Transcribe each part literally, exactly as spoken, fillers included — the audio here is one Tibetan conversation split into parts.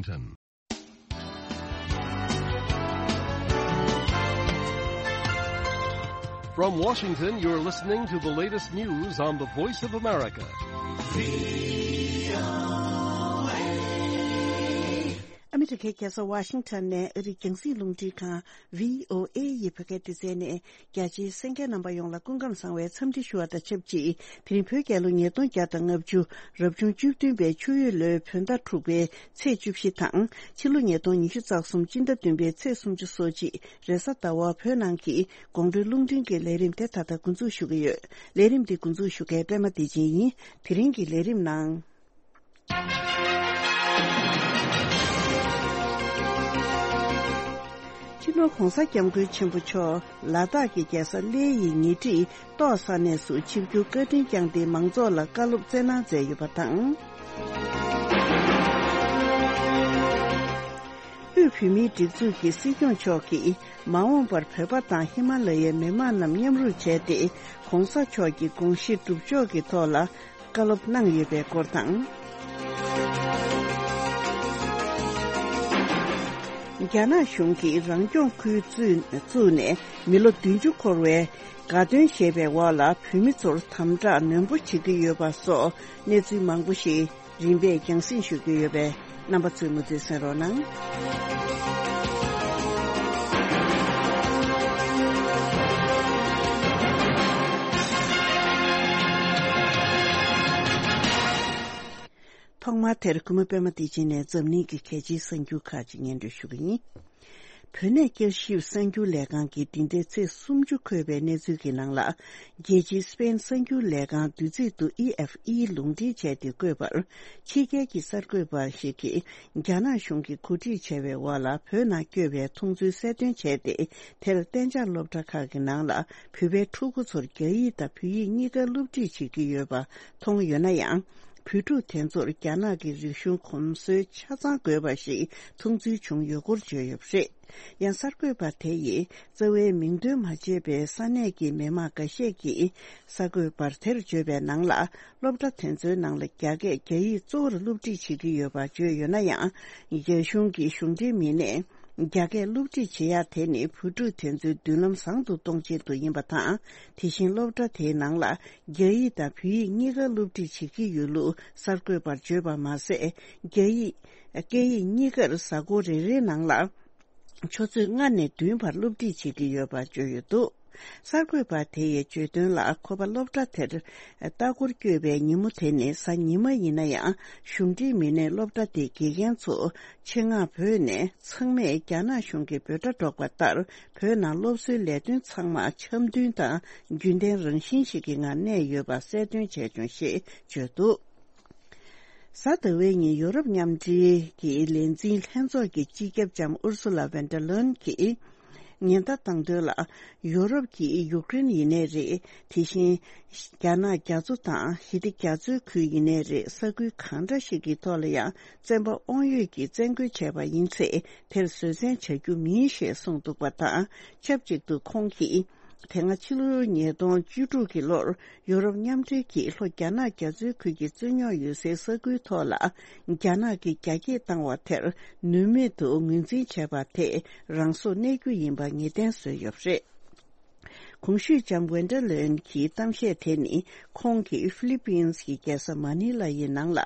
Washington. From Washington, you're listening to the latest news on the Voice of America. ཨ་མི་རི་ཀའི་རྒྱལ་ས་ཝ་ཤིང་ཊོན་ནས་ཨ་རིའི་རྒྱང་སྲིང་རླུང་འཕྲིན་ཁང་བྷི་ཨོ་ཨེ་ཡི་བོད་སྐད་སྡེ་ཚན་ནས། རྒྱ་ཆེའི་གསན་མཁན་རྣམ་པ་ཡོངས་ལ་སྐུ་ཁམས་བཟང་བའི་འཚམས་འདྲི་ཞུ་བ་དང་ཆབས་ཅིག་དེ་རིང་བོད་རྒྱལ་ལོ་ཉིས་སྟོང་བརྒྱ་དང་ལྔ་བཅུ། རབ་བྱུང་བཅུ་བདུན་པའི་ཆུ་ཡོས་ལོའི་བོད་ཟླ་དྲུག་པའི་ཚེས་བཅུ་བཞི་དང་། ཕྱི་ལོ་ཉིས་སྟོང་ཉི་ཤུ་རྩ་གསུམ་སྤྱི་ཟླ་བདུན་པའི་ཚེས་སུམ་ཅུ་སོ་གཅིག་རེས་གཟའ་ཟླ་བ། བོད་ནང་གི་དགོང་དྲོའི་རླུང་འཕྲིན་གྱི་ལས་རིམ་དེ་ད་ལྟ་འགོ་འཛུགས་ཞུ་གི་ཡོད། ལས་རིམ་འདི་འགོ་འཛུགས་ཞུ་མཁན་པད་མ་བདེ་ཆེན་ཡིན། དེ་རིང་གི་ལས་རིམ་ནང་། སྤྱི་ནོར་༧གོང་ས་༧སྐྱབས་མགོན་ཆེན་པོ་མཆོག་ལ་དྭགས་ཀྱི་རྒྱལ་ས་གླེ་ཡི་ཉེ་འཁྲིས་ཏོག་ས་གནས་སུ་ཆིབས་བསྒྱུར་བཀའ་དྲིན་བསྐྱངས་ཏེ་མང་ཚོགས་ལ་བཀའ་སློབ་སྩལ་གནང་མཛད་ཡོད་པ་དང་། དབུས་བོད་མིའི་སྒྲིག་འཛུགས་ཀྱི་སྲིད་སྐྱོང་མཆོག་གིས་མ་འོངས་པར་བོད་པ་དང་ཧི་མ་ལ་ཡའི་མི་མང་རྣམས་མཉམ་རུབ་བྱས་ཏེ། ྋགོང་ས་མཆོག་གི་དགོངས་གཞི་སྒྲུབ་ཕྱོགས་ཀྱི་ཐོག་ལ་བཀའ་སློབ་གནང་ཡོད་པའི་སྐོར་དང་། རྒྱ་ནག་གཞུང་གིས་རང་སྐྱོང་ཁུལ་བཙུགས་བཙུགས་ནས་མི་ལོ་བདུན་ཅུ་འཁོར་བའི་དགའ་སྟོན་བཞེས་པའི་འོག་ལ། བོད་མི་ཚོར་དམ་དྲག་ནན་པོ་བྱེད་ཀྱི་ཡོད་པ་སོགས་གནས་ཚུལ་མང་པོ་ཞིག་རིམ་པས་རྒྱང་སྲིང་ཞུ་རྒྱུ་ཡོད་པས། རྣམ་པ་ཚོས་མུ་མཐུད་གསན་རོགས་གནང་། ཐོག་མར་དེར་གུས་མོ་པད་མ་བདེ་ཆེན་ནས་འཛམ་གླིང་གི་གལ་ཆེའི་གསར་འགྱུར་ཁག་ཅིག་སྙན་སྒྲོན་ཞུ་གི་ཡིན། བོད་གནས་བསྐྱར་ཞིབ་གསར་འགྱུར་ལས་ཁང་གིས་འདི་ཟླའི་ཚེས་སུམ་ཅུ་འཁོད་པའི་གནས་ཚུལ་གྱི་ནང་ལ། རྒྱལ་སྤྱིའི་སི་པེན་གསར་འགྱུར་ལས་ཁང་བདུད་རྩི་དུ་ཨི་ཨེཕ་ཨི་ལུང་འདྲེན་བྱས་ཏེ་བཀོད་པར། ཕྱི་རྒྱལ་གྱི་གསར་འགོད་པ་ཞིག་གིས་རྒྱ་ནག་གཞུང་གིས་གོ་སྒྲིག་བྱས་པའི་འོག་ལ་བོད་ནང་བསྐྱོད་པའི་མཐོང་ཚུལ་གསལ་སྟོན་བྱས་ཏེ། དེར་གཏན་འཇགས་སློབ་གྲྭ་ཁག་གི་ནང་ལ་བོད་པའི་ཕྲུ་གུ་ཚོར་རྒྱ་ཡིག་དང་བོད་ཡིག་གཉིས་ཀ་སློབ་ཁྲིད་བྱེད་ཀྱི་ཡོད་པ་མཐོང་ཡོད་ན་ཡང་། བོད་ཕྲུག་དེ་ཚོར་རྒྱ་ནག་གི་རིག་གཞུང་གོམས་སྲོལ་ཆ་ཚང་དགོས་པ་ཞིག་མཐོང་ཚུལ་བྱུང་ཡོད་སྐོར་བརྗོད་ཡོད་པ་རེད། ཡང་གསར་འགོད་པ་དེ་ཡིས་རྩ་བའི་མིང་འདོན་མ་བྱས་པའི་ས་གནས་ཀྱི་མི་མང་འགའ་ཤས་ཀྱིས་གསར་འགོད་པར་དེར་བརྗོད་པའི་ནང་ལ། སློབ་གྲྭ་དེ་ཚོའི་ནང་ལ་རྒྱ་སྐད་རྒྱ་ཡིག་གཙོ་བོར་སློབ་ཁྲིད་བྱེད་ཀྱི་ཡོད་པ་བརྗོད་ཡོད་ན་ཡང་། རྒྱ་གཞུང་གི་གཞུང་འབྲེལ་མི་སྣས་རྒྱ་སྐད་སློབ་ཁྲིད་བྱེད་ཡག་དེ་ནི་བོད་ཕྲུག་དེ་ཚོའི་མདུན་ལམ་བཟང་དུ་གཏོང་ཆེད་དུ་ཡིན་པ་དང་། དེ་བཞིན་སློབ་གྲྭ་དེའི་ནང་ལ་རྒྱ་ཡིག་དང་བོད་ཡིག་གཉིས་ཀ་སློབ་ཁྲིད་བྱེད་ཀྱི་ཡོད་ལུགས་གསར་འགོད་པར་བརྗོད་པ་མ་ཟད། རྒྱ་ཡིག་སྐད་ཡིག་གཉིས་ཀར་གཟའ་འཁོར་རེ་རེའི་ནང་ལ་ཆུ་ཚོད་ལྔ་ནས་བདུན་བར་སློབ་ཁྲིད་བྱེད་ཀྱི་ཡོད་པ་བརྗོད་ཡོད་འདུག་གསར་འགོད་པ་དེ་ཡིས་བརྗོད་དོན་ལ། ཁོ་པ་སློབ་གྲྭ་དེར་ལྟ་སྐོར་བསྐྱོད་པའི་ཉིན་མོ་དེ་ནི་གཟའ་ཉི་མ་ཡིན་ན་ཡང་། གཞུང་འབྲེལ་མི་སྣས་སློབ་གྲྭ་དེའི་དགེ་རྒན་ཚོ་ཆེད་མངགས་བོས་ནས། ཚང་མས་རྒྱ་ནག་གཞུང་གི་འབོད་སྒྲ་སྒྲོག་པ་ལྟར། བོད་ནང་སློབ་གསོའི་ལས་དོན་ཚང་མ་འཆམ་མཐུན་དང་རྒྱུན་ལྡན་རང་བཞིན་ཞིག་གི་ངང་གནས་ཡོད་པ་གསལ་སྟོན་བྱས་བྱུང་ཞེས་བརྗོད་འདུག་གཟའ་ཟླ་བའི་ཉིན་ཡོ་རོབ་མཉམ་འབྲེལ་གྱི་ལས་འཛིན་ལྷན་ཚོགས་ཀྱི་སྤྱི་ཁྱབ་ལྕམ་ཨུར་སུ་ལ་ཝན་ཌར་ལོན་གྱིས་ཉེན་བརྡ་བཏང་དོན་ལ། ཡོ་རོབ་ཀྱིས་ཡུཀ་རེན་ཡིན་ནའི་རེད། དེ་བཞིན་རྒྱ་ནག་རྒྱ་མཚོ་དང་ཞི་བདེ་རྒྱ་མཚོའི་ཁུལ་ཡིན་ནའི་རེད། ས་ཁུལ་གང་འདྲ་ཞིག་གི་ཐོག་ལ་ཡང་བཙན་པ་དབང་ཡོད་ཀྱིས་བཙན་རྒོལ་བྱས་པ་ཡིན་ཚེ། དེར་བཟོད་བསྲན་བྱ་རྒྱུ་མིན་ཞེས་གསུངས་འདུག་པ་དང་། ཆབས་ཅིག་ཏུ་ཁོང་གིས། དེ་སྔ་ཕྱི་ལོ་ཉིས་སྟོང་བཅུ་དྲུག་གི་ལོར་ཡོ་རོབ་མཉམ་འབྲེལ་གྱིས་ལྷོ་རྒྱ་ནག་རྒྱ་མཚོའི་ཁུལ་གྱི་རྩོད་རྙོག་ཡོད་སའི་ས་ཁུལ་ཐོག་ལ་རྒྱ་ནག་གིས་རྒྱ་སྐྱེད་བཏང་བ་དེར་ནུས་མེད་དུ་ངོས་འཛིན་བྱས་པ་དེ་རང་སྲོག་གནས་རྒྱུ་ཡིན་པ་ངེས་གཏན་བཟོས་ཡོད་པ་རེད། གོང་ཞུས་ལྕམ་ཝན་ཌར་ལེན་གྱི་གཏམ་བཤད་དེ་ནི་ཁོང་གིས་ཧྥི་ལི་པིན་གྱི་རྒྱལ་ས་མ་ནི་ལ་ཡི་ནང་ལ་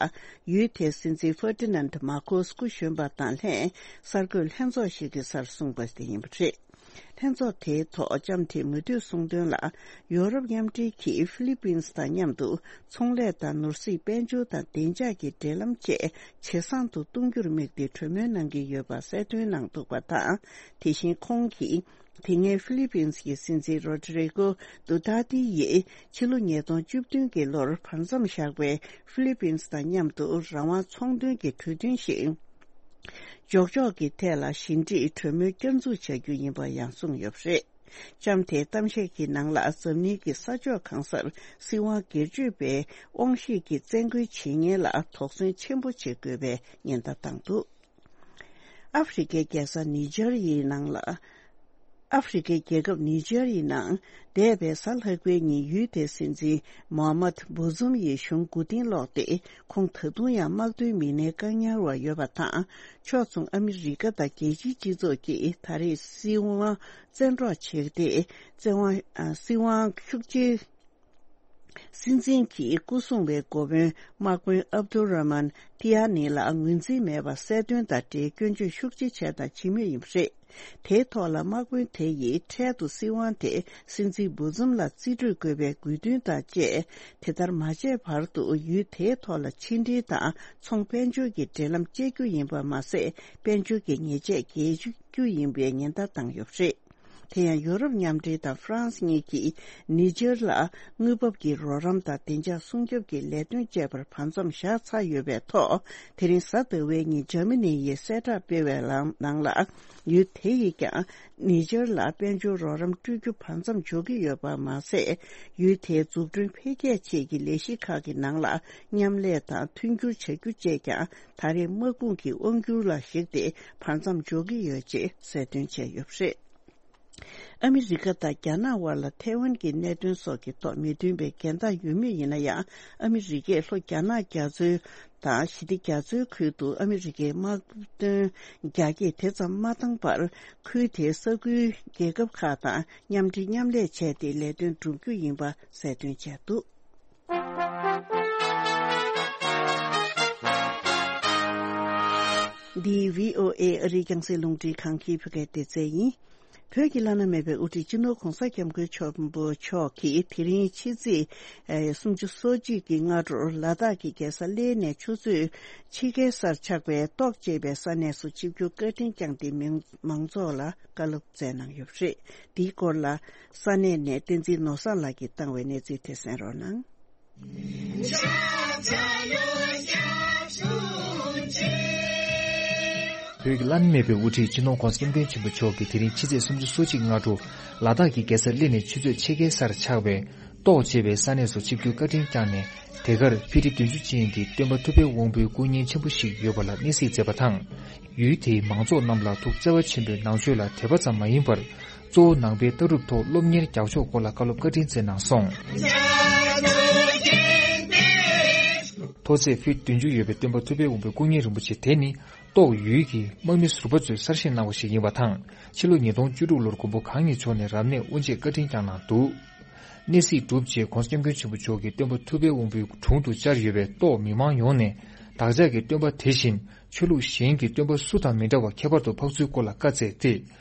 ཡུལ་དེའི་སྲིད་འཛིན་ཧྥར་ཏི་ནན་མར་ཁོ་སི་སྐུ་གཞོན་པ་དང་ལྷན་གསར་འགོད་ལྷན་ཚོགས་ཤིག་གི་སར་གསུངས་པ་དེ་ཡིན་པ་རེད། ལྷན་ཚོགས་དེའི་ཐོག་ལྕམ་དེས་མུ་མཐུད་གསུངས་དོན་ལ། ཡོ་རོབ་མཉམ་འབྲེལ་གྱིས་ཧྥི་ལི་པིན་དང་མཉམ་དུ་ཚོང་ལས་དང་ནོར་སྲིད་དཔལ་འབྱོར་དང་བདེ་འཇགས་ཀྱི་འབྲེལ་ལམ་བཅས་ཇེ་བཟང་དུ་གཏོང་རྒྱུར་དམིགས་ཏེ་གྲོས་མོལ་གནང་གི་ཡོད་པ་གསལ་སྟོན་གནང་འདུག་པ་དང་། དེ་བཞིན་ཁོང་གིས། དེ་སྔའི་ཧྥི་ལི་པིན་གྱི་སྲིད་འཛིན་རོ་ཏྲི་རི་ཀོ་ཏུ་ཏཱ་ཏི་ཡིས་ཕྱི་ལོ་ཉིས་སྟོང་བཅུ་བདུན་གྱི་ལོར་བར་མཚམས་བཞག་པའི་ཧྥི་ལི་པིན་དང་མཉམ་དུ་རང་དབང་ཚོང་དོན་གྱི་གྲོས་མཐུན་ཞིག་འཇོག་ཕྱོགས་ཀྱི་ཐད་ལ་ཞི་འགྲིག་གྲོས་མོལ་བསྐྱར་འཛུགས་བྱ་རྒྱུ་ཡིན་པ་ཡང་གསུངས་ཡོད་པ་རེད། ལྕམ་དེའི་གཏམ་བཤད་ཀྱི་ནང་ལ་འཛམ་གླིང་གི་ས་ཕྱོགས་གང་སར་སྲིད་དབང་སྒེར་གཅོད་པའི་དབང་ཤེད་ཀྱིས་བཙན་རྒོལ་བྱེད་མཁན་ལ་དོགས་ཟོན་ཆེན་པོ་བྱེད་དགོས་པའི་ཉེན་བརྡ་བཏང་འདུག་ཨ་ཧྥེ་རི་ཁའི་རྒྱལ་ས་ནི་ཇར་ཡི་ནང་ལ། ཨ་ཧྥེ་རི་ཁའི་རྒྱལ་ཁབ་ནི་ཇར་ཡི་ནང་འདས་པའི་གཟའ་ལྷག་པའི་ཉིན་ཡུལ་དེའི་སྲིད་འཛིན་མོ་ཧ་མད་བུ་ཛུམ་ཡིས་གཞུང་མགོ་རྟིང་སློག་སྟེ། ཁོང་ད་དུང་ཡང་དམག་དོན་མི་སྣའི་བཀག་ཉར་འོག་ཡོད་པ་དང་། ཕྱོགས་མཚུངས་ཨ་མི་རི་ཀ་དང་རྒྱལ་སྤྱིའི་སྤྱི་ཚོགས་ཀྱིས་ད་རེས་སྲིད་དབང་བཙན་འཕྲོག་བྱས་ཏེ། བཙན་དབང་ཨ། སྲིད་དབང་ཤུགས་ཆེ། སྲིད་འཛིན་གྱི་སྐུ་སྲུང་བའི་འགོ་དཔོན་དམག་དཔོན་ཨབ་དུ་ར་མན་ཏི་ཡ་ནི་ལ་ངོས་འཛིན་མེད་པར་གསལ་སྟོན་དང་འབྲེལ་སྐྱོན་བརྗོད་ཤུགས་ཆེ་བྱས་དང་བྱེད་མུས་ཡིན་པ་རེད། དེའི་ཐོག་ལ་དམག་དཔོན་དེ་ཡིས་འཕྲལ་དུ་སྲིད་དབང་དེ་སྲིད་འཛིན་བུ་ཛུམ་ལ་རྩིས་སྤྲོད་དགོས་པའི་དགོས་འདུན་དང་བཅས། དེ་ལྟར་མ་བྱས་བར་དུ་ཡུལ་དེའི་ཐོག་ལ་ཕྱི་འབྲེལ་དང་ཚོང་དཔལ་འབྱོར་གྱི་འབྲེལ་ལམ་བཅད་རྒྱུ་ཡིན་པ་མ་ཟད། དཔལ་འབྱོར་གྱི་ཉེས་ཆད་འགེལ་རྒྱུ་ཡིན་པའི་ཉེན་བརྡ་བཏང་ཡོད་པ་རེད། དེ་ཡང་ཡོ་རོབ་མཉམ་འབྲེལ་དང་ཧྥ་རན་སི་གཉིས་ཀྱིས་ནི་ཇར་ལ་དངུལ་འབབ་ཀྱི་རོགས་རམ་དང་བདེ་འཇགས་སྲུང་སྐྱོབ་ཀྱི་ལས་དོན་བཅས་པར་བར་མཚམས་བཞག་ཚར་ཡོད་པའི་ཐོག་དེ་རིང་གཟའ་ཟླ་བའི་ཉིན་འཇར་མ་ནི་ཡིས་གསལ་བསྒྲགས་སྤེལ་བའི་ལམ་ནང་ལ། ཡུལ་དེ་ཡིས་ཀྱང་ནི་ཇར་ལ་དཔལ་འབྱོར་རོགས་རམ་སྤྲོད་རྒྱུ་བར་མཚམས་འཇོག་གི་ཡོད་པ་མ་ཟད། ཡུལ་དེའི་འཛུགས་སྐྲུན་འཕེལ་རྒྱས་ཆེད་ཀྱི་ལས་གཞི་ཁག་གི་ནང་ལ་མཉམ་ལས་དང་མཐུན་འགྱུར་བྱ་རྒྱུ་བཅས་ཀྱང་ད་རེས་དམག་དཔུང་གི་དབང་སྒྱུར་ལ་གཞིགས་ཏེ་བར་མཚམས་འཇོག་གི་ཡོད་ཅེས་གསལ་སྟོན་བྱས་ཡོད་པ་རེད། ཨ་མི་རི་ཀ་དང་རྒྱ་ནག་དབར་ལ་ཐའེ་ཝན་གྱི་གནད་དོན་སོགས་ཀྱི་ཐོག་མི་མཐུན་པའི་འགལ་ཟླ་ཡོད་མུས་ཡིན་ན་ཡང་། ཨ་མི་རི་ཀས་ལྷོ་རྒྱ་ནག་རྒྱ་མཚོའི་དང་ཞི་བདེ་རྒྱ་མཚོའི་ཁུལ་དུ་ཨ་མི་རི་ཀའི་དམག་དོན་རྒྱ་སྐྱེད་དེ་ཙམ་མ་བཏང་བར། ཁུལ་དེའི་ས་ཁུལ་རྒྱལ་ཁབ་ཁག་དང་མཉམ་འབྲེལ་མཉམ་ལས་བྱས་ཏེ་ལས་དོན་བསྒྲུབ་རྒྱུ་ཡིན་པ་གསལ་སྟོན་བྱས་འདུག། འདི་བྷི་ཨོ་ཨེ་ཨ་རིའི་རྒྱང་སྲིང་རླུང་འཕྲིན་ཁང་གི་བོད་སྐད་སྡེ་ཚན་ཡིན། བོད་ཀྱི་བླ་ན་མེད་པའི་དབུ་ཁྲིད་སྤྱི་ནོར་༧གོང་ས་༧སྐྱབས་མགོན་ཆེན་པོ་མཆོག་གིས་དེ་རིང་ཕྱི་ཚེས་སུམ་ཅུ་སོ་གཅིག་གི་སྔ་དྲོར་ལ་དྭགས་ཀྱི་རྒྱལ་ས་གླེ་ནས་ཆུ་ཚོད་ཕྱེད་ཀའི་སར་ཆགས་པའི་ཏོག་ཅེས་པའི་ས་གནས་སུ་ཆིབས་བསྒྱུར་བཀའ་དྲིན་བསྐྱངས་ཏེ་མི་མང་ཚོགས་ལ་བཀའ་སློབ་སྩལ་གནང་ཡོད་པ་རེད། འདིའི་སྐོར་ལ་ས་གནས་ནས་བསྟན་འཛིན་ནོར་བཟང་ལགས་ཀྱིས་བཏང་བའི་གནས་ཚུལ་དེ་གསན་རོགས་གནང་། བོད་ཀྱི་བླ་ན་མེད་པའི་དབུ་ཁྲིད་སྤྱི་ནོར་༧གོང་ས་༧སྐྱབས་མགོན་ཆེན་པོ་མཆོག་གིས་དེ་རིང་ཕྱི་ཚེས་སུམ་ཅུ་སོ་གཅིག་སྔ་དྲོ་ལ་དྭགས་ཀྱི་རྒྱལ་ས་གླེ་ནས་ཆུ་ཚོད་ཕྱེད་ཀའི་སར་ཆགས་པའི་ཏོག་ཅེས་པའི་ས་གནས་སུ་ཆིབས་བསྒྱུར་བཀའ་དྲིན་བསྐྱངས་ནས། དེ་གར་ཕི་ཊི་བདུན་ཅུ་ཅན་གྱི་སྟོན་པ་ཐུབ་པའི་དབང་པོའི་སྐུ་བརྙན་ཆེན་པོ་ཞིག་ཡོད་པ་ལ་གནས་གཟིགས་མཛད་པ་དང་། ཡུལ་དེའི་མང་ཚོགས་རྣམས་ལ་ཐུགས་བརྩེ་བ་ཆེན་པོས་ནང་ཆོས་ལ་དད་པ་ཙམ་མ་ཡིན་པར། གཙོ་བོ་ནང་པའི་ལྟ་གྲུབ་ཐོག་སློབ་གཉེར་རྒྱག་ཕྱོགས་སྐོར་ལ་བཀའ་སློབ་བཀའ་དྲིན་སྩལ་གནང་སོང་། མཐོ་ཚད་ཕུད་བདུན་ཅུ་ཡོད་པའི་སྟོན་པ་ཐུབ་པའི་དབང་པོའི་སྐུ་བརྙན་རིན་པོ་ཆེ་དེ་ནི། ཏོག་ཡུལ་གྱི་དམག་མི་ཟུར་པ་ཚོས་གསར་བཞེངས་གནང་བ་ཞིག་ཡིན་པ་དང་། ཕྱི་ལོ་ཉིས་སྟོང་བཅུ་དྲུག་ལོར་མགོན་པོ་གང་ཉིད་མཆོག་ནས་རབ་གནས་དབུ་འབྱེད་བཀའ་དྲིན་བསྐྱངས་གནང་འདུག། གནས་གཟིགས་གྲུབ་རྗེས་༧གོང་ས་༧སྐྱབས་མགོན་ཆེན་པོ་མཆོག་གིས་སྟོན་པ་ཐུབ་པའི་དབང་པོའི་དྲུང་དུ་བཅར་ཡོད་པའི་ཏོག་མི་མང་ཡོངས་ནས། བདག་ཅག་གི་སྟོན་པ་དེ་བཞིན་ཆོས་ལུགས་གཞན་གྱི་སྟོན་པ་སུ་དང་མི་འདྲ་བ་ཁྱད་པར་དུ་འཕགས་ཚུལ་སྐོར་ལ་བཀའ་སྩལ་ཏེ།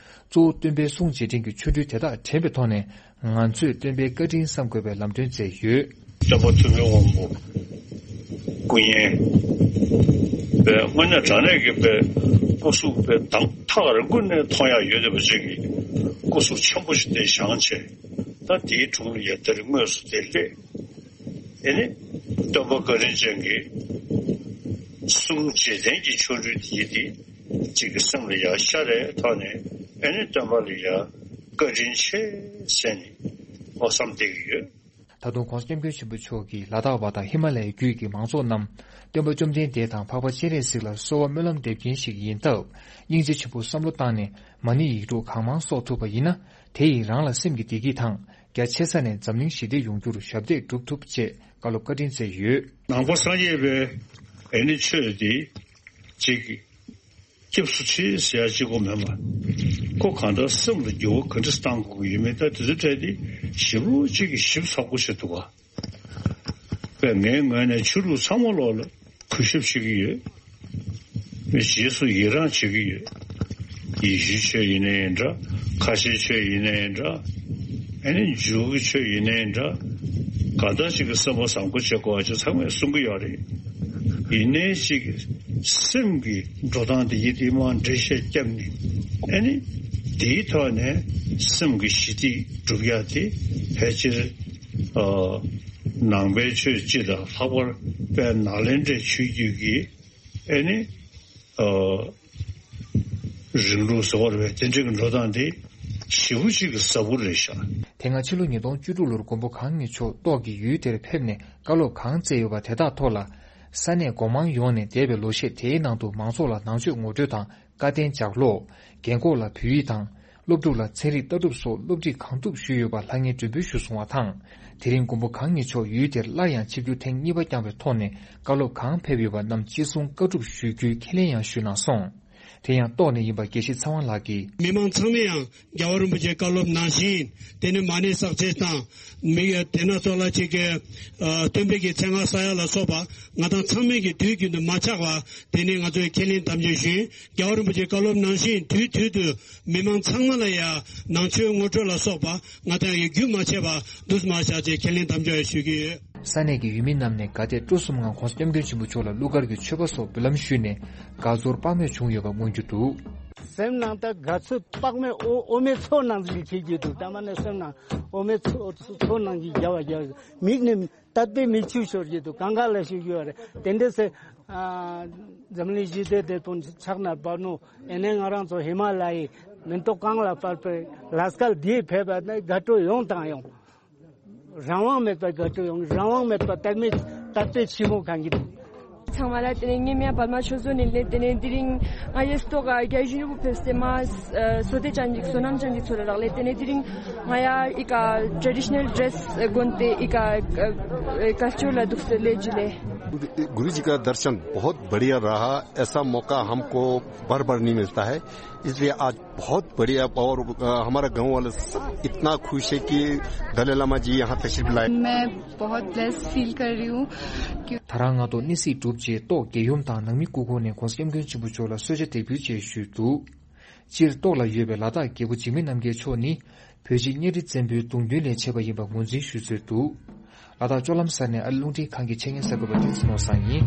གཙོ་བོ་སྟོན་པའི་གསུང་རྗེས་དྲན་གྱི་ཆོ་འཕྲུལ་དེ་དག་དྲན་པའི་ཐོག་ནས། ང་ཚོས་སྟོན་པའི་བཀའ་དྲིན་བསམ་དགོས་པའི་ལམ་སྟོན་མཛད་ཡོད། སྟོན་པ་ཐུབ་པའི་དབང་པོ་སྐུ་བརྙན་པས་དངོས་གནས་དྲང་གནས་ཀྱི་པའི་སྐུ་གཟུགས་པའི་གདངས་ཐག་རིང་པོ་ནས་མཐོང་ཡག་ཡོད་བསྡད་པ་ཅིག་གི་སྐུ་གཟུགས་ཆེན་པོ་ཞིག་དེ་བཞེངས་བྱས། ད་དེའི་དྲུང་ལ་ཡ་དེར་དངོས་སུ་དེ་སླེབས། ཨེ་ནི་སྟོན་པ་བཀའ་དྲིན་ཅན་གྱི་གསུང་རྗེས་དྲན་གྱི་ཆོ་འཕྲུལ་དེ་ཡིན་ཏེ། གཅིག་གི་སེམས་ལ་ཡ་ཤར་རེ་ཐོག་ནས། ཨེ་ནི་སྟོན་པ་ལ་ཡ་བཀའ་དྲིན་ཆེ་ཟེར་ནས་ཨོ་བསམ་བསྡད་ཀྱི་ཡོད། ད་དུང་༧གོང་ས་༧སྐྱབས་མགོན་ཆེན་པོ་མཆོག་གིས་ལ་དྭགས་པ་དང་ཧི་མ་ལ་ཡའི་རྒྱུད་ཀྱི་མང་ཚོགས་རྣམས་སྟོན་པ་བཅོམ་ལྡན་འདས་དང་འཕགས་པ་སྤྱན་རས་གཟིགས་ལ་གསོལ་བ་སྨོན་ལམ་འདེབས་མཁན་ཞིག་ཡིན་སྟབས། སྙིང་རྗེ་ཆེན་པོས་བསམ་བློ་བཏང་ནས་མ་ཎི་ཡིག་དྲུག་གང་མང་གསོག་ཐུབ་པ་ཡིན་ན། དེ་ཡིས་རང་ལ་སེམས་ཀྱི་བདེ་སྐྱིད་དང་། རྒྱ་ཆེ་ས་ནས་འཛམ་གླིང་ཞི་བདེ་ཡོང་རྒྱུར་ཞབས་འདེགས་སྒྲུབ་ཐུབ་ཅེས་བཀའ་སློབ་བཀའ་དྲིན་སྩལ་ཡོད། ནང་པ་སངས་རྒྱས་པའི་ཨེ་ནི་ཆོས་འདི་གཅིག་གི་སྐྱབས་སུ་མཆི་ཟེར་ཡ་གཅིག་པོ་མེད་པ། ཁོ་གང་ལྟར་སེམས་ལ་འགྱུར་བ་ག་འདྲ་བཏང་དགོས་ཀྱི་ཡོད་མེད། ད་དེ་ཚོའི་གྲས་དེ་ཞིབ་ལོ་གཅིག་གིས་ཞིབ་ཚགས་པོ་བྱེད་ཐུབ་པ། པས་ངའི་ངོས་ནས་ཆོས་ལུགས་ཚང་མ་ལོག་ལ་གུས་ཞབས་བྱེད་ཀྱི་ཡོད། རྗེས་སུ་ཡི་རང་བྱེད་ཀྱི་ཡོད། ཡེ་ཤུའི་ཆོས་ཡིན་ནའི་འདྲ། ཁ་ཆེའི་ཆོས་ཡིན་ནའི་འདྲ། ཨ་ནི་འཇུའུ་གི་ཆོས་ཡིན་ནའི་འདྲ། གང་ལྟར་ཅིག་གི་བསམ་པ་བཟང་པོ་བྱེད་དགོས་པ་ཅིག་ཚང་མས་གསུང་གི་ཡོད་རེད། ཡིན་ནའི་ཅིག་སེམས་ཀྱི་འགྲོ་སྟངས་དེ་ཡིད་དེ་མར་འགྲེལ་བཤད་བརྒྱབ་ནས། ཨ་ནི་དེའི་ཐོག་ནས་སེམས་ཀྱི་ཞི་བདེ་སྒྲུབ་ཡ་དེ་ཕལ་ཆེར་ཨ་ནང་པའི་ཆོས་སྤྱི་དང་ལྷག་པར་དཔལ་ནཱ་ལེནྡྲའི་ཆོས་བརྒྱུད་ཀྱི་ཨ་ནི་ཨ་རིང་ལུགས་ཟེར་བ་རེད་པས། དེ་འདྲའི་འགྲོ་སྟངས་དེ་ཞེ་པོ་ཅིག་གི་ཟབ་པོ་རེད་ཤག། དེ་སྔ་ཕྱི་ལོ་ཉིས་སྟོང་བཅུ་དྲུག་ལོར་མགོན་པོ་གང་ཉིད་མཆོག་ཏོག་གི་ཡུལ་དེར་ཕེབས་ནས་བཀའ་སློབ་གང་སྩལ་ཡོད་པ་དེ་དག་ཐོག་ལ། ས་གནས་སྒོ་མང་ཡོངས་ནས་འདས་པའི་ལོ་ཤས་དེའི་ནང་དུ་མང་ཚོགས་ལ་ནང་ཆོས་ངོ་སྤྲོད་དང་བཀའ་བསྟན་ལྗགས་ཀློག། རྒན་འཁོགས་ལ་བོད་ཡིག་དང་། སློབ་ཕྲུག་ལ་ཚན་རིག་ལྟ་གྲུབ་སོགས་སློབ་ཁྲིད་གང་ཐུབ་ཞུས་ཡོད་པ་ལྷང་ངེར་མགྲོན་འབོད་ཞུས་སོང་བ་དང་། དེ་རིང་མགོན་པོ་གང་ཉིད་མཆོག་ཡུལ་དེར་སླར་ཡང་ཆིབས་བསྒྱུར་ཐེངས་གཉིས་པ་བསྐྱངས་པའི་ཐོག་ནས་བཀའ་སློབ་གང་ཕེབས་ཡོད་པ་རྣམས་ཅི་གསུང་བཀའ་སྒྲུབ་ཞུ་རྒྱུའི་ཁས་ལེན་ཡང་ཞུས་གནང་སོང་། དེ་ཡང་ལྟོགས་ནས་ཡིན་པ་དགེ་བཤེས་ཚེ་དབང་ལགས་ཀྱིས། མི་མང་ཚང་མས་ཡང་རྒྱལ་བ་རིན་པོ་ཆེའི་བཀའ་སློབ་ནང་བཞིན་དེ་ནི་མ་ཎི་བསགས་ཚད་དང་། མི་དེ་ན་ཚོ་ལ་ཅིག་གི་ཨ་སྟོན་པའི་གི་མཚན་སྔགས་བསག་ཡ་ལ་སོགས་པ་ང་དང་ཚང་མས་ཀྱི་དུས་རྒྱུན་དུ་མ་ཆག་པ་དེ་ནི་ང་ཚོས་ཁས་ལེན་དམ་བཅའ་ཞུ་ཡིན། རྒྱལ་བ་རིན་པོ་ཆེའི་བཀའ་སློབ་ནང་བཞིན་དུས་དུས་དུ་མི་མང་ཚང་མ་ལ་ཡང་ནང་ཆོས་ངོ་སྤྲོད་ལ་སོགས་པ་ང་དང་ཡང་རྒྱུན་མ་ཆད་པ་འདུག་མ་བཞག་ཅེས་ཁས་ལེན་དམ་བཅའ་ཞུ་གི་ཡོད། ས་གནས་ཀྱི་ཡུལ་མི་རྣམས་ནས་དགའ་དད་སྤྲོ་གསུམ་ངང་༸གོང་ས་༸སྐྱབས་མགོན་ཆེན་པོ་མཆོག་ལ་གླུ་གར་གྱི་མཆོད་པ་སོགས་འབུལ་ལམ་ཞུས་ནས་དགའ་ཚོར་དཔག་མེད་བྱུང་ཡོད་པ་མངོན་གྱུར་འདུག། སེམས་ནང་ད་དགའ་ཚོར་དཔག་མེད་འོ་འོ་མའི་ཚོགས་ནང་བཞིན་བྱེད་ཀྱི་འདུག། ད་མ་ནས་སེམས་ནང་འོ་མའི་ཚོགས་ཚོགས་ནང་བཞིན་རྒྱབ་པ་རྒྱབ། མིག་ནས་དད་པའི་མིག་ཆུ་ཤོར་གྱི་འདུག། གང་ག་ལ་ཞུ་རྒྱུ་རེད། དེ་འདྲ་སེ་ཨ་འཛམ་གླིང་ཞི་བདེ་དེ་དང་ཕྱག་ན་པ་ནོ། ཨེ་ནས་ང་རང་ཚོ་ཧི་མ་ལ་ཡའི་མེ་ཏོག་གང་ལ་སྤར་པའི་ལ་སྐལ་འདིའི་ཕེབས་པ་ནི་དགའ་སྤྲོ་ཡོང་དང་ཡོང་། རང་དབང་མེད་པ་དགའ་སྤྲོ་ཡོང་། རང་དབང་མེད་པ་དད་མོས་དད་པའི་ཆེན་མོ་གང་གི་འདུག། ཚང་མ་ལ་དེ་ནས་ངའི་མིང་ལ་པདྨ་ཆོས་བཟང་ཡིན་ལེ། དེ་ནས་དེ་རིང་ང་ཡི་སྟོད་ཀ་རྒྱ་གཞུང་རིང་པོ་ཕེབས་སེ་མ་བསོད་བདེ་ཅན་གྱི་བསོད་ནམས་ཅན་གྱི་ཚོ་ལ་རག་ལེ། དེ་ནས་དེ་རིང་ང་ཡ་ཨི་ཀ་traditional dress གོན་ཏེ་ཨི་ཀ་ཀ་ལྕོག་ལ་འདུག་སེ་ལེ་ཇི་ལེ། गुरु जी का दर्शन बहुत बढ़िया रहा। ऐसा मौका हमको बार बार नहीं मिलता है, इसलिए आज बहुत बढ़िया। और अ, हमारा गांव वाले सब इतना खुश है कि दलाई लामा जी यहाँ तशरीफ लाए। मैं बहुत ब्लेस्ड फील कर रही हूँ। ད་རང་ང་ཏོག་གནས་སྲིད་གྲུབ་རྗེས་ཏོག་རྒྱལ་ཡུམ་དང་ནང་མི་སྐུ་འཁོར་ནས་༸གོང་ས་༸སྐྱབས་མགོན་ཆེན་པོ་མཆོག་ལ་གསོལ་ཇ་འདེགས་འབུལ་བཅས་ཞུས་འདུག། སྤྱིར་ཏོག་ལ་ཡོད་པའི་ལ་དྭགས་རྒྱལ་པོ་འཇིགས་མེད་རྣམ་རྒྱལ་མཆོག་ནི་བོད་རྗེ་གཉའ་ཁྲི་བཙན་པོའི་གདུང་མདུན་ལས་མཆེད་པ་ཡིན་པ་ངོས་འཛིན་ཞུ་སྲོལ་འདུག། ལ་དྭགས་ལྕོག་ལམ་གསར་ནས་ཨ་རི་རླུང་འཕྲིན་ཁང་གི་ཆེད་གཉེར་གསར་འགོད་པ་བསྟན་འཛིན་ནོར་བཟང་ཡིན།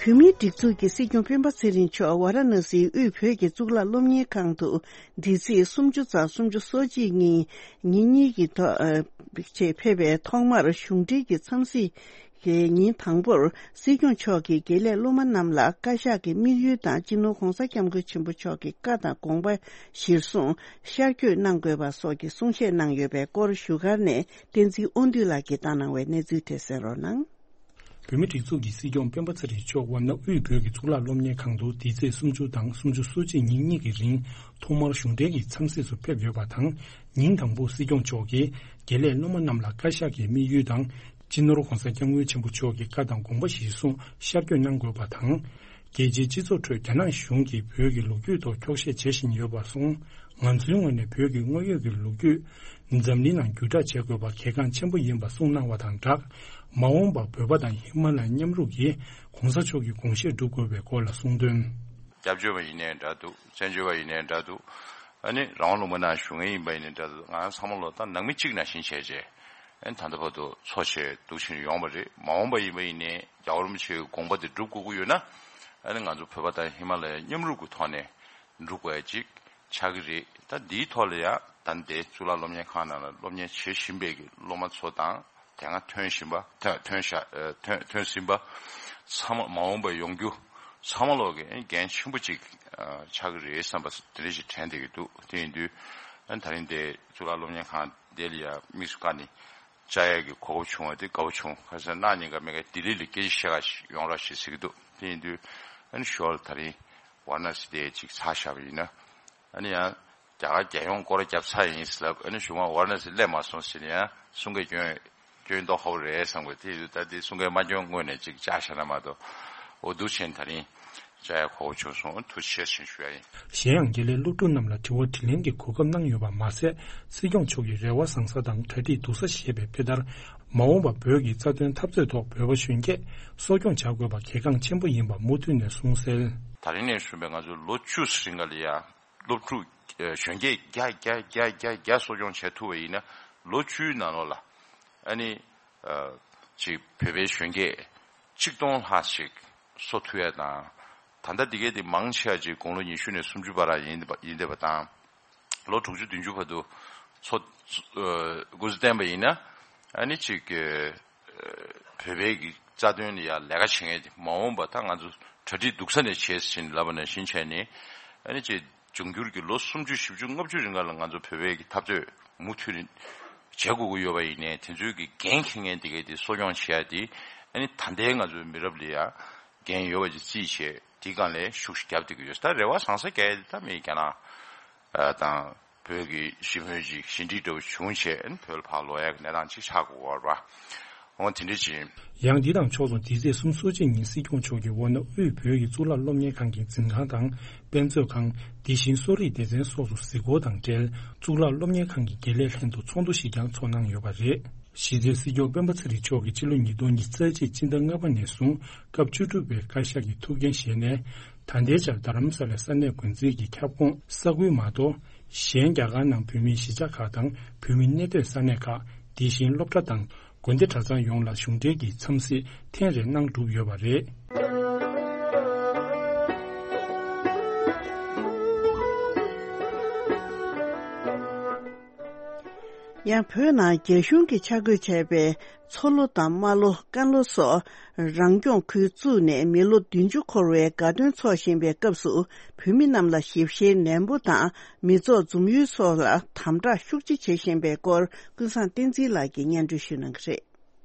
བོད་མིའི་སྒྲིག་འཛུགས་ཀྱི་སྲིད་སྐྱོང་སྤེན་པ་ཚེ་རིང་མཆོག་ཝཱ་ར་ཎ་སིའི་དབུས་བོད་ཀྱི་གཙུག་ལག་སློབ་གཉེར་ཁང་དུ་འདི་ཚེས་སུམ་ཅུ་ཚེས་སུམ་ཅུ་སོ་གཅིག་ཉིན་ཉིན་གཉིས་ཀྱི་ཐོག་ཨ་ཆེད་ཕེབས་པའི་ཐོག་མར་གཞུང་འབྲེལ་གྱི་འཚམས་གཟིགས་ཀྱི་ཉིན་དང་པོར་སྲིད་སྐྱོང་མཆོག་གིས་དགེ་ལས་སློབ་མ་རྣམས་ལ་བཀའ་ཤག་གི་དམིགས་ཡུལ་དང་སྤྱི་ནོར་༸གོང་ས་༸སྐྱབས་མགོན་ཆེན་པོ་མཆོག་གི་བཀའ་དང་དགོངས་པ་གཞིར་བཟུང་ཤར་བསྐྱོད་གནང་དགོས་པ་སོགས་ཀྱི་གསུང་བཤད་གནང་ཡོད་པའི་སྐོར་བཞུགས་སྒར་ནས་བསྟན་འཛིན་དབང་འདུས་ལགས་ཀྱིས་བཏང་གནང་བའི་གནས་ཚུལ་དེ་གསན་རོགས་གནང་། བོད་མིའི་སྒྲིག་འཛུགས་ཀྱི་སྲིད་སྐྱོང་སྤེན་པ་ཚེ་རིང་མཆོག་ཝཱ་ཎ་དབུས་བོད་ཀྱི་གཙུག་ལག་སློབ་གཉེར་ཁང་དུ་འདི་ཚེས་སུམ་ཅུ་དང་སུམ་ཅུ་སོ་གཅིག་ཉིན་གཉིས་ཀྱི་རིང་ཐོག་མར་གཞུང་འབྲེལ་གྱི་འཚམས་གཟིགས་སུ་ཕེབས་ཡོད་པ་དང་། ཉིན་དང་པོ་སྲིད་སྐྱོང་མཆོག་གིས་དགེ་ལས་སློབ་མ་རྣམས་ལ་བཀའ་ཤག་གི་དམིགས་ཡུལ་དང་། སྤྱི་ནོར་༸གོང་ས་༸སྐྱབས་མགོན་ཆེན་པོ་མཆོག་གི་བཀའ་དང་དགོངས་པ་གཞིར་བཟུང་ཤར་བསྐྱོད་གནང་དགོས་པ་དང་། རྒྱལ་སྤྱིའི་སྤྱི་ཚོགས་ཁྲོད་རྒྱ་ནག་གཞུང་གིས་བོད་ཀྱི་ལོ་རྒྱུས་ཐོག་འཁྱོག་བཤད་བྱེད་བཞིན་ཡོད་པར་སོང་། ང་ཚོའི་ངོས་ནས་བོད་ཀྱི་དངོས་ཡོད་ཀྱི་ལོ་རྒྱུས་འཛམ་གླིང་ནང་བརྒྱུད་བསྒྲགས་བྱེད་དགོས་པ་གལ་འགངས་ཆེན་པོ་ཡིན་པ་གསུངས་གནང་བ་དང་སྦྲགས། མ་འོངས་པར་བོད་པ་དང་ཧི་མ་ལ་ཡའི་མཉམ་རུབ་ཀྱིས་༸གོང་ས་མཆོག་གི་དགོངས་བཞེད་སྒྲུབ་དགོས་པའི་སྐོར་ལ་གསུངས་དོན། སྐྱབས་བཅོལ་བ་ཡིན་ནའི་འདྲ་འདུག། བཙན་བྱོལ་བ་ཡིན་ནའི་འདྲ་འདུག། ཨ་ནི་རང་དབང་ལུང་པ་ནང་བཞུགས་མཁན་ཡིན་པ་ཡིན་ནའི་འདྲ་འདུག། ང་ཚང་མ་ལོ་ད་ནང་མི་གཅིག་ནང་བཞིན་བྱས་རྗེས། ཨ་ནི་ད་ལྟ་བར་དུ་འཚོ་བྱས་འདུག་ཕྱིན་ཡོང་བ་རེད། མ་འོངས་པ་ཡིན་པ་ཡིན་ནའི་རྒྱལ་བ་རིན་པོ་ཆེའི་དགོངས་པ་དེ་སྒྲུབ་དགོས་ཀྱི་ཡོད་ན། ཨ་ནི་ང་ཚོ་བོད་པ་དང་ཧི་མ་ལ་ཡའི་མཉམ་རུབ་ཀྱི་ཐོག་ནས་སྒྲུབ་དགོས་ཡ་གཅིག་ཆགས་ཀྱི་རེད། ད་འདིའི་ཐོག་ལ་ཡང་ད་འདའི་གཙུག་ལག་སློབ་གཉེར་ཁང་ནང་ལ་སློབ་གཉེར་བྱེད་བཞིན་པའི་གི་སློབ་མ་ཚོ་དང་། དེ་སྔ་ཐོན་བཞིན་པ། ཐོན་ཐོན་ཤ་ཨ་ཐོན་ཐོན་ཟིན་པ་ཚང་མ་མ་འོངས་པར་ཡོང་རྒྱུ་ཚང་མ་ལོག་གི་འགན་ཆེན་པོ་ཅིག་ཨ་ཆགས་ཀྱི་རེད་བསམ་པ་དེ་འདྲ་ཞིག་དྲན་བསྡད་ཀྱི་འདུག། དེ་ཡིན་དུས་ཨ་ད་རིང་དེ་གཙུག་ལག་སློབ་གཉེར་ཁང་དེ་ལ་ཡ་དམིགས་སུ་བཀར་ནས་བཅར་ཡག་གི་གོ་སྐབས་བྱུང་བ་དེ་དགའ་པོ་བྱུང་། ཁ་སང་གནངས་ཉིན་ཀ་མེ་ཀ་ལྡི་ལི་ལ་སྐད་ཆ་བཤད་ག་ཞིག་ཡོང་རོགས་ཞེས་ཟེར་གྱི་འདུག། དེ་ཡིན་དུས་ཨ་ནི་ཞོར་ད་རིང་ཝཱ་ར་ཎ་སི་དེ་ཅིག་ཚར་བཞག་པ་ཡིན་ན། ཨ་ནི་ཡང་རྒྱ་གར་རྒྱལ་ཡོངས་སྐོར་ར་བརྒྱབ་ཚར་ཡིན་ཟེར་ལབ། ཨ་ནི་གཞུག་མ་ཝཱ་ར་ཎ་སི་སླེབས་མ་སོང་ཟེར་ནས་ཡང་གསུང་སྐད་སྐྱོན་སྐྱོན་མདོག་ཁ་པོ་རེད་བསམ་གི། དེ་ཡིན་དུས་ད་དེ་གསུང་སྐད་མ་སྐྱོན་སྔོན་ནས་ཅིག་བཅར་བཞག་ན་མ་གཏོགས། འོ་འདུག་བྱས་ད་རིང་བཅར་ཡ་གོ་སྐབས་བྱུང་སོང་། ཐུགས་རྗེ་ཆེ་ཞུ་ཡ་ཡིན། གཞན་ཡང་དགེ་ལས་སློབ་ཕྲུག་རྣམས་ལ་དྲི་བ་དྲིས་ལན་གྱི་གོ་སྐབས་གནང་ཡོད་པ་མ་ཟད། སྲིད་སྐྱོང་མཆོག་གིས་རེ་བ་བཟང་ས་དང་གྲ་སྒྲིག་སྡུག་ས་ཞེས་པའི་དཔེ་ལྟར། མ་འོངས་པར་བོད་ཀྱི་རྩ་དོན་འཐབ་རྩོད་ཐོག་བོད་པ་གཞོན་སྐྱེས་གསོ་སྐྱོང་བྱ་དགོས་པ་གལ་འགངས་ཆེན་པོ་ཡིན་པ་མུ་མཐུད་ནས་གསུངས་གསལ། ད་རིང་ནས་བཟུང་བའི་ང་ཚོ་ལོ་བཅུ་རིང་ག་ལ་ཡ། སློབ་ཕྲུག་ཨ་གཞོན་སྐྱེས་བརྒྱ་བརྒྱ་བརྒྱ་བརྒྱ་བརྒྱ་གསོ་སྐྱོང་བྱེད་ཐུབ་པ་ཡིན་ན། ལོ་བཅུའི་ནང་ལོགས་ལ་ཨ་ནི་ཨ་ཅིག་བོད་པའི་གཞོན་སྐྱེས་གཅིག་སྟོང་ལྷག་ཞིག་གསོ་ཐུབ་ཡ་དང་། ད་ལྟ་འདི་གའི་དེ་མང་ཆེ་བ་ཅིག་དགུང་ལོ་ཉི་ཤུ་ནས་སུམ་ཅུ་བར་ཡིན་བསྡད་པ་དང་། ལོ་དྲུག་ཅུ་བདུན་ཅུ་བར་དུ་འཚོ་ཨ་སྐུ་ཚེ་བརྟན་པ་ཡིན་ན། ཨ་ནི་ཅིག་ཨ་བོད་པའི་གི་རྩ་དོན་ལ་ཡ་ལས་ཀ་བྱེད་མཁན་དེ་མ་འོངས་པ་ད་ང་ཚོ་གྲ་སྒྲིག་སྡུག་ས་ནས་བྱས་ཟིན་ལབ་པ་ནང་བཞིན་བྱས་ནས། ཨ་ནི་ཅིག་འབྱུང་འགྱུར་གྱི་ལོ་སུམ་ཅུ་བཞི་བཅུ་ལྔ་བཅུ་རིང་ག་ལ་ང་ཚོ་བོད་པའི་གི་འཐབ་རྩོད་མུ་མཐུད་ནས་ བྱེད་དགོས་ཀྱི་ཡོད་པ་ཡིན་ནའི་དེ་ཚོའི་གི་འགན་འཁྱེར་མཁན་དེ་གས་དེ་གསོ་སྐྱོང་བྱེད་ཡ་དེ་ཨ་ནི་ད་ལྟའི་ང་ཚོའི་མི་རབས་ལ་ཡ་འགན་ཡོད་པ་ཅིག་རྩིས་བྱས་དེ་སྒང་ལ་ཤུགས་ཤིག་རྒྱབ་བསྡད་ཀྱི་ཡོད། ད་རེ་བ་བཟང་ས་གས་དེ་ད་མི་རྒྱ་ནག་དང་བོད་ཀྱི་ཞི་མོལ་ཅིག་ཞི་འགྲིག་འདྲ་བོ་བྱུང་བྱས་ཨ་ནི་བོད་ལ་ཕར་ལོག་ཡ་གི་གནས་སྟངས་ཅིག་ཆགས་དགོས་པ་རེད་པ། འོ་དེ་འདྲ་ཅིག་ཡང་འདི་དང་ཕྱོགས་མཚུངས་འདི་ཚེས་གསུམ་གསོལ་ཇ་ཉིན་སྲིད་སྐྱོང་མཆོག་གིས་ཝོ་ནོ་དབུས་བོད་ཀྱི་གཙུག་ལག་སློབ་གཉེར་ཁང་གི་འཛིན་ཁང་དང་དཔེ་མཛོད་ཁང་། དེ་བཞིན་གསོ་རིག་སྡེ་ཚན་སོགས་སུ་གཟིགས་སྐོར་དང་འབྲེལ་གཙུག་ལག་སློབ་གཉེར་ཁང་གི་དགེ་ལས་ལྷན་དུ་ཚོགས་འདུ་ཞིག་ཀྱང་ཚོགས་གནང་ཡོད་པ་རེད། གཞི་རྩའི་སྲིད་སྐྱོང་སྤེན་པ་ཚེ་རིང་མཆོག་གིས་ཕྱི་ལོ་ཉིས་སྟོང་ཉི་ཤུ་རྩ་གཅིག་སྤྱི་ཟླ་ལྔ་པ་ནས་བཟུང་སྐབས་བཅུ་དྲུག་པའི་བཀའ་ཤག་གི་ཐུགས་འགན་བཞེས་ནས་ད་ལྟའི་ཆར་རྡ་རམ་ས་ལའི་ས་གནས་འགོ་འཛིན་གྱི་ཁྱབ་ཁོངས་ས་ཁུལ་མ་གཏོགས་གཞན་རྒྱ་གར་ནང་བོད་མིའི་གཞིས་ཆགས་ཁག་དང་བོད་མི་གནས་སྡོད་ས་གནས་ཁག་དེ་བཞིན་སློབ་གྲྭ་དང་། དགོན་སྡེ་གྲྭ་ཚང་ཡོངས་ལ་གཞུང་འབྲེལ་གྱི་འཚམས་གཟིགས་ཐེངས་རེ་གནང་གྲུབ་ཡོད་པ་རེད། ཡང་བོད་ནང་རྒྱ་གཞུང་གིས་ཆ་བགོས་བྱས་པའི་མཚོ་ལྷོ་དང་རྨ་ལྷོ། ཀན་ལྷོ་སོགས་རང་སྐྱོང་ཁུལ་བཙུགས་ནས་མི་ལོ་བདུན་ཅུ་འཁོར་བའི་དགའ་སྟོན་འཚོགས་བཞིན་པའི་སྐབས་སུ། བོད་མི་རྣམས་ལ་ཞིབ་བཤེར་ནན་པོ་དང་། མི་ཚོགས་འཛོམས་ཡུལ་སོགས་ལ་དམ་དྲག་ཤུགས་ཆེ་བྱེད་བཞིན་པའི་སྐོར་ཀུན་བཟང་བསྟན་འཛིན་ལགས་ཀྱིས་སྙན་སྒྲོན་ཞུ་གནང་གི་རེད།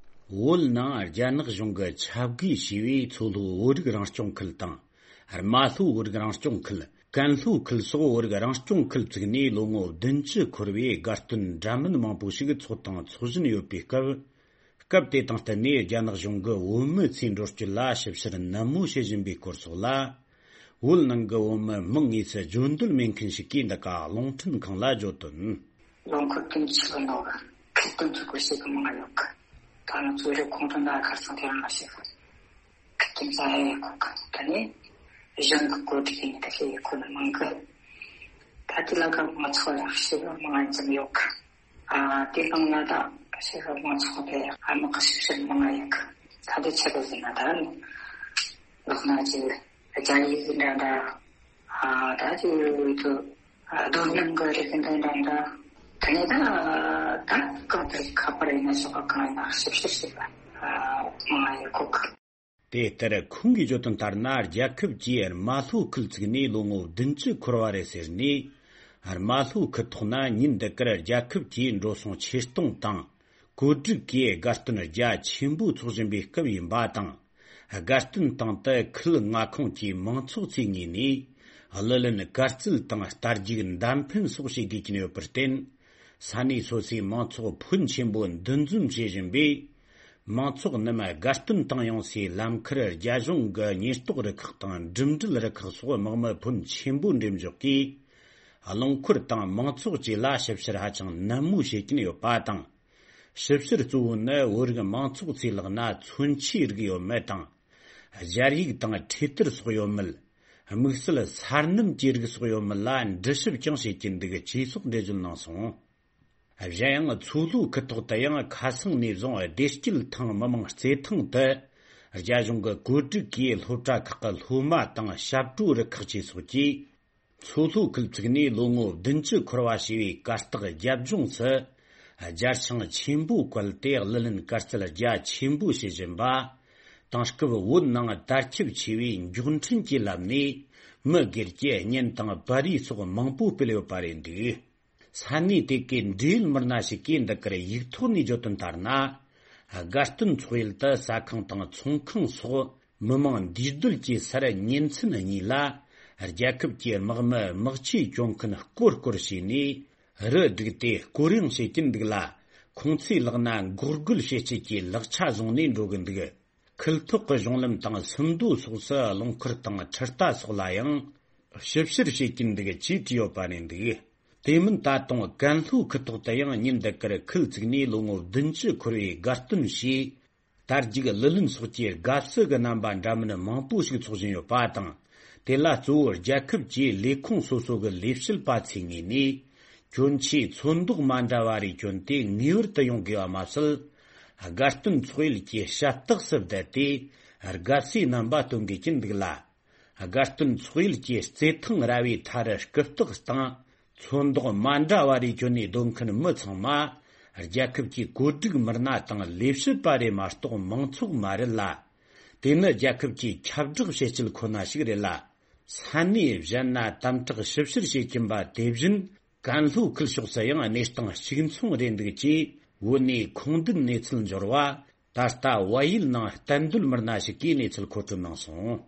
བོད་ནང་རྒྱ་ནག་གཞུང་གི་ཆབ་བགོས་བྱས་པའི་མཚོ་ལྷོ་བོད་རིགས་རང་སྐྱོང་ཁུལ་དང་། རྨ་ལྷོ་བོད་རིགས་རང་སྐྱོང་ཁུལ། ཀན་ལྷོ་ཁུལ་སོགས་བོད་རིགས་རང་སྐྱོང་ཁུལ་བཙུགས་ནས་ལོ་ངོ་བདུན་ཅུ་འཁོར་བའི་དགའ་སྟོན་འདྲ་མིན་མང་པོ་ཞིག་འཚོགས་དང་འཚོག་བཞིན་ཡོད་པའི་སྐབས། སྐབས་དེ་དང་བསྟུན་ནས་རྒྱ་ནག་གཞུང་གིས་བོད་མི་ཚོའི་འགྲོ་སྐྱོད་ལ་ཞིབ་བཤེར་ནན་མོ་བྱེད་བཞིན་པའི་སྐོར་སོགས་ལ། བོད་ནང་གི་བོད་མི་མང་ངོས་སུ་བརྗོད་འདོད་མེད་མཁན་ཞིག་གིས་འདི་ག་རླུང་འཕྲིན་ཁང་ལ་བརྗོད་དོན། ལོ་འཁོར་བདུན་ཅུ་ལོན་ནོ་གི་ཁྲིད་སྟོན་ཚུགས་པར་བྱེད་གི་མང་ཡོད་གི། ད་ནི་གཙོ་རིག་ཁོང་ཁྲོ་ན་ཁར་སང་དེ་རང་ལ་བྱེད་གི། ཁྲིད་སྟོན་ཚ་ཡ་ཡོད་གི། ད་ནི་གཞུང་གི་བཀོད་སྒྲིག་ཡིན་ད་ཤེས་ཡོད་གི་ནི་མང་གི། ད་དེ་ལ་ག་མང་ཚོགས་ལ་བྱེད་གི་མང་ཙམ་ཡོད་གི། ཨ་དེ་གང་ལ་ད་བྱེད་གི་མང་ཚོགས་དེ་ཨ་མ་གི་ཞིབ་བཤེར་མང་ཡོད་གི། ད་དེ་ཆེད་དུ་ཟིན་ན་ད་ནི་ལོག་ན་ཅི་རྒྱ་ཡིག་འདྲ་འདྲ། ཨ་ད་ཅི་ཡོད་དུ། ཨ་རྡོ་སྣུམ་གི་རིགས་འདི་འདྲ་འདྲ། དེ་ནས་ད་ད་གང་དུ་ཁ་པར་ཡིན་ན་ཞོགས་པ་གང་ཡིན་ན་ཞིབ་བཤེར་བྱེད་པ་ཨ་མང་ཡོད་གོ་གི། དེ་ལྟར་ཁོང་གིས་བརྗོད་དོན་ལྟར་ན། རྒྱལ་ཁབ་ཀྱིས་རྨ་ལྷོ་ཁུལ་བཙུགས་ནས་ལོ་ངོ་བདུན་ཅུ་འཁོར་བ་རེད་ཟེར་ནས། རྨ་ལྷོ་ཁུལ་ཐོག་ན་ཉིན་འདི་གར་རྒྱལ་ཁབ་ཀྱི་འགྲོ་སོང་ཆེད་གཏོང་དང་། བཀོད་སྒྲིག་གིས་དགའ་སྟོན་རྒྱ་ཆེན་པོ་འཚོགས་བཞིན་པའི་སྐབས་ཡིན་པ་དང་། དགའ་སྟོན་སྟེང་དུ་ཁུལ་མངའ་ཁོངས་ཀྱི་མང་ཚོགས་ཚོའི་ངོས་ནས་གླུ་ལེན་དཀར་རྩིས་དང་རྟ་རྒྱུག་མདའ་འཕེན་སོགས་བྱེད་དགོས་ཀྱིན་ཡོད་པར་བརྟེན། ས་གནས་སོ་སོའི་མང་ཚོགས་ཕོན་ཆེན་པོ་འདུ་འཛོམས་བྱེད་བཞིན་པས། མང་ཚོགས་རྣམས་དགའ་སྟོན་སྟེང་ཡོང་སའི་ལམ་ཁར་རྒྱ་གཞུང་གི་ཉེན་རྟོག་རུ་ཁག་དང་འགྲིམ་འགྲུལ་རུ་ཁག་སོགས་དམག་མི་ཕོན་ཆེན་པོ་འགྲེམས་འཇོག་གིས། རླངས་འཁོར་དང་མང་ཚོགས་བཅས་ལ་ཞིབ་བཤེར་ཧ་ཅང་ནན་མོ་བྱེད་ཀྱིན་ཡོད་པ་དང་། ཞིབ་བཤེར་གཙོ་བོ་ནི་བོད་རིགས་མང་ཚོགས་ཚོའི་ལག་ན་མཚོན་ཆའི་རིགས་ཡོད་མེད་དང་། སྦྱར་ཡིག་དང་འཕྲེད་དར་སོགས་ཡོད་མེད། དམིགས་བསལ་སར་སྣུམ་གྱི་རིགས་སོགས་ཡོད་མེད་ལ་འདྲི་ཞིབ་ཀྱང་བྱེད་ཀྱིན་འདུག་ཅེས་སོགས་འགྲེལ་བརྗོད་གནང་སོང་། གཞན་ཡང་མཚོ་ལྷོ་ཁུལ་ཐོག་ཏུ་ཡང་ཁ་སང་ནས་བཟུང་བདེ་སྐྱིད་ཐང་མི་དམངས་རྩེད་ཐང་དུ་རྒྱ་གཞུང་གི་བཀོད་སྒྲིག་གིས་སློབ་གྲྭ་ཁག་གི་སློབ་མ་དང་ཞབས་བྲོ་རུ་ཁག་བཅས་སོགས་ཀྱིས། མཚོ་ལྷོ་ཁུལ་བཙུགས་ནས་ལོ་ངོ་བདུན་ཅུ་འཁོར་བ་ཞེས་པའི་གར་སྟེགས་རྒྱབ་ལྗོངས་སུ། རྒྱ་ཆིངས་ཆེན་པོ་བཀལ་ཏེ་གླུ་ལེན་དཀར་རྩེད་རྒྱ་ཆེན་པོ་བྱེད་བཞིན་པ། དེང་སྐབས་བོད་ནང་དར་ཁྱབ་ཆེ་བའི་མགྱོགས་འཕྲིན་གྱི་ལམ་ནས་མི་སྒེར་གྱི་བརྙན་དང་པར་རིས་སོགས་མང་པོ་སྤེལ་ཡོད་པ་རེད་འདུག་ས་གནས་དེ་གའི་འབྲེལ་ཡོད་མི་སྣ་ཞིག་གིས་འདི་གར་ཡིག་ཐོག་ནས་བརྗོད་དོན་ལྟར་ན། དགའ་སྟོན་འཚོགས་ཡུལ་དུ་ཟ་ཁང་དང་ཚོང་ཁང་སོགས། མི་མང་འདུས་སྡོད་ཀྱི་སར་ཉིན་མཚན་གཉིས་ལ་རྒྱལ་ཁབ་ཀྱི་དམག་མི་དམག་ཆས་སྐྱོང་མཁན་སྐོར་སྐོར་བྱས་ནས་རུ་བསྒྲིགས་ཏེ་སྐོར་གཡེང་བྱེད་ཀྱིན་འདུག་ལ། ཁོང་ཚོའི་ལག་ན་འགོག་རྒོལ་བྱེད་སྤྱད་ཀྱི་ལག་ཆ་བཟུང་ནས་འགྲོ་གི་འདུག་ཁུལ་ཐོག་གི་གཞུང་ལམ་དང་སུམ་མདོ་སོགས་སུ་རླངས་འཁོར་དང་འཕྲུལ་རྟ་སོགས་ལ་ཡང་ཞིབ་བཤེར་བྱེད་ཀྱིན་འདུག་ཅེས་བྲིས་ཡོད་པ་རེད་འདུག་དེ་མིན་ད་དུང་ཀན་ལྷོ་ཁུལ་ཐོག་ཏུ་ཡང་ཉིན་འདི་གར་ཁུལ་བཙུགས་ནས་ལོ་ངོ་བདུན་ཅུ་འཁོར་བའི་དགའ་སྟོན་ཞེས། དར་རྒྱུག་གླུ་ལེན་སོགས་ཀྱི་དགའ་བསུ་གི་རྣམ་པ་འདྲ་མིན་མང་པོ་ཞིག་འཚོགས་བཞིན་ཡོད་པ་དང་། དེ་ལ་གཙོ་བོ་རྒྱལ་ཁབ་ཀྱི་ལས་ཁུངས་སོ་སོ་གི་ལས་བྱེད་པ་ཚོའི་ངོས་ནས། གྱོན་ཆས་ཚོན་མདོག་མ་འདྲ་བ་རེ་གྱོན་ཏེ་ངེས་པར་དུ་ཡོང་དགོས་པ་མ་ཟད། དགའ་སྟོན་འཚོགས་ཡུལ་གྱི་ཞབས་སྟེགས་སུ་བསྡད་དེ། དགའ་བསུའི་རྣམ་པ་སྟོན་དགོས་ཀྱིན་འདུག་ལ། དགའ་སྟོན་འཚོགས་ཡུལ་གྱི་རྩེད་ཐང་ར་བའི་མཐའ་རུ་རྐུབ་སྟེགས་སྟེང་། ཚོན་མདོག་མ་འདྲ་བ་རེ་གྱོན་ནས་སྡོད་མཁན་མི་ཚང་མ། རྒྱལ་ཁབ་ཀྱི་བཀོད་སྒྲིག་མི་སྣ་དང་ལས་བྱེད་པ་རེ་མ་གཏོགས་མང་ཚོགས་མ་རེད་ལ། དེ་ནི་རྒྱལ་ཁབ་ཀྱི་ཁྱབ་བསྒྲགས་བྱེད་སྤྱད་ཁོ་ན་ཞིག་རེད་ལ། ས་གནས་གཞན་ན་དམ་དྲག་ཞིབ་བཤེར་བྱེད་ཀྱིན་པ་དེ་བཞིན། ཀན་ལྷོ་ཁུལ་ཕྱོགས་སུ་ཡང་གནས་སྟངས་གཅིག་མཚུངས་རེད་འདུག་ཅེས། བོད་ནས་ཁུངས་ལྡན་གནས་ཚུལ་འབྱོར་བ། ད་ལྟ་བལ་ཡུལ་ནང་གཏན་སྡོད་མི་སྣ་ཞིག་གིས་གནས་ཚུལ་མཁོ་སྤྲོད་གནང་སོང་།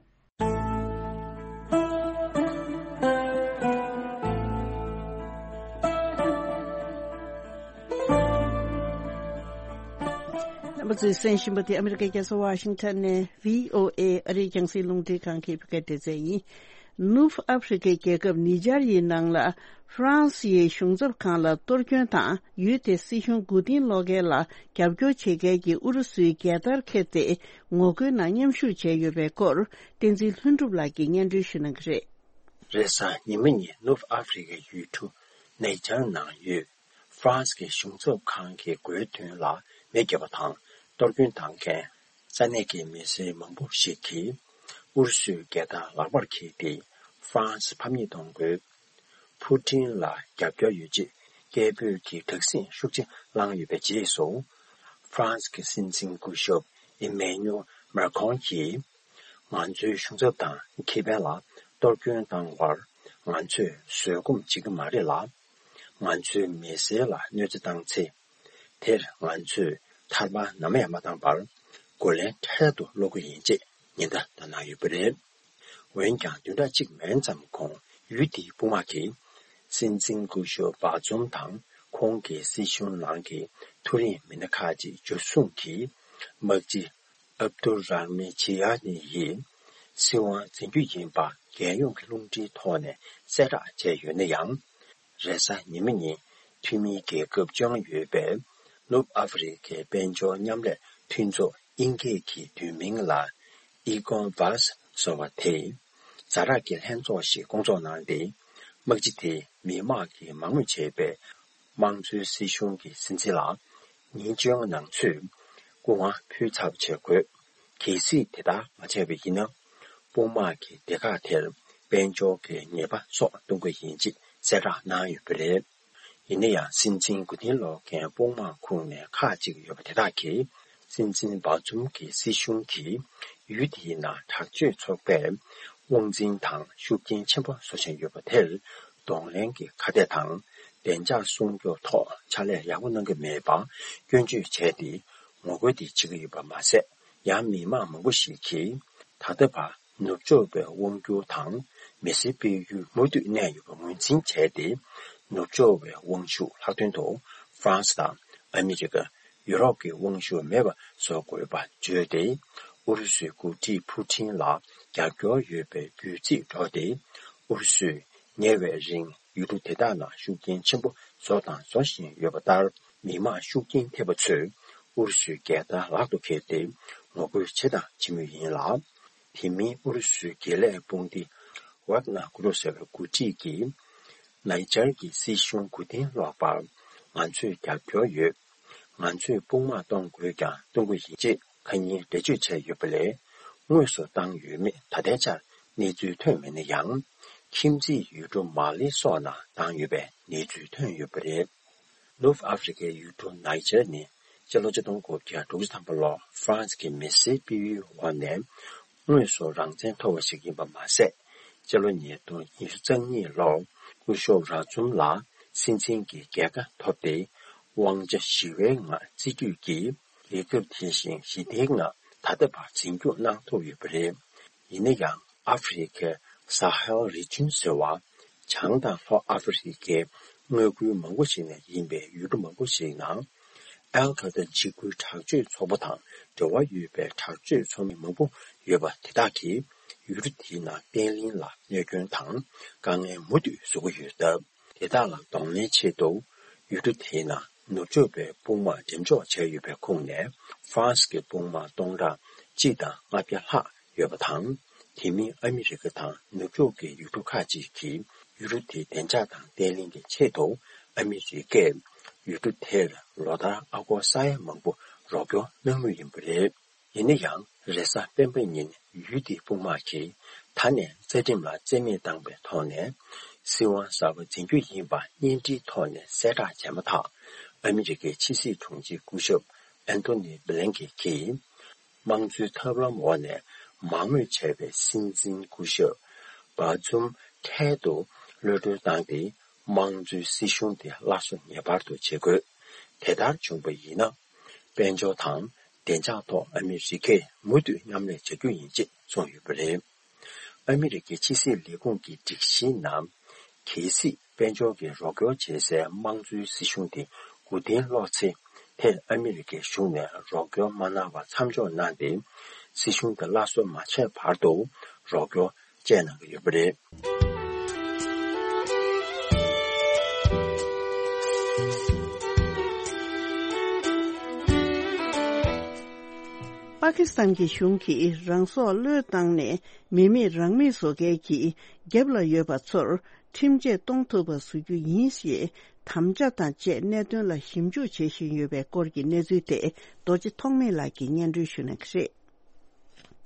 རྣམ་པ་ཚོས་གསན་བཞིན་པ་དེ་ཨ་མི་རི་ཀའི་རྒྱལ་ས་ཝ་ཤིང་ཊོན་ནས་བྷི་ཨོ་ཨེ་ཨ་རིའི་རྒྱང་སྲིང་རླུང་འཕྲིན་ཁང་གི་བོད་སྐད་སྡེ་ཚན་ཡིན། ནུབ་ཨ་ཧྥེ་རི་ཁའི་རྒྱལ་ཁབ་ནི་ཇར་ཡི་ནང་ལ་ཧྥ་རན་སི་ཡི་གཞུང་ཚབ་ཁང་ལ་གཏོར་སྐྱོན་དང་ཡུལ་དེའི་སྲིད་གཞུང་མགོ་རྟིང་སློག་མཁན་ལ་རྒྱབ་སྐྱོར་བྱེད་མཁན་གྱི་ཨུ་རུ་སུའི་རྒྱལ་དར་འཁྱེར་ཏེ་ངོ་རྒོལ་ནང་མཉམ་ཞུགས་བྱས་ཡོད་པའི་སྐོར་བསྟན་འཛིན་ལྷུན་གྲུབ་ལགས་ཀྱིས་སྙན་སྒྲོན་ཞུ་གནང་གི་རེད། རེས་གཟའ་ཉི་མ་ཉིན་ནུབ་ཨ་ཧྥེ་རི་ཁའི་ཡུལ་གྲུ་ནེ་ཇར་ནང་ཡོད་ཧྥ་རན་སི་གི་གཞུང་ཚབ་ཁང་གི་སྒོའི་མདུན་ལ་མེ་བརྒྱབ་པ་དང་གཏོར་སྐྱོན་བཏང་མཁན་ས་གནས་ཀྱི་མི་སེར་མང་པོ་ཞིག་གིས་ཨུ་རུ་སུའི་རྒྱལ་དར་ལག་པར་འཁྱེར་ཏེ་ཧྥ་རན་སི་ཕམ་ཉེས་གཏོང་དགོས། ཕུ་ཊིན་ལ་རྒྱབ་སྐྱོར་ཡོད་ཅེས་སྐད་འབོད་ཀྱི་དྲག་ཟིང་ཤུགས་ཆེ་བསླངས་ཡོད་པའི་རྗེས་སུ། ཧྥ་རན་སི་གི་སྲིད་འཛིན་སྐུ་ཞབས་ཨི་མེ་ནུ་ཨེལ་མེ་ཁོང་གིས། ང་ཚོའི་གཞུང་ཚབ་དང་ཁེ་ཕན་ལ་གཏོར་སྐྱོན་བཏང་བར་ང་ཚོས་བཟོད་སྒོམ་བྱེད་ཀྱི་མ་རེད་ལ། ང་ཚོའི་མི་སེར་ལ་གནོད་འཚེ་བཏང་ཚེ། དེར་ང་ཚོས་ཐར་པ་ནམ་ཡང་མ་བཏང་བར་རྒོལ་ལན་འཕྲལ་དུ་སློག་གི་ཡིན་ཅེས་ཉེན་བརྡ་བཏང་གནང་ཡོད་པ་རེད། འོན་ཀྱང་བདུན་ཕྲག་གཅིག་མན་ཙམ་གོང་ཡུལ་དེའི་དཔུང་དམག་གིས་སྲིད་འཛིན་སྐུ་ཞབས་བྷ་ཛུམ་དང་ཁོང་གི་སྲིད་གཞུང་ནང་གི་མཐོ་རིམ་མི་སྣ་ཁག་ཅིག་འཇུ་བཟུང་གིས་དམག་སྤྱི་ཨབ་དུ་ར་མི་ཇི་ཡ་ནི་ཡིས་སྲིད་དབང་འཛིན་རྒྱུ་ཡིན་པ་རྒྱལ་ཡོངས་ཀྱི་རླུང་འཕྲིན་ཐོག་ནས་གསལ་བསྒྲགས་བྱས་ཡོད་ན་ཡང་། རེས་གཟའ་ཉི་མ་ཉིན་འཐུས་མིའི་རྒྱལ་ཁབ་བཅོ་ལྔ་ཡོད་པའི་ནུབ་ཨ་ཧྥེ་རི་ཁའི་དཔལ་འབྱོར་མཉམ་ལས་མཐུན་ཚོགས་དབྱིན་སྐད་ཀྱི་བསྡུས་མིང་ལ་ཨི་ཀོ་ཝཱས་ཟེར་བ་དེས་ཛ་དྲག་གི་ལྷན་ཚོགས་ཤིག་བསྐོང་ཚོགས་གནང་སྟེ། དམག་སྤྱི་དེས་མི་དམངས་ཀྱིས་མང་མོས་བྱས་པའི་དམངས་གཙོའི་སྲིད་གཞུང་གི་སྲིད་འཛིན་ལ་ཉིན་བཅོ་ལྔ་ནང་ཚུད་སྐུ་དབང་ཕུལ་ཚར་བ་བྱེད་དགོས། གལ་སྲིད་དེ་ལྟར་མ་བྱས་པ་ཡིན་ན། དཔུང་དམག་གིས་སྡེ་ཁག་དེར་དཔལ་འབྱོར་གྱི་ཉེས་པ་སོགས་གཏོང་གི་ཡིན་ཅེས་གསལ་བསྒྲགས་གནང་ཡོད་པ་རེད། ཡིན་ན་ཡང་སྲིད་འཛིན་མགོ་རྟིང་སློག་མཁན་དཔུང་དམག་ཁོངས་ནས་ཁག་ཅིག་ཡོད་པ་དེ་དག་གིས་སྲིད་འཛིན་བྷ་ཛུམ་གྱི་སྲིད་གཞུང་གིས་ཡུལ་དེའི་ནང་དྲག་སྤྱོད་ཚོགས་པས་དབང་འཛིན་དང་ཤུགས་རྐྱེན་ཆེན་པོ་བཟོ་བཞིན་ཡོད་པ་དེར་གདོང་ལེན་གྱི་ཁ་གཏད་དང་བདེ་འཇགས་སྲུང་སྐྱོབ་ཐོག་ཕྱག་ལས་ཡག་པོ་གནང་གི་མེད་པ་སྐྱོན་བརྗོད་བྱས་ཏེ་ངོ་རྒོལ་དེ་བྱེད་ཀྱི་ཡོད་པ་མ་ཟད། ཡང་མི་མང་མང་པོ་ཞིག་གིས་ད་ལྟ་བར་ནུབ་ཕྱོགས་པའི་དབང་སྒྱུར་དང་མི་སེར་སྤེལ་ཡུལ་མུ་མཐུད་གནས་ཡོད་པ་ངོས་འཛིན་བྱས་ཏེ། ནུབ་ཕྱོགས་པའི་དབང་ཤུགས་ལྷག་དོན་དུ་ཧྥ་རན་སི་དང་ཨ་མི་རི་ཀ། ཡུ་རོབ་ཀྱི་དབང་ཤུགས་མེད་པ་བཟོ་དགོས་པ་བརྗོད་དེ། ཨུ་རུ་སུའི་འགོ་ཁྲིད་ཕུ་ཊིན་ལ་རྒྱབ་སྐྱོར་ཡོད་པའི་རྒྱུད་ཚིག་སྒྲོག་སྟེ། ཨུ་རུ་སུས་ཉེ་བའི་རིང་ཡུལ་གྲུ་དེ་དག་ནང་ཤུགས་རྐྱེན་ཆེན་པོ་བཟོ་དང་བཟོ་བཞིན་ཡོད་པ་ལྟར། མི་མང་ཤུགས་རྐྱེན་ཐེབས་པ་ཚོས་ཨུ་རུ་སུའི་རྒྱལ་དར་ལག་ཏུ་འཁྱེར་ཏེ་ངོ་རྒོལ་བྱས་དང་བྱེད་མུས་ཡིན་ལ། དེ་མིན་ཨུ་རུ་སུའི་དགེ་ལས་དཔུང་སྡེ་ཝག་ནར་གུ་རུབ་ཟེར་བའི་འགོ་ཁྲིད་ཀྱིས་ནའི་ཇར་གྱི་སྲིད་གཞུང་མགོ་རྟིང་སློག་པར་ང་ཚོས་རྒྱབ་སྐྱོར་ཡོད། ང་ཚོས་དཔུང་དམག་གཏོང་དགོས་ཀྱང་གཏོང་གི་ཡིན་ཅེས་ཁ་ཉིན་འགྲེལ་བརྗོད་བྱས་ཡོད་པ་ལས། དངོས་སུ་བཏང་ཡོད་མེད་ད་ལྟའི་ཆར་གནས་ཚུལ་ཐོན་མེད་ན་ཡང་། ཁྱིམ་མཚེས་ཡུལ་གྲུ་མ་ལི་སོགས་ནང་བཏང་ཡོད་པའི་གནས་ཚུལ་ཐོན་ཡོད་པ་རེད། ནུབ་ཨ་ཧྥེ་རི་ཁའི་ཡུལ་གྲུ་ནའི་ཇར་ནི་སྤྱི་ལོ་ཆིག་སྟོང་དགུ་བརྒྱ་དྲུག་ཅུ་ཐམ་པ་ལོར་ཧྥ་རན་སི་གི་མི་སེར་སྤེལ་ཡུལ་འོག་ནས་དངོས་སུ་རང་བཙན་ཐོབ་པ་ཞིག་ཡིན་པ་མ་ཟད། སྤྱི་ལོ་ཉིས་སྟོང་ཉི་ཤུ་རྩ་གཉིས་ལོར་སྐུ་ཞབས་ར་ཛུམ་ལ་སྲིད་འཛིན་གྱི་རྒྱལ་ཁ་ཐོབ་སྟེ། དབང་ཆ་ཞི་བའི་ངང་རྩིས་སྤྲོད་ཀྱིས་རྒྱལ་ཁབ་དེ་བཞིན་ཞི་བདེའི་ངང་ད་ལྟ་བར་འཛིན་སྐྱོང་གནང་ཐུབ་ཡོད་པ་རེད། ཡིན་ན་ཡང་ཨ་ཧྥེ་རི་ཁའི་ས་ཧེལ་རི་ཅུན་ཟེར་བ། བྱང་དང་ལྷོ་ཨ་ཧྥེ་རི་ཁའི་མངའ་ཁུལ་མང་པོ་ཞིག་ནས་ཡིན་པའི་ཡུལ་གྲུ་མང་པོ་ཞིག་ནང་། ཨལ་ཁ་ཏ་འཇིགས་སྐུལ་དྲག་སྤྱོད་ཚོགས་པ་དང་འབྲེལ་བ་ཡོད་པའི་དྲག་སྤྱོད་ཚོགས་མི་མང་པོ་ཡོད་པ་དེ་དག་གིས་ཡུལ་གྲུ་དེའི་ནང་བརྟན་ལྷིང་ལ་གནོད་སྐྱོན་དང་དཀའ་ངལ་མུ་མཐུད་བཟོ་གི་ཡོད་སྟབས། དེ་དག་ལ་གདོང་ལེན་ཆེད་དུ་ཡུལ་གྲུ་དེའི་ནང་ནུབ་ཕྱོགས་པའི་དཔུང་དམག་འགྲེམས་འཇོག་བྱས་ཡོད་པའི་ཁོངས་ནས་ཧྥ་རན་སི་གི་དཔུང་དམག་སྟོང་ཕྲག་གཅིག་དང་ལྔ་བརྒྱ་ལྷག་ཡོད་པ་དང་། དེ་མིན་ཨ་མི་རི་ཀ་དང་ནུབ་ཕྱོགས་ཀྱི་ཡུལ་གྲུ་ཁག་ཅིག་གིས་ཡུལ་གྲུ་དེའི་བདེ་འཇགས་དང་བརྟན་ལྷིང་གི་ཆེད་དུ་ཨ་མི་རི་ཀས་ཡུལ་གྲུ་དེར་ལོ་ལྟར་ཨ་སྒོར་ས་ཡ་མང་པོ་རོགས་སྐྱོར་གནང་མུས་ཡིན་པ་རེད། ཡིན་ན་ཡང་རེས་གཟའ་སྤེན་པ་ཉིན་ཡུལ་དེའི་དཔུང་དམག་གིས་ད་ནས་རྩ་ཁྲིམས་ལ་བརྩི་མེད་བཏང་པའི་ཐོག་ནས་སྲིད་དབང་གསར་པ་འཛིན་རྒྱུ་ཡིན་པ་བརྙན་འཕྲིན་ཐོག་ནས་གསལ་བསྒྲགས་བྱས་མ་ཐག་ཨ་མི་རི་ཀའི་ཕྱི་སྲིད་དྲུང་ཆེ་སྐུ་ཞབས་ཨན་ཐོ་ནི་བྷི་ལན་ཀེ་གིས། དམངས་གཙོའི་ཐབས་ལམ་འོག་ནས་མང་མོས་བྱས་པའི་སྲིད་འཛིན་སྐུ་ཞབས་བྷ་ཛུམ་འཕྲལ་དུ་གློད་གྲོལ་བཏང་སྟེ། དམངས་གཙོའི་སྲིད་གཞུང་དེ་སླར་གསོ་ངེས་པར་དུ་བྱེད་དགོས། དེ་ལྟར་བྱུང་བ་ཡིན་ན། དཔལ་འབྱོར་དང་བདེ་འཇགས་ཐོག་ཨ་མི་རི་ཀས་མུ་མཐུད་མཉམ་ལས་བྱ་རྒྱུ་ཡིན་ཅེས་གསུངས་ཡོད་པ་རེད། ཨ་མི་རི་ཀའི་ཕྱི་སྲིད་ལས་ཁུངས་ཀྱི་སྒྲིག་གཞིའི་ནང་། གལ་སྲིད་དཔལ་འབྱོར་གྱི་རོགས་སྐྱོར་བྱེད་སའི་དམངས་གཙོའི་སྲིད་གཞུང་དེ་མགོ་རྟིང་སློག་ཚེ། དེར་ཨ་མི་རི་ཀའི་གཞུང་ནས་རོགས་སྐྱོར་མ་གནང་བར་མཚམས་འཇོག་གནང་སྟེ། སྲིད་གཞུང་དེ་སླར་གསོ་མ་བྱས་བར་དུ་རོགས་སྐྱོར་སྤྲད་གནང་གི་ཡོད་པ་རེད། པ་ཀི་སི་ཐན་གྱི་གཞུང་གིས་རང་སྲོག་བློས་བཏང་ནས་མི་མེད་རང་མེད་བཟོ་མཁན་གྱི་རྒྱབ་ལ་ཡོད་པ་ཚོར་ཁྲིམས་ཆད་གཏོང་ཐུབ་པ་བཟོ་རྒྱུ་ཡིན་ཞེས་དམ་བཅའ་དང་བཅས་གནད་དོན་ལ་ཞིབ་འཇུག་བྱེད་བཞིན་ཡོད་པའི་སྐོར་གྱི་གནས་ཚུལ་དེ་རྡོ་རྗེ་ཐོགས་མེད་ལགས་ཀྱིས་སྙན་སྒྲོན་ཞུ་གནང་གི་རེད།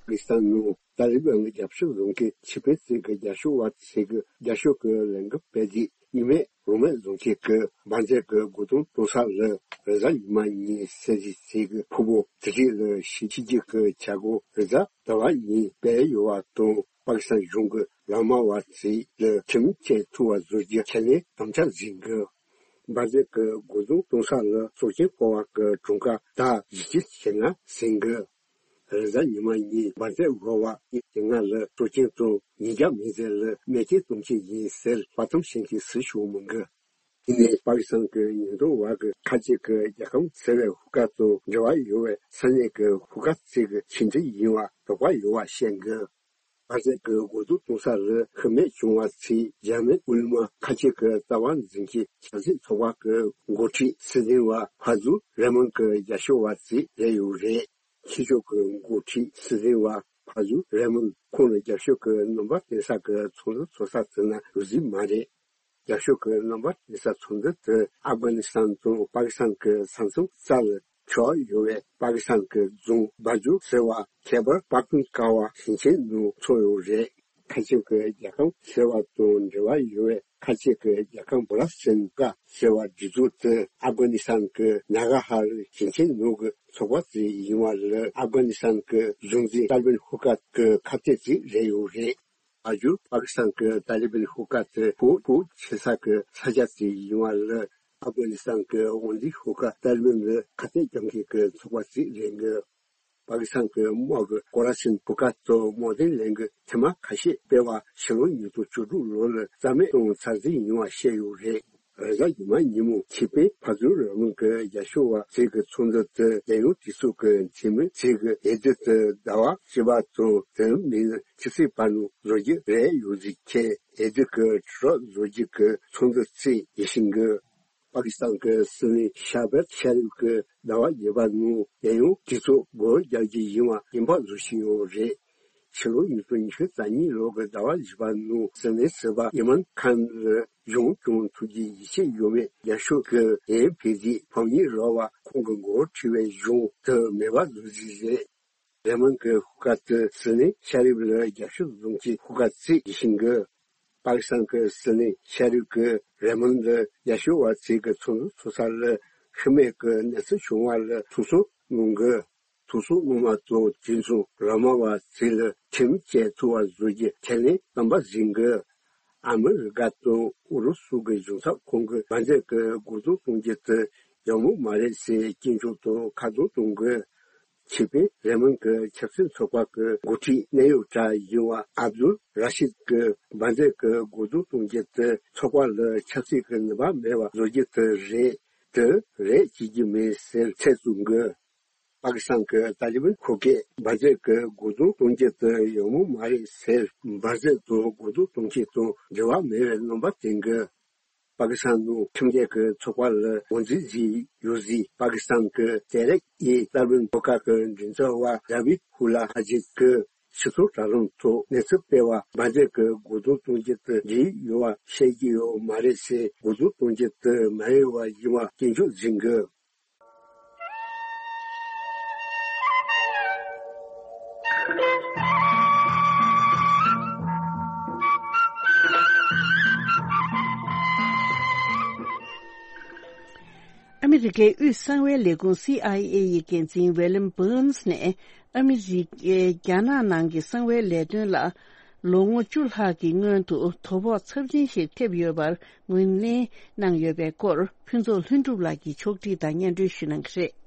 པ་ཀི་སི་ཐན་ནང་ཏཱ་ལི་བན་གྱི་རྒྱབ་སྐྱོར་བཟུང་མཁན་ཕྱི་པའི་རྩིས་ཀྱི་རྒྱབ་སྐྱོར་བ་ཚོས་ཀྱི་རྒྱབ་སྐྱོར་གྱི་ལས་འགུལ་སྤེལ་རྗེས། ཉི་མས་རང་མོས་བཟོ་མཁན་གྱི་འབར་རྫས་ཀྱི་སྒོ་རྡུང་གཏོང་ས་ལ་རེས་གཟའ་ཉི་མ་ཉིན་གསལ་བསྒྲགས་བྱས་ཀྱི་ཕུང་པོ་དེ་རིགས་ལ་ཞིབ་དཔྱད་ཀྱི་བྱ་སྒོ་རེས་གཟའ་ཟླ་བ་ཉིན་སྤེལ་ཡོད་པ་དང་། པ་ཀི་སི་ཐན་གཞུང་གི་ལག་དམར་བ་ཚོས་ལ་ཁྲིམས་ཆད་ཐུབ་པ་བཟོ་རྒྱུ་ཁས་ལེན་དམ་བཅའ་ཟིན་གི། འབར་རྫས་ཀྱི་སྒོ་རྡུང་གཏོང་ས་ལ་སྲོག་ཆེན་བཀོལ་བ་གི་གྲངས་ཀ་ཟླ་བཞི་བཅུ་ཞེ་ལྔ་ཟིན་གི། རེས་གཟའ་ཉི་མ་ཉིན་འབར་རྫས་འགོ་བ་ཉིན་ལྔ་ལ་སྲོག་ཆེན་དང་ཉིས་བརྒྱ་མི་ཚད་ལ་རྨས་སྐྱོན་གཏོང་གི་ཡིན་ཟེར་དཔའ་གཏམ་བཤད་མཁན་སུ་ཞིག་མི་འགི། དེ་ནས་པ་ཀི་སི་ཐན་གྱི་ཉེན་རྟོག་པ་གི་ཁ་ཆེ་གི་རྒྱལ་ཁམས་ཟེར་བའི་ཧུ་ཁ་དང་འབྲེལ་བ་ཡོད་པའི་ས་གནས་ཀྱི་ཧུ་ཁ་ཚོས་ཀྱི་ཁྱིམ་མཚེས་ཡིན་པ་དོགས་པ་ཡོད་པ་བཤད་འགི། འབར་རྫས་ཀྱི་སྒོ་རྡུང་གཏོང་ས་ལ་ཤི་རྨས་བྱུང་བ་ཚོའི་འཇར་མན་དབུས་ལམ་ཁ་ཆེ་གི་རྩ་བ་འཛིན་གྱི་ཆབ་སྲིད་ཚོགས་པ་གི་འགོ་ཁྲིད་སྲིད་འཛིན་པ་ཕ་ཛུ་རེ་མོན་གྱི་རྒྱབ་སྐྱོར་བ་ཚོ་རེད་ཡོད་རེད། ཕྱི་ཕྱོགས་ཀྱི་འགོ་ཁྲིད་སྲིད་འཛིན་པ་ཕ་ཛུ་རེ་མོན་ཁོང་ལ་རྒྱབ་སྐྱོར་གྱི་རྣམ་པ་སྟོན་ས་གི་ཚོགས་འདུ་ཚོགས་ས་ཚོ་ན་ཡོད་རྒྱུ་མ་རེད། རྒྱབ་སྐྱོར་གྱི་རྣམ་པ་སྟོན་ས་ཚོགས་འདུ་དེ་ཨབ་གྷ་ནི་སི་ཐན་དང་པ་ཀི་སི་ཐན་གྱི་ས་མཚམས་རྩ་ལ་ཆགས་ཡོད་པའི་པ་ཀི་སི་ཐན་གྱི་རྫོང་བ་ཇུ་ཟེར་བ་ཁེ་བར་པག་ཏུན་ཀ་བ་ཞིང་ཆེན་ནང་ཚོགས་ཡོད་རེད། ཁ་ཆེ་གི་རྒྱལ་ཁམས་ཟེར་བ་དང་འབྲེལ་བ་ཡོད་པའི་ཁ་ཆེ་གི་རྒྱལ་ཁམས་བོ་ལ་སེན་ཀ་ཟེར་བ་སྒྲིག་འཛུགས་དེ་ཨབ་གྷ་ནི་སི་ཐན་གྱི་ནཱ་ག་ཧ་རི་ཞིང་ཆེན་ནང་གི་ཚོགས་པ་ཞིག་ཡིན་པ་ལ་ཨབ་གྷ་ནི་སི་ཐན་གྱི་གཞུང་འཛིན་ཏཱ་ལི་བན་ཧུ་ཁ་གི་ཁ་གཏད་ཅིག་རེད་ཡོད་རེད། བ་ཇུ་པ་ཀི་སི་ཐན་གྱི་ཏཱ་ལི་བན་ཧུ་ཁ་དེ་ཕོག་ཕོག་བྱེད་ས་གི་ས་ཆ་ཞིག་ཡིན་པ་ལ་ཨབ་གྷ་ནི་སི་ཐན་གྱི་དབང་འཛིན་ཧུ་ཁ་ཏཱ་ལི་བན་ལ་ཁ་གཏད་རྒྱག་མཁན་གྱི་ཚོགས་པ་ཞིག་རེད་འགི། པ་ཀི་སི་ཐན་གྱི་དམག་གི་སྐོར་ར་ཆེན་ཕུ་ཀ་ཏོ་དམག་དོན་ལས་འགུལ་ཐེངས་མ་ཁ་ཤས་སྤེལ་བ་ཕྱི་ལོ་ཉིས་སྟོང་བཅུ་དྲུག་ལོ་ལ་རྩ་མེད་གཏོང་ཚར་རྩིས་ཡིན་པ་བཤད་ཡོད་རེད། རེས་གཟའ་ཉི་མ་ཉིན་མོ་ཆེད་དཔོན་ཕ་ཛུ་རེ་མོན་གྱི་རྒྱབ་སྐྱོར་བ་ཚོས་ཀྱི་ཚོགས་འདུ་དེ་རྒྱལ་ཡོངས་གྲོས་ཚོགས་ཀྱི་འཐུས་མི་ཚོས་ཀྱི་འོས་བསྡུ་དེ་ཟླ་བ་བཞི་པ་དང་དེ་མིན་ཆུ་ཚོད་བར་ནང་བཟོ་རྒྱུ་རེད་ཡོད་ཟིག་ཁྱེད་འོས་བསྡུ་གྱི་དྲི་རོགས་བཟོ་རྒྱུ་གི་ཚོགས་འདུ་ཚོས་ཡིད་བཞིན་གྱི། པ་ཀི་སི་ཐན་གྱི་སྲིད་བློན་ཤ་བེད་ཤ་རིབ་ཀྱིས་ཟླ་བ་བརྒྱད་པ་ནང་རྒྱལ་ཡོངས་གྲོས་ཚོགས་སྒོ་རྒྱག་རྒྱུ་ཡིན་པ་སྐྱིན་པ་བཟོ་བཞིན་ཡོད་རེད། ཕྱི་ལོ་ཉིས་སྟོང་ཉི་ཤུ་རྩ་གཉིས་ལོ་གི་ཟླ་བ་བཞི་པ་ནང་སྲིད་བློན་ཟུར་པ་ཨི་མན་ཁཱན་ལ་གཞུང་སྐྱོང་ཐུབ་རྒྱུའི་ཡིད་ཆེས་ཡོད་མེད་རྒྱབ་སྐྱོར་གྱི་འགན་འཁྱེར་རྗེས་ཕམ་ཉེས་རོགས་པ་ཁོང་གི་འགོ་ཁྲིད་པའི་གཞུང་དུ་མེད་པ་བཟོ་རྒྱུ་རེད། རེ་མོན་གྱི་ཧུ་ཁ་ཏི་སྲིད་བློན་ཤ་རིབ་ལ་རྒྱབ་སྐྱོར་བཟུང་གི་ཧུ་ཁ་ཚིག་ཡིད་བཞིན་གྱི། པ་ཀི་སི་ཐན་གྱི་སྲིད་བློན་ཤ་རིབ་ཀྱིས་རེ་མོན་ལ་རྒྱབ་སྐྱོར་བ་ཚོས་ཀྱི་ཚོགས་འདུ་ཚོགས་ས་ལ་ཤི་རྨས་ཀྱི་གནས་ཚུལ་བྱུང་བ་ལ་ཐུགས་སྣང་གནང་གི། ཐུགས་སྣང་གནང་བ་དང་དུས་མཚུངས་རོ་མ་བ་ཚོས་ལ་ཁྲིམས་བཅད་ཐུབ་པ་བཟོ་རྒྱུ་ཁས་ལེན་དམ་པ་ཟིན་གི། ཨ་མི་རི་ཀ་དང་ཨུ་རུ་སུ་གི་གཞུང་ཚབ་ཁང་གི་འབར་རྫས་ཀྱི་སྒོ་རྡུང་གཏོང་རྒྱུ་དེ་ཡག་མོ་མ་རེད་ཟེར་སྐྱོན་བརྗོད་དང་ཁ་རྡུང་གཏོང་གི། ཆེད་དཔོན་རེ་མོན་གྱི་ཆབ་སྲིད་ཚོགས་པ་གི་འགོ་ཁྲིད་གནད་ཡོད་གྲས་ཡིན་པ་ཨབ་དུལ་ར་ཤིད་ཀྱིས་འབར་རྫས་ཀྱི་སྒོ་རྡུང་གཏོང་རྒྱུ་དེ་ཚོགས་པ་ལ་ཆབ་སྲིད་ཀྱི་ནུས་པ་མེད་པ་བཟོ་རྒྱུ་དེ་རེད། དེ་རེད་བྱེད་ཀྱི་མེད་ཟེར་ཚད་བཙུགས་གི། པ་ཀི་སི་ཐན་གྱི་ཏཱ་ལི་བན་ཁོ་གས་འབར་རྫས་ཀྱི་སྒོ་རྡུང་གཏོང་རྒྱུ་དེ་ཡག་མོ་མ་རེད་ཟེར། འབར་རྫས་དང་སྒོ་རྡུང་གཏོང་རྒྱུ་དང་འབྲེལ་བ་མེད་པའི་རྣམ་པ་བསྟན་གི། པ་ཀི་སི་ཐན་ནང་ཁྲིམས་འགལ་གྱི་ཚོགས་པ་ལ་ངོས་འཛིན་བྱས་ཡོད་ཟེར། པ་ཀི་སི་ཐན་གྱི་ཏེ་རེག་ཨི་ཏཱ་ལི་བན་ཁོ་ཁ་གི་མགྲིན་ཚབ་པ་ཛ་བིད་ཧུ་ལ་ཧ་ཇིད་ཀྱིས་སྤྱི་ཚོགས་དྲ་ལམ་ཐོག་གནས་ཚུལ་སྤེལ་བ་འབར་རྫས་ཀྱི་སྒོ་རྡུང་གཏོང་རྒྱུ་དེ་འགྲིག་ཡོད་པ་བཤད་ཀྱི་ཡོད་མ་རེད་ཟེར། སྒོ་རྡུང་གཏོང་རྒྱུ་དེ་མ་ཡོད་པ་ཡིན་པ་སྐྱོན་བརྗོད་ཟིན་གི། ཨ་མི་རི་ཀའི་དབུས་གསང་བའི་ལས་ཁུངས་སི་ཨའི་ཨེ་ཡི་འགན་འཛིན་ཝེ་ལེམ་བྷོན་སི་ནས་ཨ་མི་རི་ཀའི་རྒྱ་ནག་ནང་གི་གསང་བའི་ལས་དོན་ལ་ ལོ་ངོ་བཅུ་ལྷག་གི་སྔོན་དུ་དོ་ཕོག་ཚབས་ཆེན་ཞིག་ཐེབས་ཡོད་པར་ངོས་ལེན་གནང་ཡོད་པའི་སྐོར་ཕུན་ཚོགས་ལྷུན་གྲུབ་ལགས་ཀྱིས་ཕྱོགས་སྒྲིག་དང་སྙན་སྒྲོན་ཞུ་གནང་གི་རེད།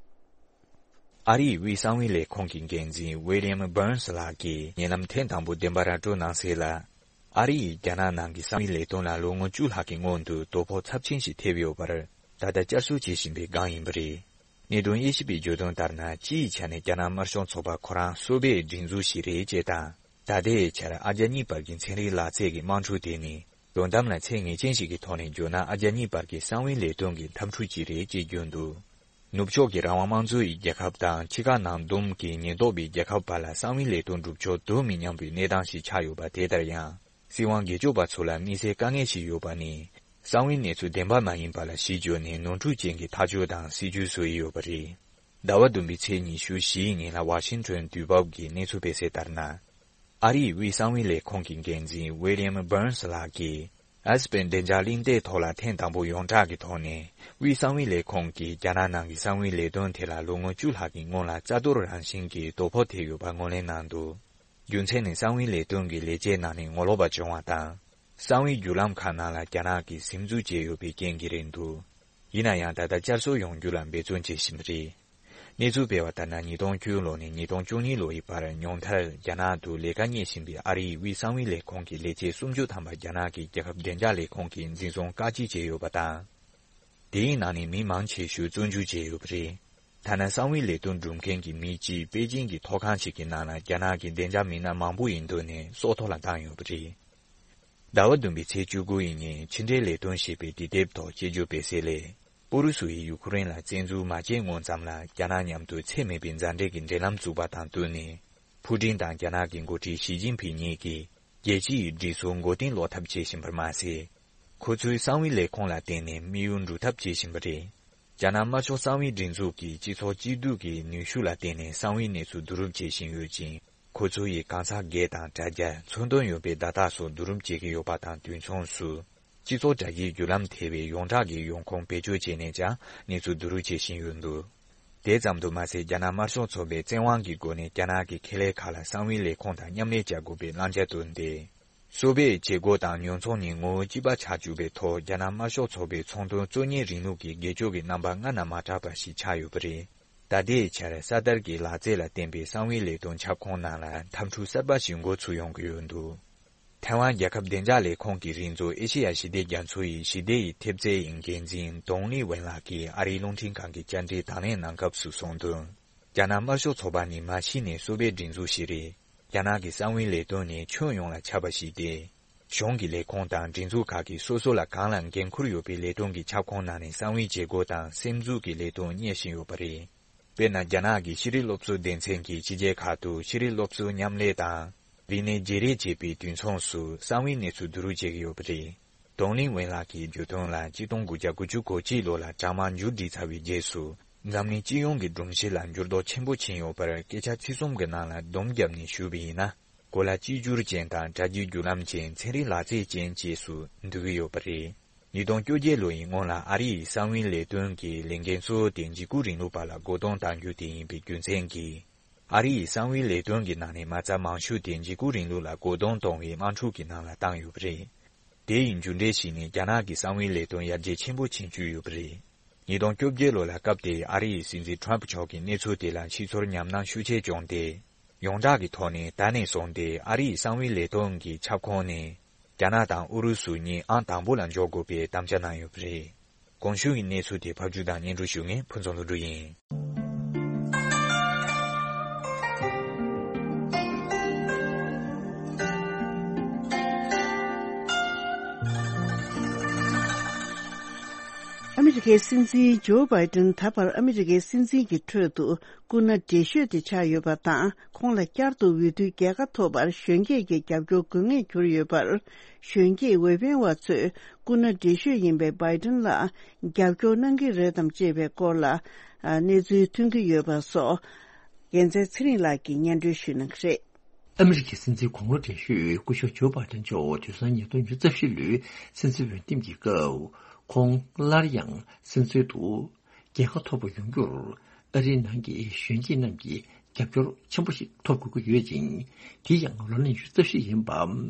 ཨ་རིའི་དབུས་གསང་བའི་ལས་ཁུངས་ཀྱི་འགན་འཛིན་ཝི་ལི་ཡམ་བྷར་ནས་ལགས་ཀྱིས་ཉེ་ལམ་ཐེངས་དང་པོ་བདེན་པ་ར་སྤྲོད་གནང་གསལ་ལ། ཨ་རི་ཡིས་རྒྱ་ནག་ནང་གི་གསང་བའི་ལས་དོན་ལ་ལོ་ངོ་བཅུ་ལྷག་གི་སྔོན་དུ་དོ་ཕོག་ཚབས་ཆེན་ཞིག་ཐེབས་ཡོད་པར་ད་ལྟ་བསྐྱར་གསོ་བྱེད་བཞིན་པའི་སྒང་ཡིན་པ་རེད། གནད་དོན་དབྱེ་ཞིབ་པས་བརྗོད་དོན་ལྟར་ན། སྤྱིའི་ཆ་ནས་རྒྱ་ནག་དམར་ཤོག་ཚོགས་པ་ཁོ་རང་སོ་པའི་སྒྲིག་འཛུགས་ཤིག་རེད་ཅེས་དང་། ད་ལྟའི་ཆར་ཨ་རྒྱ་གཉིས་བར་གྱི་ཚན་རིག་ལག་རྩལ་གྱི་དམག་འཁྲུག་དེ་ནི་དོན་དམ་ལ་ཚད་ངེས་ཅན་ཞིག་གི་ཐོག་ནས་བརྗོད་ན། ཨ་རྒྱ་གཉིས་བར་གྱི་གསང་བའི་ལས་དོན་གྱི་འཐབ་འཁྲུག་ཅིག་རེད་ཅེས་བརྗོད་འདུག་ནུབ་ཕྱོགས་ཀྱི་རང་དབང་དམངས་གཙོ་ཡི་རྒྱལ་ཁབ་དང་། ཕྱི་ཁ་ནང་བསྡོམས་ཀྱི་ཉེན་རྟོག་པའི་རྒྱལ་ཁབ་བར་ལ་གསང་བའི་ལས་དོན་སྒྲུབ་ཕྱོགས་དུ་མི་མཉམ་པའི་གནས་སྟངས་ཤིག་ཆགས་ཡོད་པ། དེ་ལྟར་ཡང་། སྲིད་དབང་སྒེར་གཅོད་པ་ཚོ་ལ་དམིགས་བསལ་དཀའ་ངལ་ཞིག་ཡོད་པ་ནི། གསང་བའི་གནས་ཚུལ་བདེན་པ་མ་ཡིན་པ་ལ་གཞི་བཅོལ་ནས་ནོར་འཁྲུལ་ཅན་གྱི་ཐག་གཅོད་དང་སྲིད་ཇུས་བཟོ་ཡི་ཡོད་པ་རེད། ཟླ་བ་བདུན་པའི་ཚེས་ཉི་ཤུ་བཞིའི་ཉིན་ལ་ཝ་ཤིང་ཊོན་དུས་བབ་ཀྱིས་གནས་ཚུལ་སྤེལ་གསལ་ལྟར་ན། ཨ་རིའི་དབུས་གསང་བའི་ལས་ཁུངས་ཀྱི་འགན་འཛིན་ཝི་ལི་ཡམ་བྷར་ནས་ལགས་ཀྱིས། ཨེ་སི་པན་བདེ་འཇགས་གླེང་སྟེགས་ཐོག་ལ་ཐེངས་དང་པོ་ཡོངས་གྲགས་ཀྱི་ཐོག་ནས། དབུས་གསང་བའི་ལས་ཁུངས་ཀྱིས་རྒྱ་ནག་ནང་གི་གསང་བའི་ལས་དོན་དེ་ལ་ལོ་ངོ་བཅུ་ལྷག་གི་སྔོན་ལ་རྩ་གཏོར་རང་བཞིན་གྱི་དོ་ཕོག་ཐེབས་ཡོད་པ་ངོས་ལེན་གནང་འདུག་རྒྱུ་མཚན་ནི། གསང་བའི་ལས་དོན་གྱི་ལས་བྱེད་ནང་ནས་ངོ་ལོག་པ་བྱུང་བ་དང་། གསང་བའི་བརྒྱུད་ལམ་ཁག་ནང་ལ་རྒྱ་ནག་གིས་ཟིན་འཛུལ་བྱས་ཡོད་པའི་རྐྱེན་གྱིས་རེད་འདུག་ཡིན་ན་ཡང་། ད་ལྟ་བསྐྱར་གསོ་ཡོང་རྒྱུ་ལ་འབད་བརྩོན་བྱེད་བཞིན་པ་རེད། གནས་ཚུལ་སྤེལ་བ་ལྟར་ན། ཉིས་སྟོང་བཅུ་ལོ་ནས་ཉིས་སྟོང་བཅུ་གཉིས་ལོ་ཡི་བར་ཉུང་མཐར་རྒྱ་ནག་ཏུ་ལས་ཀ་གཉེར་བཞིན་པའི་ཨ་རིའི་དབུས་གསང་བའི་ལས་ཁུངས་ཀྱི་ལས་བྱེད་སུམ་ཅུ་ཐམ་པ་རྒྱ་ནག་གི་རྒྱལ་ཁབ་བདེ་འཇགས་ལས་ཁུངས་ཀྱིས་འཛིན་བཟུང་བཀག་སྐྱིལ་བྱས་ཡོད་པ་དང་། དེའི་ནང་ནས་མི་མང་ཆེ་ཤོས་བཙོན་འཇུག་བྱས་ཡོད་པ་རེད། ཐ་ན་གསང་བའི་ལས་དོན་སྒྲུབ་མཁན་གྱི་མི་གཅིག་པེ་ཅིང་གི་ཐོག་ཁང་ཞིག་གི་ནང་ལ་རྒྱ་ནག་གི་བདེ་འཇགས་མི་སྣ་མང་པོ་ཡི་མདུན་ནས་སྲོག་ཐོག་ལ་བཏང་ཡོད་པ་རེད། ཟླ་བ་བདུན་པའི་ཚེས་བཅུ་དགུ་ཡི་ཉིན་ཕྱི་འབྲེལ་ལས་དོན་ཞེས་པའི་དུས་དེབ་ཐོག་དཔྱད་བརྗོད་སྤེལ་གསལ་ལས། ཨུ་རུ་སུ་ཡིས་ཡུ་ཁུ་རེན་ལ་བཙན་འཛུལ་མ་བྱས་སྔོན་ཙམ་ལ། རྒྱ་ནག་མཉམ་དུ་ཚད་མེད་པའི་མཛའ་འབྲེལ་གྱི་འབྲེལ་ལམ་བཙུགས་པ་དང་བསྟུན་ནས། ཕུའུ་ཀྲིན་དང་རྒྱ་ནག་གི་འགོ་ཁྲིད་ཞི་ཅིན་ཕིང་གཉིས་ཀྱིས་རྒྱལ་སྤྱི་ཡི་སྒྲིག་སྲོལ་མགོ་རྟིང་སློག་ཐབས་བྱེད་བཞིན་པར་མ་ཟད། ཁོ་ཚོའི་གསང་བའི་ལས་ཁུངས་ལ་བརྟེན་ནས་དམིགས་ཡུལ་འགྲུབ་ཐབས་བྱེད་བཞིན་པ་རེད། རྒྱ་ནག་དམར་ཤོག་གསང་བའི་སྒྲིག་འཛུགས་ཀྱིས་སྤྱི་ཚོགས་གཅིག་སྡུད་ཀྱི་ནུས་ཤུགས་ལ་བརྟེན་ནས་གསང་བའི་གནས་ཚུལ་བསྡུ་རུབ་བྱེད་བཞིན་ཡོད་ཅིང་། ཁོ་ཚོ་ཡིས་གང་ཟག་སྒེར་དང་དྲ་རྒྱ། མཚོན་དོན་ཡོད་པའི་བརྡ་རྟགས་སོགས་བསྡུ་རུབ་བྱེད་ཀྱི་ཡོད་པ་དང་དུས་མཚུངས་སུ། སྤྱི་ཚོགས་དྲ་རྒྱའི་བརྒྱུད་ལམ་ཐེ་བའི་ཡོངས་གྲགས་ཀྱི་ཡོང་ཁུངས་བེད་སྤྱོད་བྱས་ནས་ཀྱང་གནས་ཚུལ་བསྡུ་རུབ་བྱེད་བཞིན་ཡོད་འདུག་དེ་ཙམ་དུ་མ་ཟད། རྒྱ་ནག་དམར་ཤོག་ཚོགས་པས་བཙན་དབང་གི་སྒོ་ནས་རྒྱ་ནག་གི་ཁེ་ལས་ཁག་ལ་གསང་བའི་ལས་ཁུངས་དང་མཉམ་ལས་བྱ་དགོས་པའི་བླང་བྱ་བཏོན་ཏེ། སོ་པའི་བྱེད་སྒོ་དང་ཉོ་ཚོང་ནི་ངོ་བོ་གཅིག་པ་ཆགས་བཅུག་པའི་ཐོག་རྒྱ་ནག་དམར་ཤོག་ཚོགས་པའི་ཚོང་དོན་གཙོ་གཉེར་རིང་ལུགས་ཀྱི་སྒེར་གཅོད་ཀྱི་རྣམ་པ་སྔར་ན་མ་གྲགས་པ་ཞིག་ཆགས་ཡོད་པ་རེད། ད་ལྟའི་ཆར་གསར་དར་གྱི་ལག་རྩལ་ལ་བརྟེན་པའི་གསང་བའི་ལས་དོན་ཁྱབ་ཁོངས་ནང་ལ་འཐབ་འཁྲུག་གསར་པ་ཞིག་འགོ་ཚུགས་ཡོང་གི་ཡོད་འདུག་ཐའེ་ཝན་རྒྱལ་ཁབ་བདེ་འཇགས་ལས་ཁུངས་ཀྱི་རིགས་མཛོད་ཨེ་ཤེ་ཡ་ཞི་བདེ་རྒྱ་མཚོ་ཡི་ཞི་བདེ་ཡི་ཐེབས་རྩའི་འགན་འཛིན་ཏོང་ལི་ཝེན་ལགས་ཀྱིས་ཨ་རིའི་རླུང་འཕྲིན་ཁང་གི་བཅར་འདྲིར་དང་ལེན་གནང་སྐབས་སུ་གསུངས་དོན། རྒྱ་ནག་དམར་ཤོག་ཚོགས་པ་ནི་མ་གཞི་ནས་སོ་པའི་སྒྲིག་འཛུགས་ཤིག་རེད། རྒྱ་ནག་གི་གསང་བའི་ལས་དོན་ནི་ཁྱོན་ཡོངས་ལ་ཁྱབ་པ་ཞིག་སྟེ། གཞུང་གི་ལས་ཁུངས་དང་སྒྲིག་འཛུགས་ཁག་གིས་སོ་སོ་ལ་གང་ལ་འགན་འཁུར་ཡོད་པའི་ལས་དོན་གྱི་ཁྱབ་ཁོངས་ནང་ནས་གསང་བའི་བྱེད་སྒོ་དང་སེམས་འཛུགས་ཀྱི་ལས་དོན་གཉེར་བཞིན་ཡོད་པ་རེད། དཔེར་ན། རྒྱ་ནག་གི་ཤེས་རིག་སློབ་གསོ་སྡེ་ཚན་གྱིས་ཕྱི་རྒྱལ་ཁག་ཏུ་ཤེས་རིག་སློབ་གསོའི་མཉམ་ལས་དང་། རིག་གནས་བརྗེ་རེས་བྱེད་པའི་དུས་མཚུངས་སུ་གསང་བའི་གནས་ཚུལ་བསྡུ་རུབ་བྱེད་ཀྱི་ཡོད་པ་རེད། ཏོང་ལིན་ཝེན་ལགས་ཀྱིས་བརྗོད་དོན་ལ། ཆིག་སྟོང་དགུ་བརྒྱ་དགུ་བཅུ་གོ་གཅིག་ལོ་ལ་དྲག་དམག་མཇུག་སྒྲིལ་ཚར་བའི་རྗེས་སུ། འཛམ་གླིང་སྤྱི་ཡོངས་ཀྱི་སྒྲོམ་གཞི་ལ་འགྱུར་ལྡོག་ཆེན་པོ་ཕྱིན་ཡོད་པར་སྐད་ཆ་ཚིག་གསུམ་གྱི་ནང་ལ་སྡོམ་བརྒྱབ་ནས་ཞུས་པ་ཡིན་ན། གོ་ལ་གཅིག་གྱུར་ཅན་དང་དྲ་རྒྱའི་བརྒྱུད་ལམ་ཅན། ཚན་རིག་ལག་རྩལ་ཅན་བཅས་སུ་འདུ་གི་ཡོད་པ་རེད། ཉིས་སྟོང་བཅོ་བརྒྱད་ལོ་ཡི་སྔོན་ལ་ཨ་རི་ཡི་གསང་བའི་ལས་དོན་གྱི་ལས་འགན་གཙོ་བོ་དེ་འཇིགས་སྐུལ་རིང་ལུགས་པ་ལ་བཀོད་གཏོང་གཏང་རྒྱུ་དེ་ཡིན་པའི་རྒྱུ་མཚན་གྱིས། ཨ་རི་ཡི་གསང་བའི་ལས་དོན་གྱི་ནང་ནས་མ་རྩ་མང་ཤོས་དེ་འཇིགས་སྐུལ་རིང་ལུགས་ལ་བཀོད་གཏོང་གཏོང་བའི་དམག་འཁྲུག་གི་ནང་ལ་བཏང་ཡོད་པ་རེད། དེ་ཡི་མཇུག་འབྲས་ཤིག་ནི་རྒྱ་ནག་གི་གསང་བའི་ལས་དོན་ཡར་རྒྱས་ཆེན་པོ་ཕྱིན་བཅུག་ཡོད་པ་རེད། ཉིས་སྟོང་བཅོ་བརྒྱད་ལོ་ལ་སྐབས་དེའི་ཨ་རི་ཡི་སྲིད་འཛིན་ཊརམ་ཕི་མཆོག་གིས་གནས་ཚུལ་དེ་ལ་ཕྱི་ཚོར་ཉམས་སྣང་ཤུགས་ཆེ་བྱུང་སྟེ། ཡོངས་གྲགས་ཀྱི་ཐོག་ནས་ད་ནས་བཟུང་སྟེ་ཨ་རི་ཡི་གསང་བའི་ལས་དོན་གྱི་ཁྱབ་ཁོངས་ནས། རྒྱ་ནག་དང་ཨུ་རུ་སུ་གཉིས་ཨང་དང་པོ་ལ་འཇོག་དགོས་པའི་དམ་བཅའ་གནང་ཡོད་པ་རེད། གོང་ཞུས་ཀྱི་གནས་ཚུལ་དེ་ཕབ་སྒྱུར་དང་སྙན་སྒྲོན་ཞུ་མཁན་ཕུན་ཚོགས་ལྷུན་གྲུབ་ཡིན། ཨ་མི་རི་ཀའི་སྲིད་འཛིན་ཇོ་བྷའི་ཏིན་ད་བར་ཨ་མི་རི་ཀའི་སྲིད་འཛིན་གྱི་ཁྲོད་དུ་སྐུ་ན་བགྲེས་ཤོས་དེ་ཆགས་ཡོད་པ་དང་། ཁོང་ལ་བསྐྱར་དུ་འོས་བསྡུའི་རྒྱལ་ཁ་ཐོབ་པར་གཞོན་སྐྱེས་ཀྱི་རྒྱབ་སྐྱོར་དགོས་ངེས་གྱུར་ཡོད་པར། གཞོན་སྐྱེས་འོས་འཕེན་བ་ཚོས་སྐུ་ན་བགྲེས་ཤོས་ཡིན་པའི་བྷའི་ཏིན་ལ་རྒྱབ་སྐྱོར་གནང་གི་རེད་དམ་ཅེས་པའི་སྐོར་ལ། ཨ། གནས་ཚུལ་ཐོན་གྱི་ཡོད་པ་སོགས། རྒྱལ་མཚན་ཚེ་རིང་ལགས་ཀྱིས་སྙན་སྒྲོན་ཞུ་གནང་གི་རེད། ཨ་མི་རི་ཀའི་སྲིད་འཛིན་གོང་ལོ་བགྲེས་ཤོས་སྐུ་ཞབས་ཇོ་བྷའི་ཏིན་མཆོག་དུས་སང་ཉིས་སྟོང་ཉི་ཤུ་རྩ་བཞི་ལོའི་སྲིད་འཛིན་འོས་འདེམས་ཀྱི་སྐབས། ཁོང་སླར་ཡང་སྲིད་འཛིན་དུ་རྒྱལ་ཁ་ཐོབ་པ་ཡོང་རྒྱུར་ཨ་རིའི་ནང་གི་གཞོན་སྐྱེས་རྣམས་ཀྱིས་ རྒྱབ་སྐྱོར་ཆེན་པོ་ཞིག་ཐོབ་དགོས་ཀྱི་ཡོད་ཅིང་། དེ་ཡང་ལོ་ན་ཉི་ཤུ་རྩ་བཞི་ཡིན་པ་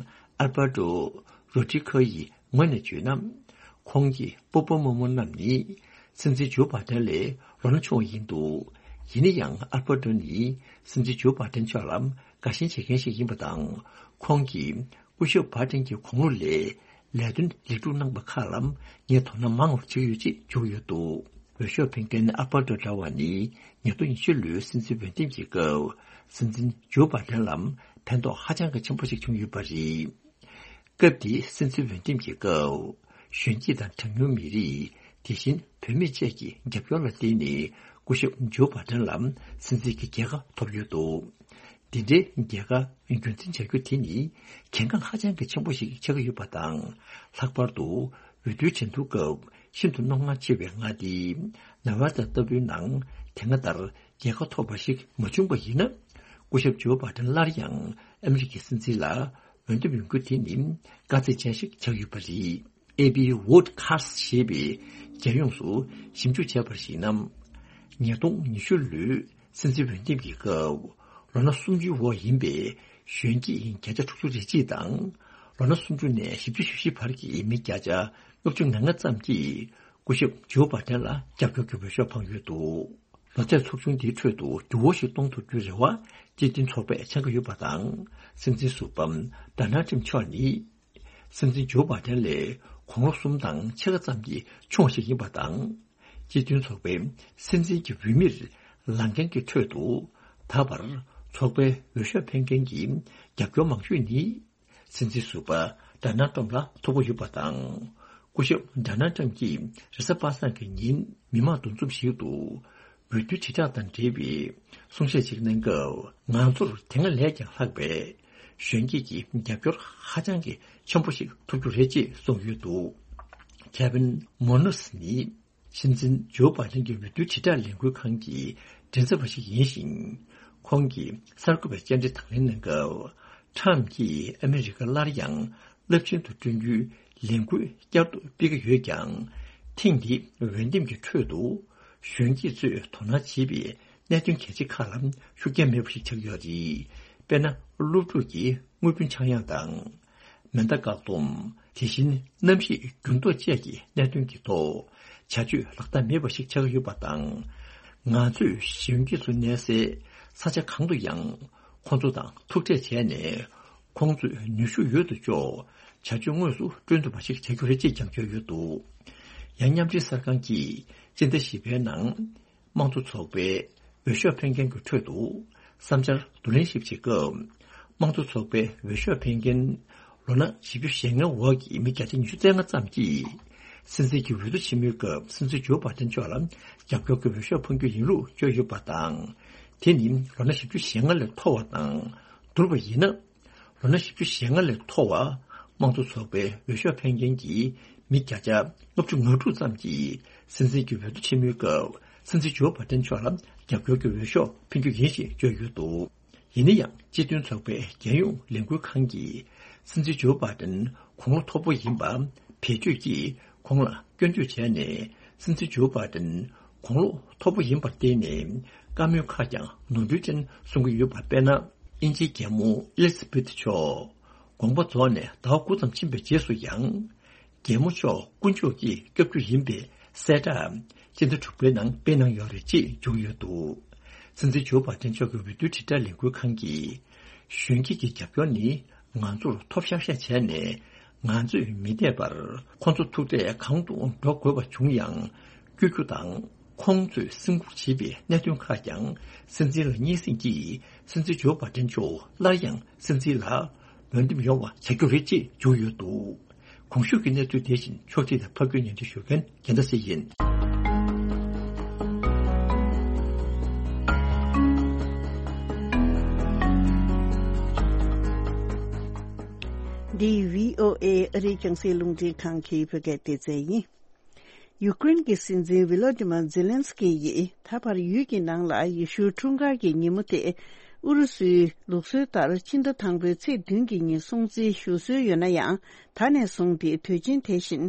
ཨལ་པར་ཏོ་རོ་ཌི་ཁོ་ཡི་ངོས་ནས་བརྗོད་ན། ཁོང་གི་སྤོ་བོ་རྨོ་མོ་རྣམས་ནི་སྲིད་འཛིན་ཇོ་བྷ་དན་ལས་ལོ་ན་ཆུང་བ་ཡིན་འདུག་ཡིན་ན་ཡང་ཨལ་པར་ཏོ་ནི་སྲིད་འཛིན་ཇོ་བྷ་དན་མཆོག་ལ་དགའ་ཞེན་བྱེད་མཁན་ཞིག་ཡིན་པ་དང་། ཁོང་གིས་སྐུ་ཞབས་བྷ་དན་གྱི་དགུང་ལོ་ལས་ལས་དོན་ལེགས་གྲུབ་གནང་པ་ཁག་ལ་ངས་དོ་སྣང་མང་བ་བྱེད་ཀྱི་ཡོད་ཅེས་བརྗོད་ཡོད་འདུག་འོས་ཤོག་འཕེན་མཁན་ཨལ་པར་ཏོ་འདྲ་བ་ནི་ཉིས་སྟོང་ཉི་ཤུ་ལོའི་སྲིད་འཛིན་འོས་འདེམས་ཀྱི་སྐབས་སྲིད་འཛིན་ཇོ་བྷ་དན་ལ་ཕན་ཐོགས་ཧ་ཅང་གི་ཆེན་པོ་ཞིག་བྱུང་ཡོད་པ་རེད། སྐབས་དེའི་སྲིད་འཛིན་འོས་འདེམས་ཀྱི་སྐབས་གཞོན་སྐྱེས་དང་གྲངས་ཉུང་མི་རིགས། དེ་བཞིན་བུད་མེད་བཅས་ཀྱི་རྒྱབ་སྐྱོར་ལ་བརྟེན་ནས་སྐུ་ཞབས་ཇོ་བྷ་དན་ལ་སྲིད་འཛིན་གྱི་རྒྱལ་ཁ་ཐོབ་ཡོད་འདུག་འདི་འདྲའི་རྒྱལ་ཁ་རྒྱུན་འཛིན་བྱ་རྒྱུ་དེ་ནི་གལ་འགངས་ཧ་ཅང་གི་ཆེན་པོ་ཞིག་ཆགས་ཀྱི་ཡོད་པ་དང་། ལྷག་པར་དུ་འོས་བསྡུའི་ཆེན་མཐུན་སྐབས་ཤིན་ཏུ་རྣོ་ངར་ཆེ་བའི་མངའ་སྡེ་ནེ་བྷ་ཌ་ལྟ་བུའི་ནང་དེ་སྔ་ལྟར་རྒྱལ་ཁ་ཐོབ་པ་ཞིག་མ་བྱུང་པ་ཡིན་ན། སྐུ་ཞབས་ཇོ་བྷ་དན་སླར་ཡང་ཨ་མི་རི་ཀའི་སྲིད་འཛིན་ལ་འོས་འདེམས་ཡོང་རྒྱུ་དེ་ནི་དཀའ་ཚེགས་ཅན་ཞིག་ཆགས་ཡོད་པ་རེད། ཨེ་པི་ཝོ་ཌི་ཁ་སི་ཞེས་པའི་རྒྱལ་ཡོངས་སུ་ཞིབ་འཇུག་བྱས་པར་གཞིགས་ན། ཉིས་སྟོང་ཉི་ཤུ་ལོའི་སྲིད་འཛིན་འོས་འདེམས་ཀྱི་སྐབས་ལོ་ན་སུམ་ཅུའི་འོག་ཡིན་པའི་གཞོན་སྐྱེས་བརྒྱ་ཆ་དྲུག་ཅུ་རེ་གཅིག་དང་། ལོ་ན་སུམ་ཅུ་ནས་བཞི་བཅུ་ཞེ་བཞི་བར་གྱི་མི་བརྒྱ་ཆ་ལྔ་བཅུ་ང་ལྔ་ཙམ་གྱིས་སྐུ་ཞབས་ཇོ་བྷ་དན་ལ་རྒྱབ་སྐྱོར་གྱི་འོས་ཤོག་འཕངས་ཡོད་འདུག་ལོ་ཚད་ཚོགས་ཆུང་འདིའི་ཁྲོད་དུ་འགྱུར་བ་ཞིག་གཏོང་ཐུབ་རྒྱུའི་རེ་བ་སྤྱི་མཐུན་ཚོགས་པས་འཆང་གི་ཡོད་པ་དང་། སྲིད་འཛིན་ཟུར་པ་ཌོ་ནལ་ཊམ་མཆོག་ནི་སྲིད་འཛིན་ཇོ་བྷ་དན་ལས་དགུང་ལོ་གསུམ་དང་ཕྱེད་ཀ་ཙམ་གྱིས་ཆུང་བ་ཞིག་ཡིན་པ་དང་། སྤྱི་མཐུན་ཚོགས་པའི་སྲིད་འཛིན་གྱི་འོས་མིར་ལངས་མཁན་གྱི་ཁྲོད་དུ་ད་བར་ཚོགས་པའི་འོས་ཤོག་འཕེན་མཁན་གྱི་རྒྱབ་སྐྱོར་མང་ཤོས་ནི། སྲིད་འཛིན་ཟུར་པ་ཌོ་ནལ་ཊམ་ལ་ཐུག་གི་ཡོད་པ་དང་། སྐུ་ཞབས་ཌོ་ནལ་ཊམ་གྱིས་རེས་གཟའ་པ་སངས་ཀྱི་ཉིན་མི་མང་འདུ་འཛོམས་ཤིག་ཏུ་འོས་བསྡུའི་དྲིལ་བསྒྲགས་དང་འབྲེལ་བའི་གསུང་བཤད་ཅིག་གནང་སྐབས། ང་ཚོར་དེ་སྔ་ལས་ཀྱང་ལྷག་པའི་གཞོན་སྐྱེས་ཀྱི་རྒྱབ་སྐྱོར་ཧ་ཅང་གི་ཆེན་པོ་ཞིག་ཐོབ་རྒྱུ་རེད་ཅེས་གསུངས་ཡོད་འདུག་ཁེ་ཝིན་མོ་ནོས་ནི། སྲིད་འཛིན་ཇོ་བྷ་དན་གྱི་འོས་བསྡུའི་དྲིལ་བསྒྲགས་ལས་འགུལ་ཁང་གི་མགྲིན་ཚབ་པ་ཞིག་ཡིན་ཞིང་། ཁོང་གིས་གསར་འགོད་པའི་བཅར་འདྲི་དང་ལེན་གནང་སྐབས། ཊམ་གྱིས་ཨ་མི་རི་ཀར་སླར་ཡང་རླབས་ཆེན་དུ་བསྐྲུན་རྒྱུའི་ལས་འགུལ་བསྐྱར་དུ་སྤེལ་གྱི་ཡོད་ཀྱང་། ཐེངས་འདིའི་འོས་འདེམས་ཀྱི་ཁྲོད་དུ་གཞོན་སྐྱེས་ཚོས་དོ་སྣང་བྱེད་པའི་གནད་དོན་གལ་ཆེ་ཁག་ལ་ཤུགས་རྐྱེན་མེད་པ་ཞིག་ཆགས་ཡོད་རེད། དཔེར་ན། སློབ་ཕྲུག་གི་དངུལ་བུན་ཆག་ཡང་དང་། མེ་མདའ་བཀག་སྡོམ། དེ་བཞིན་གནམ་གཤིས་འགྱུར་ལྡོག་བཅས་ཀྱི་གནད་དོན་གྱི་ཐོག་བྱ་སྤྱོད་ལག་བསྟར་མེད་པ་ཞིག་ཆགས་ཡོད་པ་དང་། ང་ཚོས་གཞོན་སྐྱེས་ཚོ་གནས་སའི་ས་ཆ་གང་དུ་ཡང་ཁོང་ཚོ་དང་ཐུག་འཕྲད་བྱས་ནས། ཁོང་ཚོས་ནུས་ཤུགས་ཡོད་དོ་ཅོག་བྱ་སྤྱོད་དངོས་སུ་བསྐྲུན་ཐུབ་པ་ཞིག་བྱ་རྒྱུ་རེད་ཅེས་ཀྱང་བརྗོད་ཡོད་འདུག་ཡང་། མཉམ་འབྲེལ་གསར་ཁང་གིས་སྤྱི་ཟླ་བཞི་པའི་ནང་། དམངས་གཙོ་ཚོགས་པའི་འོས་ཤོག་འཕེན་མཁན་གྱི་ཁྲོད་དུ་བསམ་འཆར་བསྡུ་ལེན་ཞིབ་བྱེད་སྐབས། དམངས་གཙོ་ཚོགས་པའི་འོས་ཤོག་འཕེན་མཁན་ལོ་ན་བཞི་བཅུ་ཞེ་ལྔའི་འོག་གི་མི་བརྒྱ་ཆ་ཉི་ཤུ་རྩ་ལྔ་ཙམ་གྱིས། སྲིད་འཛིན་གྱི་འོས་བསྡུ་ཆེན་མོའི་སྐབས་སྲིད་འཛིན་ཇོ་བྷ་དན་མཆོག་ལ་རྒྱབ་སྐྱོར་གྱི་འོས་ཤོག་འཕང་རྒྱུ་ཡིན་ལུགས་བརྗོད་ཡོད་པ་དང་། དེ་ནི་ལོ་ན་བཞི་བཅུ་ཞེ་ལྔ་ལས་མཐོ་བ་དང་། བསྡུར་བ་ཡིན་ན། ལོ་ན་བཞི་བཅུ་ཞེ་ལྔ་ལས་མཐོ་བ་དམངས་གཙོ་ཚོགས་པའི་འོས་ཤོག་འཕེན་མཁན་གྱི་མི་བརྒྱ་ཆ་ལྔ་བཅུ་ང་དྲུག་ཙམ་གྱིས་སྲིད་འཛིན་གྱི་འོས་བསྡུ་ཆེན་མོའི་སྐབས་སྲིད་འཛིན་ཇོ་བྷ་དན་མཆོག་ལ་རྒྱབ་སྐྱོར་གྱི་འོས་ཤོག་འཕེན་རྒྱུ་ཡིན་ཞེས་བརྗོད་ཡོད་འདུག་ཡིན་ན་ཡང་། སྤྱི་མཐུན་ཚོགས་པའི་རྒྱལ་ཡོངས་ལས་འགུལ་ཁང་གིས་སྲིད་འཛིན་ཇོ་བྷ་དན་དགུང་ལོ་མཐོ་པོ་ཡིན་པ་བེད་སྤྱོད་ཀྱིས་ཁོང་ལ་སྐྱོན་བརྗོད་བྱས་ནས། སྲིད་འཛིན་ཇོ་བྷ་དན་དགུང་ལོ་མཐོ་པོ་ཡིན་པར་བརྟེན་ནས། བཀའ་མོལ་ཁག་ཀྱང་ནོར་འཁྲུལ་ཅན་གསུང་གི་ཡོད་པ། དཔེར་ན། དབྱིན་ཇིའི་རྒྱལ་མོ་ཨེ་ལི་ཛ་བེཐ་མཆོག་དགོངས་པ་རྫོགས་ནས་ཟླ་བ་དགུ་ཙམ་ཕྱིན་པའི་རྗེས་སུ་ཡང་། རྒྱལ་མོ་མཆོག་དཀོན་མཆོག་གི་བཀའ་བརྒྱུད་ཡིན་པའི་གསལ་བསྒྲགས་སྤྱི་ཟླ་དྲུག་པའི་ནང་སྤེལ་གནང་ཡོད་རེད་ཅེས་བརྗོད་ཡོད་འདུག་སྲིད་འཛིན་ཇོ་བྷ་དན་མཆོག་གི་འོས་བསྡུའི་དྲིལ་བསྒྲགས་ལས་འགུལ་ཁང་གིས། གཞོན་སྐྱེས་ཀྱི་རྒྱབ་སྐྱོར་ནི་ང་ཚོར་ཐོབ་ཤག་ཤག་བྱས་ནས། ང་ཚོས་མི་འདས་པར་ཁོང་ཚོ་ཐུག་འཕྲད་གང་དུ་འགྲོ་དགོས་པ་བྱུང་ཡང་། བསྐྱོད་རྒྱུ་དང་། ཁོང་ཚོས་སེམས་ཁུར་བྱེད་པའི་གནད་དོན་ཁག་ཀྱང་སྲིད་འཛིན་ལ་སྙན་སེང་གིས། སྲིད་འཛིན་ཇོ་བྷ་དན་མཆོག་སླར་ཡང་སྲིད་འཛིན་ལ་འོས་འདེམས་ཡོང་བ་བྱ་རྒྱུ་རེད་ཅེས་བརྗོད་ཡོད་འདུག་གོང་ཞུས་ཀྱི་གནས་ཚུལ་དེ་བཞིན་ཕྱོགས་སྒྲིག་དང་ཕབ་སྒྱུར་སྙན་སྒྲོན་ཞུ་མཁན་རྒྱལ་མཚན་སྲས་ཡིན། འདི་བྷི་ཨོ་ཨེ་ཨ་རིའི་རྒྱང་སྲིང་རླུང་འཕྲིན་ཁང་གི་བོད་སྐད་སྡེ་ཚན་ཡིན། ཡུ་ཀེ་རེན་གྱི་སྲིད་འཛིན་ཝི་ལོ་ཏི་མ་ཛེ་ལན་སི་ཀི་ཡིས་ད་བར་ཡུལ་གྱི་ནང་ལ་ཡེ་ཤུའི་འཁྲུངས་སྐར་གྱི་ཉིན་མོ་དེ་ཨུ་རུ་སུའི་ལུགས་སྲོལ་ལྟར་ཕྱི་ཟླ་དང་པོའི་ཚེས་བདུན་གྱི་ཉིན་སྲུང་བརྩི་ཞུ་སྲོལ་ཡོད་ན་ཡང་། ད་ནས་བཟུང་སྟེ་དུས་ཆེན་དེ་བཞིན་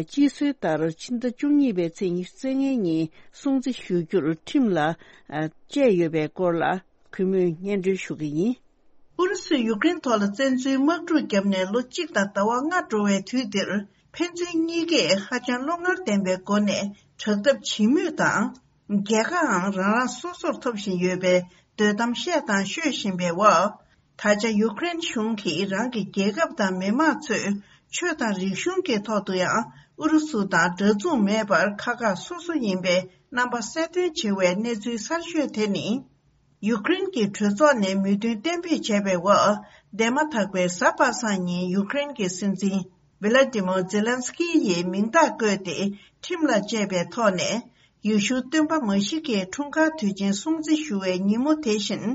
སྤྱི་སྲོལ་ལྟར་ཕྱི་ཟླ་བཅུ་གཉིས་པའི་ཚེས་ཉི་ཤུ་རྩ་ལྔའི་ཉིན་སྲུང་བརྩི་ཞུ་རྒྱུར་ཁྲིམས་ལ་བཅས་ཡོད་པའི་སྐོར་ལ། གུས་མོས་སྙན་སྒྲོན་ཞུ་གི་ཡིན། ཨུ་རུ་སུས་ཡུཀ་རེན་ཐོག་ལ་བཙན་འཛུལ་དམག་འཁྲུག་བརྒྱབ་ནས་ལོ་གཅིག་དང་ཟླ་བ་ལྔ་འགྲོ་བའི་དུས་འདིར། ཕན་ཚུན་གཉིས་ཀས་ཧ་ཅང་བློ་ངར་ལྡན་པའི་སྒོ་ནས་དྲག་འཐབ་བྱེད་མུས་དང་། རྒྱལ་ཁའང་རང་རང་སོ་སོར་ཐོབ་བཞིན་ཡོད་པའི་འདོད་གཏམ་བཤད་དང་ཤོད་བཞིན་པའི་འོག་ད་ཆ་ཡུཀ་རེན་གཞུང་གིས་རང་གི་རྒྱལ་ཁབ་དང་མི་དམངས་ཚོས་ཆོས་དང་རིག་གཞུང་གི་ཐོག་ཏུ་ཡང་ཨུ་རུ་སུ་དང་འདྲ་མཚུངས་མེད་པར་ཁག་ཁག་སོ་སོ་ཡིན་པའི་རྣམ་པ་གསལ་སྟོན་བྱེད་པའི་གནས་ཚུལ་གསར་ཤོས་དེ་ནི། ཡུཀ་རེན་གྱི་གྲོས་ཚོགས་ནས་མོས་མཐུན་གཏན་འབེབས་བྱས་པའི་འོག་འདས་མ་ཐག་པའི་གཟའ་པ་སངས་ཉིན་ཡུཀ་རེན་གྱི་སྲིད་འཛིན་ཝི་ལ་ཏི་མོ་ཛེ་ལན་སི་ཀི་ཡིས་མིང་རྟགས་བཀོད་དེ་ཁྲིམས་ལ་བཅད་པའི་ཐོག་ནས། ཡེ་ཤུ་སྟོན་པ་མཱ་ཤི་ཀའི་འཁྲུངས་སྐར་དུས་ཆེན་སྲུང་བརྩི་ཞུ་བའི་ཉིན་མོ་དེ་བཞིན།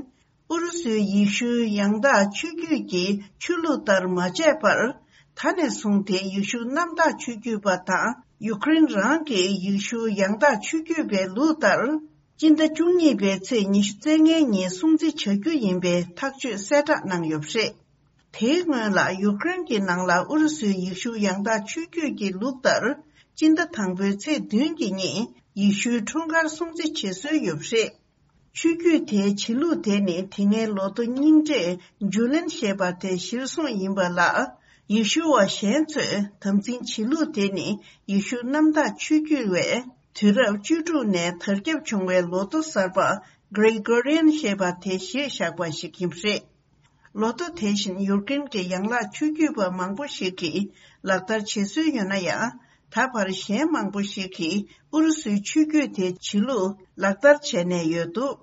ཨུ་རུ་སུའི་ཡེ་ཤུའི་ཡང་དག་ཆོས་བརྒྱུད་ཀྱི་ཆོས་ལུགས་ལྟར་མ་བྱས་པར། ད་ནས་བཟུང་སྟེ་ཡེ་ཤུ་གནམ་བདག་ཆོས་བརྒྱུད་པ་དང་ཡུཀ་རེན་རང་གི་ཡེ་ཤུ་ཡང་དག་ཆོས་བརྒྱུད་པའི་ལུགས་ལྟར། སྤྱི་ཟླ་བཅུ་གཉིས་པའི་ཚེས་ཉི་ཤུ་རྩ་ལྔའི་ཉིན་སྲུང་བརྩི་བྱ་རྒྱུ་ཡིན་པའི་ཐག་གཅོད་གསལ་བསྒྲགས་གནང་ཡོད་པ་རེད། དེའི་སྔོན་ལ་ཡུཀ་རེན་གྱི་ནང་ལ་ཨུ་རུ་སུའི་ཡེ་ཤུ་ཡང་དག་ཆོས་བརྒྱུད་ཀྱི་ལུགས་ལྟར། སྤྱི་ཟླ་དང་པོའི་ཚེས་བདུན་གྱི་ཉིན་ཡེ་ཤུའི་འཁྲུངས་སྐར་སྲུང་བརྩི་བྱེད་སྲོལ་ཡོད་པ་རེད། ཆོས་བརྒྱུད་དེའི་བྱེད་ལུགས་དེ་ནི་དེ་སྔའི་ལོ་ཐོ་རྙིང་གྲས་ཇུ་ལེན་ཞེས་པ་དེ་གཞིར་བཟུང་ཡིན་པ་ལ། ཡེ་ཤུ་བ་གཞན་ཚོས་དམ་འཛིན་བྱེད་ལུགས་དེ་ནི་ཡེ་ཤུ་གནམ་བདག་ཆོས་བརྒྱུད་པས་དུས་རབས་བཅུ་དྲུག་ནས་དར་ཁྱབ་བྱུང་བའི་ལོ་ཐོ་གསར་པ་གྷི་རི་གོ་རི་ཡན་ཞེས་པ་དེ་གཞིར་བཞག་པ་ཞིག་ཡིན་པ་རེད། ལོ་ཐོ་དེ་བཞིན་ཡུཀ་རེན་གྱི་ཡན་ལག་ཆོས་བརྒྱུད་པ་མང་པོ་ཞིག་གིས་ལག་བསྟར་བྱེད་སྲོལ་ཡོད་ན་ཡང་། ད་བར་གཞན་མང་པོ་ཞིག་གིས་ཨུ་རུ་སུའི་ཆོས་བརྒྱུད་དེའི་བྱེད་ལུགས་ལག་བསྟར་བྱས་ནས་ཡོད་འདུག་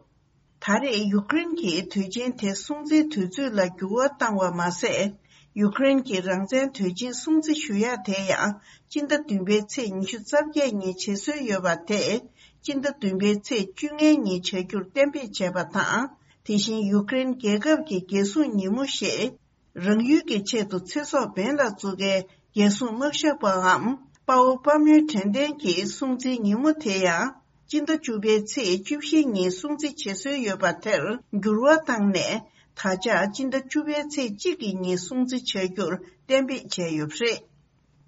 ད་རེས་ཡུཀ་རེན་གྱིས་དུས་ཆེན་དེ་སྲུང་བརྩིའི་དུས་ཚོད་ལ་འགྱུར་བ་བཏང་བ་མ་ཟད། ཡུཀ་རེན་གྱི་རང་བཙན་དུས་ཆེན་སྲུང་བརྩི་ཞུ་ཡག་དེ་ཡང་སྤྱི་ཟླ་བདུན་པའི་ཚེས་ཉི་ཤུ་རྩ་བརྒྱད་ཉིན་བྱེད་སྲོལ་ཡོད་པ་དེ། སྤྱི་ཟླ་བདུན་པའི་ཚེས་བཅོ་ལྔའི་ཉིན་བྱ་རྒྱུར་གཏན་འབེབས་བྱས་པ་དང་། དེ་བཞིན་ཡུཀ་རེན་རྒྱལ་ཁབ་ཀྱི་རྒྱལ་སྲུང་ཉིན་མོ་ཞེས། རང་ཡུལ་གྱི་ཆེད་དུ་ཚེ་སྲོག་འབེན་ལ་བཙུགས་མཁན་རྒྱལ་སྲུང་དམག་ཞབས་པའམ་དཔའ་བོ་དཔའ་མོའི་དྲན་རྟེན་གྱི་སྲུང་བརྩིའི་ཉིན་མོ་དེ་ཡང་སྤྱི་ཟླ་བཅུ་པའི་ཚེས་བཅུ་བཞི་ཉིན་སྲུང་བརྩི་བྱེད་སྲོལ་ཡོད་པ་དེར་འགྱུར་བ་བཏང་ནས། ད་ཆ་སྤྱི་ཟླ་བཅུ་པའི་ཚེས་གཅིག་གི་ཉིན་སྲུང་བརྩི་བྱ་རྒྱུར་གཏན་འབེབས་བྱས་ཡོད་པ་རེད།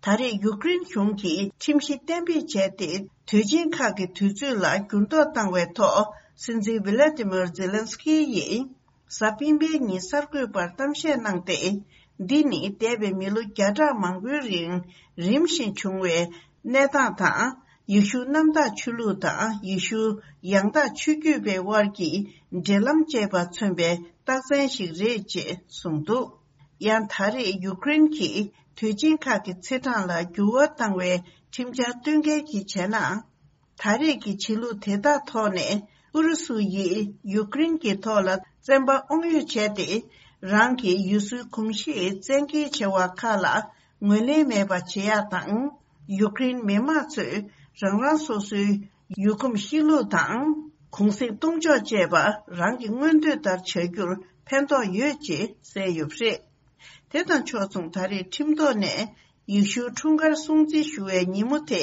ད་རེས་ཡུཀ་རེན་གཞུང་གིས་ཁྲིམས་གཞི་གཏན་འབེབས་བྱས་ཏེ། དུས་ཆེན་ཁག་གི་དུས་ཚོད་ལ་འགྱུར་ལྡོག་བཏང་བའི་ཐོག་སྲིད་འཛིན་ཝི་ལ་ཏི་མིར་ཛེ་ལན་སི་ཀི་ཡིས་གཟའ་སྤེན་པའི་ཉིན་གསར་འགོད་པར་གཏམ་བཤད་གནང་སྟེ། འདི་ནི་འདས་པའི་མི་ལོ་བརྒྱ་ཕྲག་མང་པོའི་རིང་རིམ་བཞིན་བྱུང་བའི་གནས་སྟངས་དང་། ཡེ་ཤུ་གནམ་བདག་ཆོས་ལུགས་དང་ཡེ་ཤུ་ཡང་དག་ཆོས་བརྒྱུད་པའི་དབར་གྱི་འབྲེལ་ལམ་བཅས་པ་མཚོན་པའི་རྟགས་མཚན་ཞིག་རེད་ཅེས་གསུངས་འདུག་ཡང་ད་རེས་ཡུཀ་རེན་གྱིས་དུས་ཆེན་ཁག་གི་ཚེས་གྲངས་ལ་འགྱུར་བ་བཏང་བའི་ཁྲིམས་འཆར་བཏོན་མཁན་གྱིས་བྱས་ན། ད་རེས་ཀྱི་བྱེད་ལུགས་དེ་དག་ཐོག་ནས་ཨུ་རུ་སུ་ཡིས་ཡུཀ་རེན་གྱི་ཐོག་ལ་བཙན་པ་དབང་ཡོད་བྱས་ཏེ། རང་གི་ཡུལ་སྲོལ་གོམས་གཤིས་བཙན་འགེལ་བྱ་བ་ཁག་ལ་ངོས་ལེན་མེད་པ་བྱེད་ཡག་དང་། ཡུཀ་རེན་མི་དམངས་ཚོས་རང་རང་སོ་སོའི་ཡུལ་གོམས་གཤིས་ལུགས་དང་གུང་གསེང་གཏོང་ཕྱོགས་བཅས་པ་རང་གི་མངོན་འདོད་ལྟར་བྱ་རྒྱུར་ཕན་ཐོགས་ཡོད་ཅེས་གསལ་ཡོད་པ་རེད། དེ་དང་ཕྱོགས་མཚུངས་ད་རེས་ཁྲིམས་ཐོག་ནས་ཡེ་ཤུའི་འཁྲུངས་སྐར་སྲུང་བརྩི་ཞུ་བའི་ཉིན་མོ་དེ་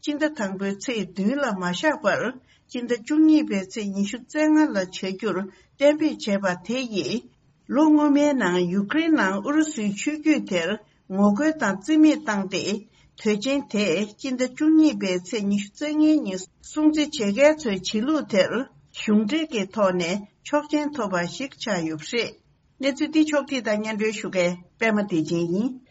སྤྱི་ཟླ་དང་པོའི་ཚེས་བདུན་ལ་མ་བཞག་པར། སྤྱི་ཟླ་བཅུ་གཉིས་པའི་ཚེས་ཉི་ཤུ་རྩ་ལྔ་ལ་བྱ་རྒྱུར་གཏན་འབེབས་བྱས་པ་དེ་ཡིས། ལོ་སྔོན་མའི་ནང་ཡུཀ་རེན་ནང་ཨུ་རུ་སུའི་ཆོས་བརྒྱུད་དེར་ངོ་རྒོལ་དང་རྩིས་མེད་བཏང་སྟེ། དུས་ཆེན་དེ་སྤྱི་ཟླ་བཅུ་གཉིས་པའི་ཚེས་ཉི་ཤུ་རྩ་ལྔའི་ཉིན་སྲུང་བརྩི་བྱེད་མཁན་ཚོའི་བྱེད་ལུགས་དེར་གཞུང་འབྲེལ་གྱི་ཐོག་ནས་ཆོག་མཆན་ཐོབ་པ་ཞིག་ཆགས་ཡོད་པ་རེད། གནས་ཚུལ་འདི་ཕྱོགས་བསྒྲིགས་དང་སྙན་སྒྲོན་ཞུ་མཁན་པད་མ་བདེ་ཆེན་ཡིན།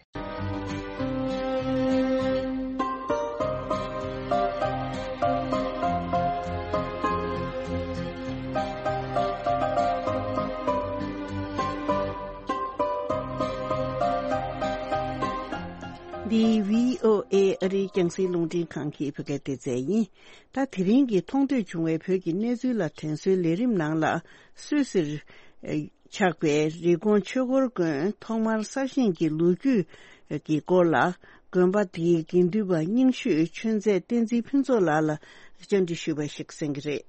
འདི་བྷི་ཨོ་ཨེ་ཨ་རིའི་རྒྱང་སྲིང་རླུང་འཕྲིན་ཁང་གི་བོད་སྐད་སྡེ་ཚན་ཡིན། ད་དེ་རིང་གི་མཐོང་ཐོས་བྱུང་བའི་བོད་ཀྱི་གནས་ཚུལ་ལ་དྲན་གསོའི་ལས་རིམ་ནང་ལ། སུད་སིར་ཆགས་པའི་རི་ཀོན་ཆོས་འཁོར་དགོན་ཐོག་མར་གསར་བཞེངས་ཀྱི་ལོ་རྒྱུས་ཀྱི་སྐོར་ལ། དགོན་པ་དེའི་དགེ་འདུན་པ་རྙིང་ཤོས་ཆོས་མཛད་བསྟན་འཛིན་ཕུན་ཚོགས་ལགས་ལ་བཅར་འདྲི་ཞུས་པ་ཞིག་གསན་གྱི་རེད།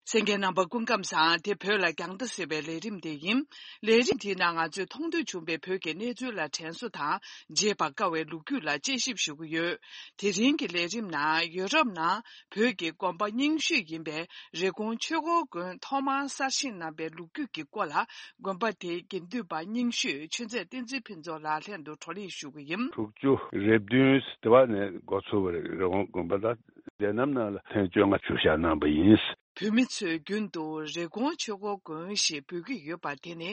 གསན་མཁན་རྣམ་པ་སྐུ་ཁམས་བཟང་། དེ་བོད་ལ་རྒྱང་ལྟ་ཟེར་བའི་ལས་རིམ་དེ་ཡིན། ལས་རིམ་དེའི་ནང་ང་ཚོས་མཐོང་ཐོས་བྱུང་བའི་བོད་ཀྱི་གནས་ཚུལ་ལ་དྲན་གསོ་དང་བརྗེད་པར་དཀའ་བའི་ལོ་རྒྱུས་ལ་དཔྱད་ཞིབ་ཞུ་གི་ཡོད། དེ་རིང་གི་ལས་རིམ་ནང་ཡོ་རོབ་ནང་བོད་ཀྱི་དགོན་པ་རྙིང་ཤོས་ཡིན་པའི་རི་ཀོན་ཆོས་འཁོར་དགོན་ཐོག་མར་གསར་བཞེངས་གནང་བའི་ལོ་རྒྱུས་ཀྱི་སྐོར་ལ། དགོན་པ་དེའི་དགེ་འདུན་པ་རྙིང་ཤོས་ཆོས་མཛད་བསྟན་འཛིན་ཕུན་ཚོགས་ལགས་ལྷན་དུ་བགྲོ་གླེང་ཞུ་གི་ཡིན། དྲུག་ཅུ་རེ་བདུན་དེ་བ་ནས་འགོ་ཚུགས་པ་རེད། རི་ཀོན་དགོན་པ་ད་དེ་རྣམས་ནང་ལ་ཐེངས་བཅོ་ལྔ་བཞུགས་ཞག་གནང་པ་ཡིན། བོད་མི་ཚོས་རྒྱུན་དུ་རི་ཀོན་ཆོས་འཁོར་དགོན་ཞེས་འབོད་ཀྱི་ཡོད་པ་དེ་ནི་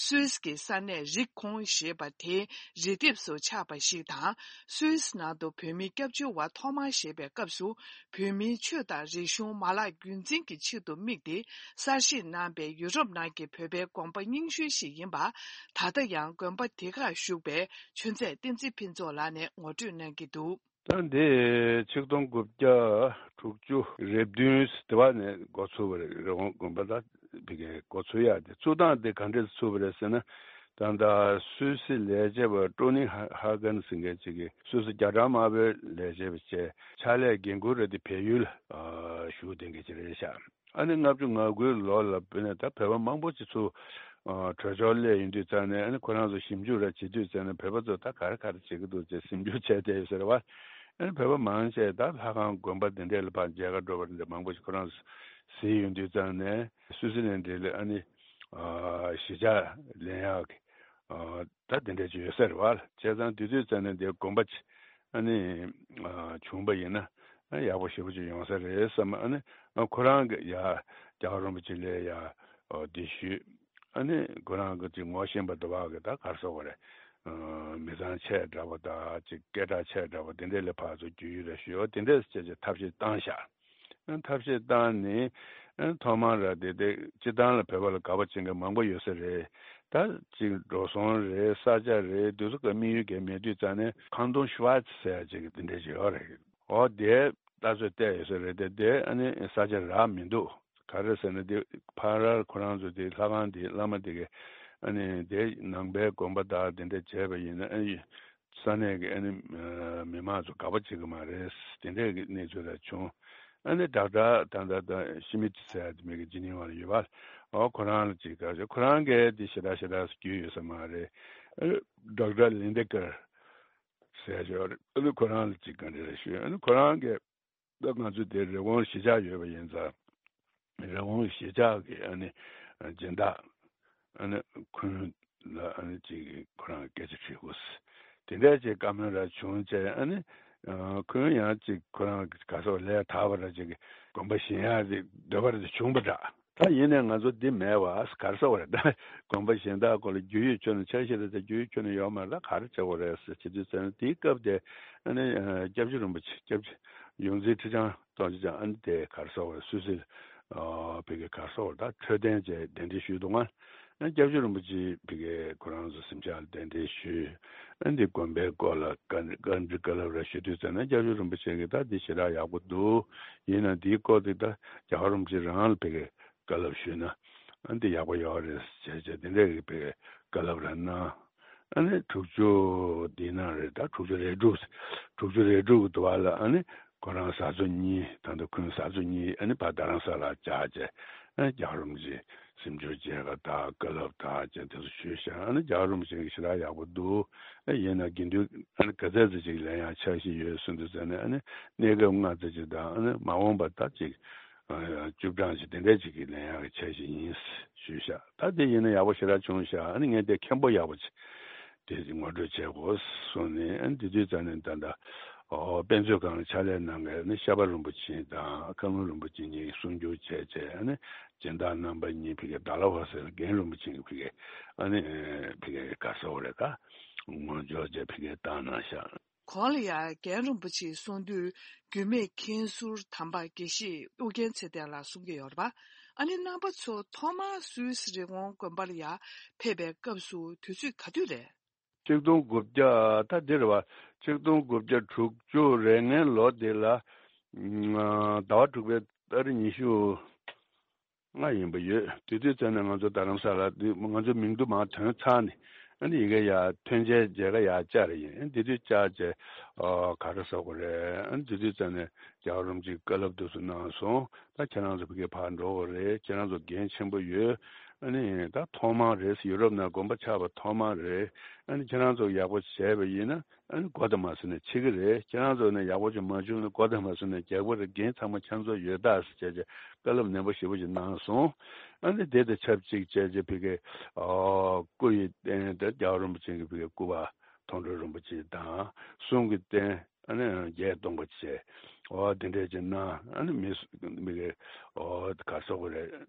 སུད་སི་གི་ས་གནས་རི་ཀོན་ཞེས་པ་དེའི་རི་ལྡེབས་སུ་ཆགས་པ་ཞིག་དང་། སུད་སི་ནང་དུ་བོད་མིའི་སྐྱབས་བཅོལ་བ་ཐོག་མར་བཞེངས་པའི་སྐབས་སུ། བོད་མིའི་ཆོས་དང་རིག་གཞུང་མ་བརླག་རྒྱུན་འཛིན་གྱི་ཆེད་དུ་དམིགས་ཏེ་གསར་བཞེངས་གནང་པའི་ཡུ་རོབ་ནང་གི་བོད་པའི་དགོན་པ་རྙིང་ཤོས་ཤིག་ཡིན་པ། ད་ལྟ་ཡང་དགོན་པ་དེ་ཁར་བཞུགས་པའི་ཆོས་མཛད་བསྟན་འཛིན་ཕུན་ཚོགས་ལགས་ནས་ངོ་སྤྲོད་གནང་གི་འདུག། ད་འདི་ཆིག་སྟོང་དགུ་བརྒྱ་དྲུག་ཅུ་རེ་བདུན་དེ་བ་ནས་འགོ་ཚུགས་པ་རེད། རི་ཀོན་དགོན་པ་ད་ཕ་གིའི་འགོ་ཚུགས་ཡག་དེ་ཚུགས་སྟངས་དེ་ག་འདྲས་ཚུགས་པ་རེད་ཟེར་ན། ད་ལྟ་སུད་སི་ལས་བྱེད་པ་ཀྲོ་ནི་ཧ་ཧ་གན་ཟེར་མཁན་ཅིག་གིས་སུད་སི་རྒྱ་གྲམ་དམར་པོའི་ལས་བྱེད་པ་བྱས། ཕྱག་ལས་འགན་འཁུར་རེད་དེ་བལ་ཡུལ་ཨ་བཞུགས་བསྡད་མཁན་ཅིག་རེད་ཤག། ཨ་ནི་ལྔ་བཅུ་ང་དགུའི་ལོ་ལ་བོད་ནས་ད་བོད་པ་མང་པོ་ཅིག་ཚུར་ཨ་བྲོས་བྱོལ་སླེབས་ཡོང་དུས་ཙང་ནས། ཨ་ནི་ཁོ་རང་ཚོ་ཞིབ་འཇུག་ར་བྱེད་དུས་ཙང་ནས་བོད་པ་ཚོ་ད་ག་རེ་ག་རེ་བྱེད་ཀྱི་འདུག་ཅེས་ཞིབ་འཇུག་བྱས་བསྡད་ཡོད་ས་རེད་བ། ཨ་ནི་བོད་པ་མང་ཆེ་ད་ལྷ་ཁང་དགོན་པ་འདི་འདྲས་ལ་ཕར་མཇལ་ཁ་འགྲོ་བ་འདི་འདྲ་མང་པོ་ཞིག་ཁོ་རང་ཚོ་གཟིགས་ཡོང་དུས་ཙང་ནས། སུད་སི་ལན་འདི་ལ་ཨ་ནི་ཨ་གཞིས་ཆགས་ལེན་ཡག་གི་ཨ་ད་འདི་འདྲས་ཅིག་ཡོད་ས་རེད་བ། བྱས་ཙང་དེ་དུས་ཙང་ནས་འདི་དགོན་པ་ཅིག་ཨ་ནི་ཨ་བྱུང་པ་ཡིན་ན་ཨ་ཡག་པོ་ཞེ་པོ་ཅིག་ཡོང་ས་རེད་བསམ། ཨ་ནི་ཨ་ཁོ་རང་གི་ཡ་རྒྱལ་བ་རིན་པོ་ཆེ་ལ་ཡ་ཨ་འདི་ཞུས། ཨ་ནི་ཁོ་རང་གི་ཅིག་ངོ་ཤེས་པ་དེ་བ་གི་ད་ག་རེ་ཟེར་དགོས་རེད། ཨ་མི་ཚང་ཆེ་དྲགས་པ་དང་ཅིག་སྐད་གྲགས་ཆེ་དྲགས་པ་དེ་འདྲས་ལ་ཕར་ཚུར་རྒྱུས་ཡོད་རེད་ཞུས། འོ་དེ་འདྲས་བྱས་བྱས་ཐབས་ཤེས་བཏང་ཤག། ཨ་ཐབས་ཤེས་བཏང་ནས་ཨ་ཐོག་མར་ར་དེ་དེ་སྤྱི་བཏང་ལ་བོད་པ་ལ་དགའ་པོ་བྱེད་མཁན་མང་པོ་ཡོད་ས་རེད། ད་ཅིག་འགྲོ་སོང་རེད། ས་ཆ་རེད། དེ་ཚོ་ག་དམིགས་ཡུལ་གང་མེད་དུས་ཙང་ནས་ཁང་སྟོང་ཤུ་ཝ་ཙི་ཟེར་ཡ་ཅིག་དེ་འདྲས་ཅིག་ཡོད་རེད། འོ་དེ་ལྟ་ཚོད་བལྟས་ཡོད་ས་རེད་དེ། དེ་ཨ་ནི་ས་ཆ་རག་མི་འདུག། ག་རེ་ཟེར་ན་དེ་ཕ་རར་ཁོ་རང་ཚོ་དེ་ལྷ་ཁང་དེ་བླ་མ་དེ་གས་ཨ་ནི་དེ་ནང་པའི་དགོན་པ་དག་དེ་འདྲ་བྱས་པ་ཡིན་ན། ཨ་ནི་ས་གནས་ཀྱི་ཨ་ནི་མི་མང་ཚོ་དགའ་པོ་བྱེད་ཀྱི་མ་རེད། དེ་འདྲས་ཀྱི་གནས་ཚུལ་ར་བྱུང་། ཨ་ནི་ཌོག་ཊར་ད་ལྟ་ད་ཤི་མིད་ཟེར་ཡ་དེ་མི་གི་ཇི་ནི་ཝ་ལ་ཡོད་པ། ཨོ་ཁོ་རང་ལ་ཅིག་ག་ཁོ་རང་གིས་དེ་ཞེ་དྲག་ཞེ་དྲག་རྒྱུས་ཡོད་ས་མ་རེད། ཨ་ཌོག་ཊར་ལིན་ཌེ་ཀར་ཟེར་ཡ་ཅིག་ཡོད་རེད། ཨ་ནི་ཁོ་རང་ལ་ཅིག་ག་འདྲ་རེད་ཞུས། ཨ་ནི་ཁོ་རང་གིས་ད་ང་ཚོ་དེ་རི་ཀོན་གཞིས་ཆགས་ཡོད་པ་ཡིན་ཙང་། རི་ཀོན་གཞིས་ཆགས་ཀྱི་ཨ་ནི་སྦྱིན་བདག་ཨ་ནི་ཁུན་ལ་ཨ་ནི་ཅིག་ཁོ་རང་སྐད་ཆ་དྲིས་དགོས། དེ་འདྲ་ཅིག་བཀའ་མོལ་ར་བྱུང་བྱས། ཨ་ནི་ཁུན་ཡང་ཅིག་ཁོ་རང་ག་སོགས་ལས་དག་པ་ར་ཅིག་དགོན་པ་བཞེངས་ཡག་དེ་འདོད་པ་རེ་བྱུང་པ་འདྲ། ད་ཡིན་ནའི་ང་ཚོ་འདི་མེད་པ་ག་རེ་ཟེར་དགོས་རེད། ད་དགོན་པ་གཞན་དག་སྐོར་ལ་རྒྱུས་ཡོད་ཆོག་ནས་ཆ་ཤས་རེ་ད་རྒྱུས་ཡོད་ཆོག་ནས་ཡོད་མ་རེད། ད་ག་རེ་བྱེད་དགོས་རེད་ཟེར་བྱེད་དུས་ཙང་ནས། དེའི་སྐབས་དེ་ཨ་ནི་སྐྱབས་རྗེ་རིན་པོ་ཆེ། སྐྱབས་རྗེ་ཡོངས་འཛིན་ཁྲི་བྱང་སྟོབས་ཆེན་ཨ་ནི་དེ་ག་རེ་ཟེར་དགོས་རེད། སུད་སི་ཨ་ཕ་གི་ག་རེ་ཟེར་དགོས་རེད། ད་འཕྲོད་བསྟེན་བཅས་གདན་འདྲེན་ཞུས་འདུག་ང་། ཨ་ནི་སྐྱབས་རྗེ་རིན་པོ་ཆེ་ཕ་གི་ཁོ་རང་ཚོ་གཟིམ་ཤག་ལ་གདན་འདྲེན་ཞུས། ཨ་ནི་དེ་དགོན་པའི་སྐོར་ལ་བཀའ་བཀའ་འདྲི་བཀའ་སློབ་ར་ཞུ་དུས་ཙང་ནས། སྐྱབས་རྗེ་རིན་པོ་ཆེ་གིས་ད་འདི་ཞེ་དྲག་ཡག་པོ་འདུག། ཡིན་ན་འདིའི་སྐོར་དེ་ད་རྒྱལ་བ་རིན་པོ་ཆེ་རང་ལ་ཕ་གི་བཀའ་སློབ་ཞུས་ན་ཨ་འདི་ཡག་པོ་ཡོད་རེད་ཟེར་བྱས་བྱས་དེ་འདྲས་ཀྱི་བཀའ་སློབ་ར་གནང་། ཨ་ནི་དྲུག་ཅུ་འདིའི་ནང་རེད། ད་དྲུག་ཅུ་རེ་དྲུག། དྲུག་ཅུ་རེ་དྲུག་གི་དུས་བ་ལ་ཨ་ནི་ཁོ་རང་བཟའ་ཚོ་གཉིས། ད་ལྟ་ཁོང་བཟའ་ཚོ་གཉིས་ཨ་ནི་ཕར་རྡ་རམ་ས་ལར་བཅར་བྱས། ཨ་ནི་རྒྱལ་བ་རིན་པོ་ཆེ་གཟིམ་ཆུང་མཇལ་ཁ་དང་བཀའ་སློབ་དང་བཅས་དེ་ཚོ་ཞུས་ཤག། ཨ་ནི་རྒྱལ་བ་རིན་པོ་ཆེ་གིས་ཞེ་དྲག་ཡག་པོ་འདུག། ཨ་ཡིན་ན་དགེ་འདུན་ཨ་ནི་ག་ཚད་ཙམ་ཅིག་ལེན་ཡག་འཆར་གཞི་ཡོད་གསུངས་དུས་ཙང་ནས། ཨ་ནི་གནས་སྐབས་ལྔ་ཙམ་ཅིག་དང་། ཨ་ནི་མ་འོངས་པ་ད་ཅིག་ཨ་བཅུ་གྲངས་ཅིག་དེ་འདྲས་ཅིག་གི་ལེན་ཡག་གི་འཆར་གཞི་ཡིན་ཞུས་ཤག། ད་དེ་ཡིན་ན་ཡག་པོ་ཞེ་དྲག་བྱུང་ཤག། ཨ་ནི་ངས་དེ་མཁན་པོ་ཡག་པོ་ཅིག་དེ་ངོ་སྤྲོད་བྱེད་དགོས་གསུངས་ནས། ཨ་ནི་དེ་དུས་ཙང་ནས་ད་ལྟ་ཨོ་དཔེ་མཛོད་ཁང་ལ་ཕྱག་ལས་གནང་མཁན་ཨ་ནི་ཤར་པ་རིན་པོ་ཆེ་དང་ཁ་ལུང་རིན་པོ་ཆེ་གཉིས་གསུང་བསྒྱུར་བྱས་བྱས། ཨ་ནི་སྦྱིན་བདག་རྣམ་པ་གཉིས་ཕ་གི་ཌལ་ཧོ་སི་ལ་རྒན་རིན་པོ་ཆེ་གིས་ཕ་གི་ཨ་ནི་ཕ་གི་ག་རེ་ཟེར་དགོས་རེད། ད་ངོ་སྦྱོར་བྱས་ཕ་གི་བཏང་གནང་ཤག། གོང་ལ་ཡང་རྒན་རིན་པོ་ཆེའི་གསུང་དུས། རྒྱུད་སྨད་མཁན་ཟུར་དམ་པ་དགེ་བཤེས་ཨུ་རྒྱན་ཚེ་བརྟན་ལགས་གསུང་གི་ཡོད་རེད་པ། ཨ་ནི་རྣམ་པ་ཚོ་ཐོག་མར་སུད་སི་རི་ཀོན་དགོན་པ་ལ་ཡར་ཕེབས་པའི་སྐབས་སུ་དུས་ཚོད་ག་དུས་རེད། ཆིག་སྟོང་དགུ་བརྒྱ་ད་འདི་རེད་བ། ཆིག་སྟོང་དགུ་བརྒྱ་དྲུག་ཅུ་རེ་ལྔའི་ལོ་དེ་ལ། ཨ་ཟླ་བ་དྲུག་པའི་ཏ་རིག་ཉི་ཤུ་ལྔ་ཡིན་པ་ཡོད། དེ་དུས་ཙམ་ནས་ང་ཚོ་རྡ་རམ་ས་ལ་འདི་ང་ཚོ་མིང་རྡུལ་མར་ཐོན་ཚར་ནས། ཨ་ནི་ཡི་གེ་ཡར་ཐོན་རྗེས་མཇལ་ཁ་ཡར་བཅར་ཡིན། ཨ་ནི་དེ་དུས་བཅར་རྗེས་ཨོ་ག་རེ་ཟེར་དགོས་རེད། ཨ་ནི་དེ་དུས་ཙམ་ནས་རྒྱལ་བ་རིན་པོ་ཆེས་བཀའ་སློབ་དེ་ཚོ་གནང་སོང་། ད་ཁྱེད་རང་ཚོ་ཕ་གིར་ཕར་འགྲོ་དགོས་རེད། ཁྱེད་རང་ཚོ་འགན་ཆེན་པོ་ཡོད། ཨ་ནི་ད་ཐོག་མ་རེད། ཡུ་རོབ་ནང་དགོན་པ་ཆགས་པ་ཐོག་མ་རེད། ཨ་ནི་ཁྱེད་རང་ཚོ་ཡག་པོ་བྱས་པ་ཡིན་ན། ཨ་ནི་མགོ་དང་མ་ཟིན་ན་འཕྱི་གི་རེད། ཁྱེད་རང་ཚོ་ནས་ཡག་པོ་ཅིག་མ་བྱུང་ན་མགོ་དང་མ་ཟིན་ན་རྒྱལ་པོ་རེད། འགན་ཚང་མ་ཁྱེད་ཚོ་ཡོད་ད་ཟེར་བྱས་བྱས་བཀའ་སློབ་ནན་པོ་ཞེ་པོ་ཅིག་གནང་སོང་། ཨ་ནི་དེ་དང་ཆབས་ཅིག་བྱས་བྱས་ཕ་གི་ཨོ་སྐུ་ཡི་རྟེན་དེ་རྒྱལ་བ་རིན་པོ་ཆེ་གི་ཕ་གི་སྐུ་པར་མཐོང་གྲོལ་རིན་པོ་ཆེ་དང་གསུང་གི་རྟེན་ཨ་ནི་བརྒྱད་སྟོང་པ་བྱས། ཨོ་དེ་འདྲས་ཅིག་གནང་། ཨ་ནི་མི་སུ་མི་གི་ཨོ་ག་རེ་ཟེར་དགོས་རེད།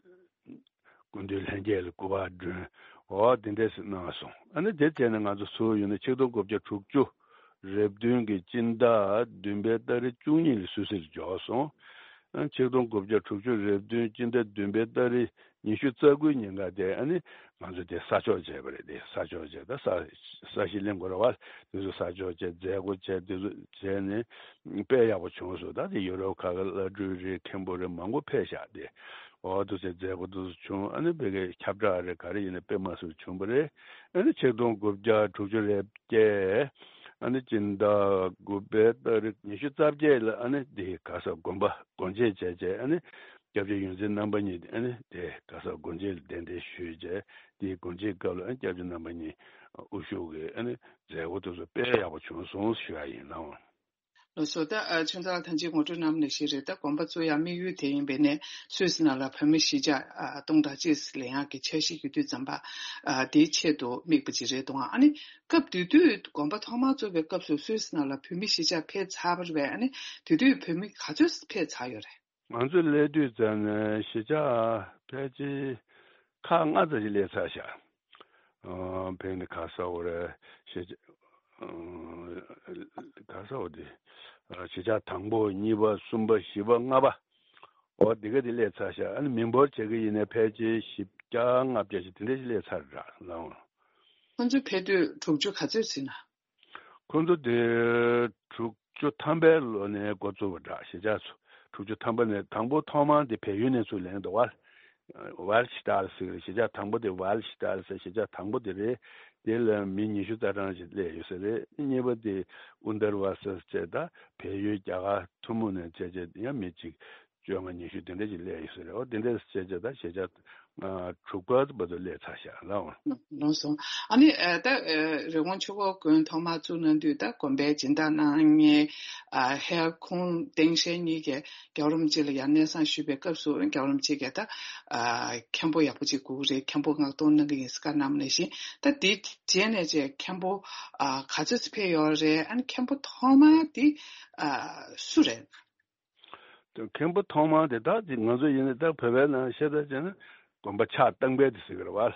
སྐུ་མདུན་ལྷན་རྒྱས་ལ་སྐུ་པར་སྒྲོན། འོ་དེ་འདྲས་ཞིག་གནང་སོང་། ཨ་ནི་དེ་བྱས་ནས་ང་ཚོ་ཚུར་ཡོང་ནས་ཆིག་སྟོང་དགུ་བརྒྱ་དྲུག་ཅུ་རེ་བདུན་གྱི་སྤྱི་ཟླ་བདུན་པའི་ཏ་རིག་བཅུ་གཉིས་ལ་སུད་སི་ལ་འབྱོར་སོང་། ཨ་ཆིག་སྟོང་དགུ་བརྒྱ་དྲུག་ཅུ་རེ་བདུན་སྤྱི་ཟླ་བདུན་པའི་ཏ་རིག་ཉི་ཤུ་རྩ་དགུའི་ཉིན་ཀ་དེ་ཨ་ནི་ང་ཚོ་དེ་ས་ཕྱོགས་བྱས་པ་རེད། དེ་ས་ཕྱོགས་བྱས། ད་ས་ས་གཞི་གླིང་གོ་ར་བ་དེ་ཚོ་ས་ཕྱོགས་བྱས། མཛད་སྒོ་བྱས། དེ་ཚོ་བྱས་ནས་དཔེ་ཡག་པོ་བྱུང་སོང་། ད་དེ་ཡུ་རོབ་ཁག་གི་བླ་སྤྲུལ་རེད། མཁན་པོ་རེད། མང་པོ་ཕེབས་ཤག་དེ། འོ་དེ་ཚོའི་མཛད་སྒོ་དེ་ཚོ་བྱུང་། ཨ་ནི་ཕ་གིའི་ཁྱབ་བསྒྲགས་རེད། ག་རེ་ཡིན་ན་དཔེ་མ་སྲིད་བྱུང་བ་རེད། ཨ་ནི་ཆིག་སྟོང་དགུ་བརྒྱ་དྲུག་ཅུ་རེ་བརྒྱད། ཨ་ནི་སྤྱི་ཟླ་དགུ་པའི་ཏ་རིག་ཉི་ཤུ་རྩ་བརྒྱད་ལ་ཨ་ནི་དེ་ག་ས་དགོན་པ་སྒོ་འབྱེད་བྱས་བྱས། ཨ་ནི་སྐྱབས་རྗེ་ཡོངས་འཛིན་རྣམ་པ་གཉིས་ཨ་ནི་དེ་ག་ས་སྒོ་འབྱེད་ལ་གདན་འདྲེན་ཞུས་བྱས། དེའི་སྒོ་འབྱེད་སྐབས་ལ་ཨ་ནི་སྐྱབས་རྗེ་རྣམ་པ་གཉིས་དབུ་བཞུགས་ཀྱི་ཨ་ནི་མཛད་སྒོ་དེ་ཚོ་དཔེ་ཡག་པོ་བྱུང་སོང་ཞུ་ཡ་ཡིན་ལགས། ལགས་སོ། ད་ཨ་ཆུང་ཚར་ཐང་ཆེན་ངོ་སྤྲོད་གནང་བ་ནང་བཞིན་རེད། ད་དགོན་པ་བཙུགས་ཡག་དམིགས་ཡུལ་དེ་ཡིན་པས་ནས་སུད་སི་ནང་ལ་བོད་མི་གཞིས་ཆགས་ཨ་སྟོང་ཕྲག་གཅིག་ལེན་ཡག་གི་འཆར་གཞི་ཡོད་དུས་ཙམ་པ། ཨ་དེའི་ཆེད་དུ་དམིགས་པ་ཅིག་རེད་འདུག་ཨ་ནི་སྐབས་དེ་དུས་དགོན་པ་ཐོག་མར་བཙུགས་པའི་སྐབས་སུ་སུད་སི་ནང་ལ་བོད་མི་གཞིས་ཆགས་ཕེབས་ཚར་བ་རེད་པས། ཨ་ནི་དེ་དུས་བོད་མི་ག་ཚོད་ཕེབས་ཚར་ཡོད་རེད། ང་ཚོ་སླེབས་དུས་ཙམ་ནས་གཞིས་ཆགས་ཕལ་ཆེར་ཁག་ལྔ་ཙམ་ཞིག་སླེབས་ཚར་ཤག་ཨོ་ཕན་ནི་ག་ས་འོ་རེད། གཞིས་ཆགས་ཨོ་ག་ས་འོ་དེ་གཞིས་ཆགས་དང་པོ། གཉིས་པ། གསུམ་པ། བཞི་པ། ལྔ་པ། འོ་དེ་ག་དེ་སླེབས་ཚར་ཤག་ཨ་ནི་མི་འབོར་བྱེད་ཀྱི་ཡིན་ན་ཕལ་ཆེར་བཞི་བརྒྱ་ལྔ་བརྒྱ་ཞིག་དེ་འདྲ་ཞིག་སླེབས་ཚར་ར་ལགས། ཁོང་ཚོ་ཕེབས་དུས་དྲུག་ཅུ་ག་ཚོད་ཟིན་ན། ཁོང་ཚོ་དེ་དྲུག་ཅུ་ཐམ་པའི་ལོ་ནས་འགོ་བཙུགས་པ་འདྲ། གཞིས་ཆགས་ཚོ་དྲུག་ཅུ་ཐམ་པ་ནས། དང་པོ་ཐོག་མར་དེ་བལ་ཡུལ་ནས་ཚུར་ལེན་འདུག་པ། ཝལ་ཤི་ཏཱལ་ཟེར་གྱི་རེད། གཞིས་ཆགས་དང་པོ་དེ་ཝལ་ཤི་ཏཱལ་ཟེར་གཞིས་ཆགས་དང་པོ་དེ་རེད། དེ་ལ་མི་ཉི་ཤུ་རྩ་གྲངས་ཤིག་སླེབས་ཡོད་ས་རེད། གཉིས་པ་དེ་ཨུན་དར་ཝ་སི་ཟེར། ད་བལ་ཡུལ་རྒྱ་གར་ཐུན་མོང་ནས་བྱས་བྱས་ཡང་མི་གཅིག་བཅོ་ལྔ་ཉི་ཤུ་དེ་འདྲ་ཞིག་སླེབས་ཡོད་ས་རེད། འོ་དེ་འདྲ་བྱས་བྱས་ད་གཞིས་ཆགས་ཨ་དྲུག་པ་བར་དུ་སླེབས་ཚར་ཤག་ལགས། ལགས་སོ། ཨ་ནི་ཨ་ད་ཨ་རི་ཀོན་ཆོས་འཁོར་དགོན་ཐོག་མར་བཙུགས་གནང་དུས་ད་དགོན་པའི་སྦྱིན་བདག་གནང་མཁན་ཨ་ཧེ་ཁུང་ཏེང་ཤན་གཉིས་ཀྱིས་རྒྱལ་བ་རིན་པོ་ཆེ་ལ་ཡར་གནས་བཟང་ཞུས་པའི་སྐབས་སུ་རྒྱལ་བ་རིན་པོ་ཆེ་གིས་ད་ཨ་མཁན་པོ་ཡག་པོ་ཅིག་དགོས་ཀྱི་རེད། མཁན་པོ་མངགས་གཏོང་གནང་གི་ཡིན་ཟེར་བཀའ་གནང་བ་ནང་བཞིན། ད་དེའི་རྗེས་ནས་ཅིག་མཁན་པོ་ཨ་ག་ཚོད་ཅིག་ཕེབས་ཡོད་རེད། ཨ་ནི་མཁན་པོ་ཐོག་མ་དེ་ཨ་སུ་རེད། མཁན་པོ་ཐོག་མ་དེ་ད་ཅིག་ང་ཚོ་ཡིན་ན་ད་བོད་པའི་ནང་བཤད་ད་བྱས་ན་དགོན་པ་ཕྱག་བཏང་པའི་དེ་ཟེར་གི་རེད་བ།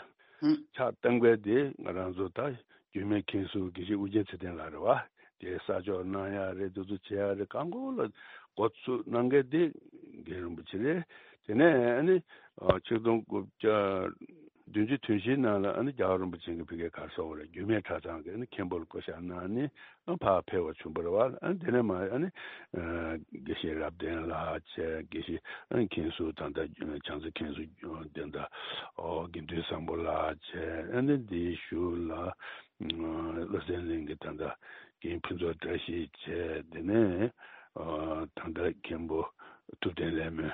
ཕྱག་བཏང་པའི་དེ་ང་རང་ཚོ་ད་རྒྱུད་སྨད་མཁན་ཟུར་དགེ་བཤེས་ཨོ་རྒྱན་ཚེ་བརྟན་ལགས་རེད་བ། དེ་ས་ཕྱོགས་གནང་ཡག་རེད། དེ་ཚོ་བྱེད་ཡག་རེད། གང་གོ་ལ་འགོ་ཚུགས་གནང་མཁན་དེ་རྒན་རིན་པོ་ཆེ་རེད། དེ་ནས་ཨ་ནི་ཆིག་སྟོང་དགུ་བརྒྱ་བདུན་ཅུ་དོན་བཞིའི་ནང་ལ་ཨ་ནི་རྒྱལ་བ་རིན་པོ་ཆེ་གི་ཕ་གིའི་ག་རེ་ཟེར་དགོས་རེད། རྒྱུད་སྨད་གྲྭ་ཚང་གི་ཨ་ནི་མཁན་པོ་ལ་བསྐོ་བཞག་གནང་ནས་ཨ་ཕར་ཕེབས་པ་བྱུང་བ་རེད་བ། ཨ་ནི་དེ་ནས་མར་ཨ་ནི་དགེ་བཤེས་རབ་བརྟན་ལགས་བྱས། དགེ་བཤེས་ཨ་ནི་མཁན་ཟུར་ད་ལྟ་བྱང་རྩེ་མཁན་ཟུར་དེ་འདྲ་ཨོ་དགེ་འདུན་བཟང་པོ་ལགས་བྱས། ཨ་ནི་དེའི་གཞུག་ལ་བློ་གསལ་གླིང་གི་ད་ལྟ་རྒན་ཕུན་ཚོགས་བཀྲ་ཤིས་བྱས། དེ་ནས་ཨ་ད་ལྟ་མཁན་པོ་ཐུབ་བསྟན་ལྷ་མོ་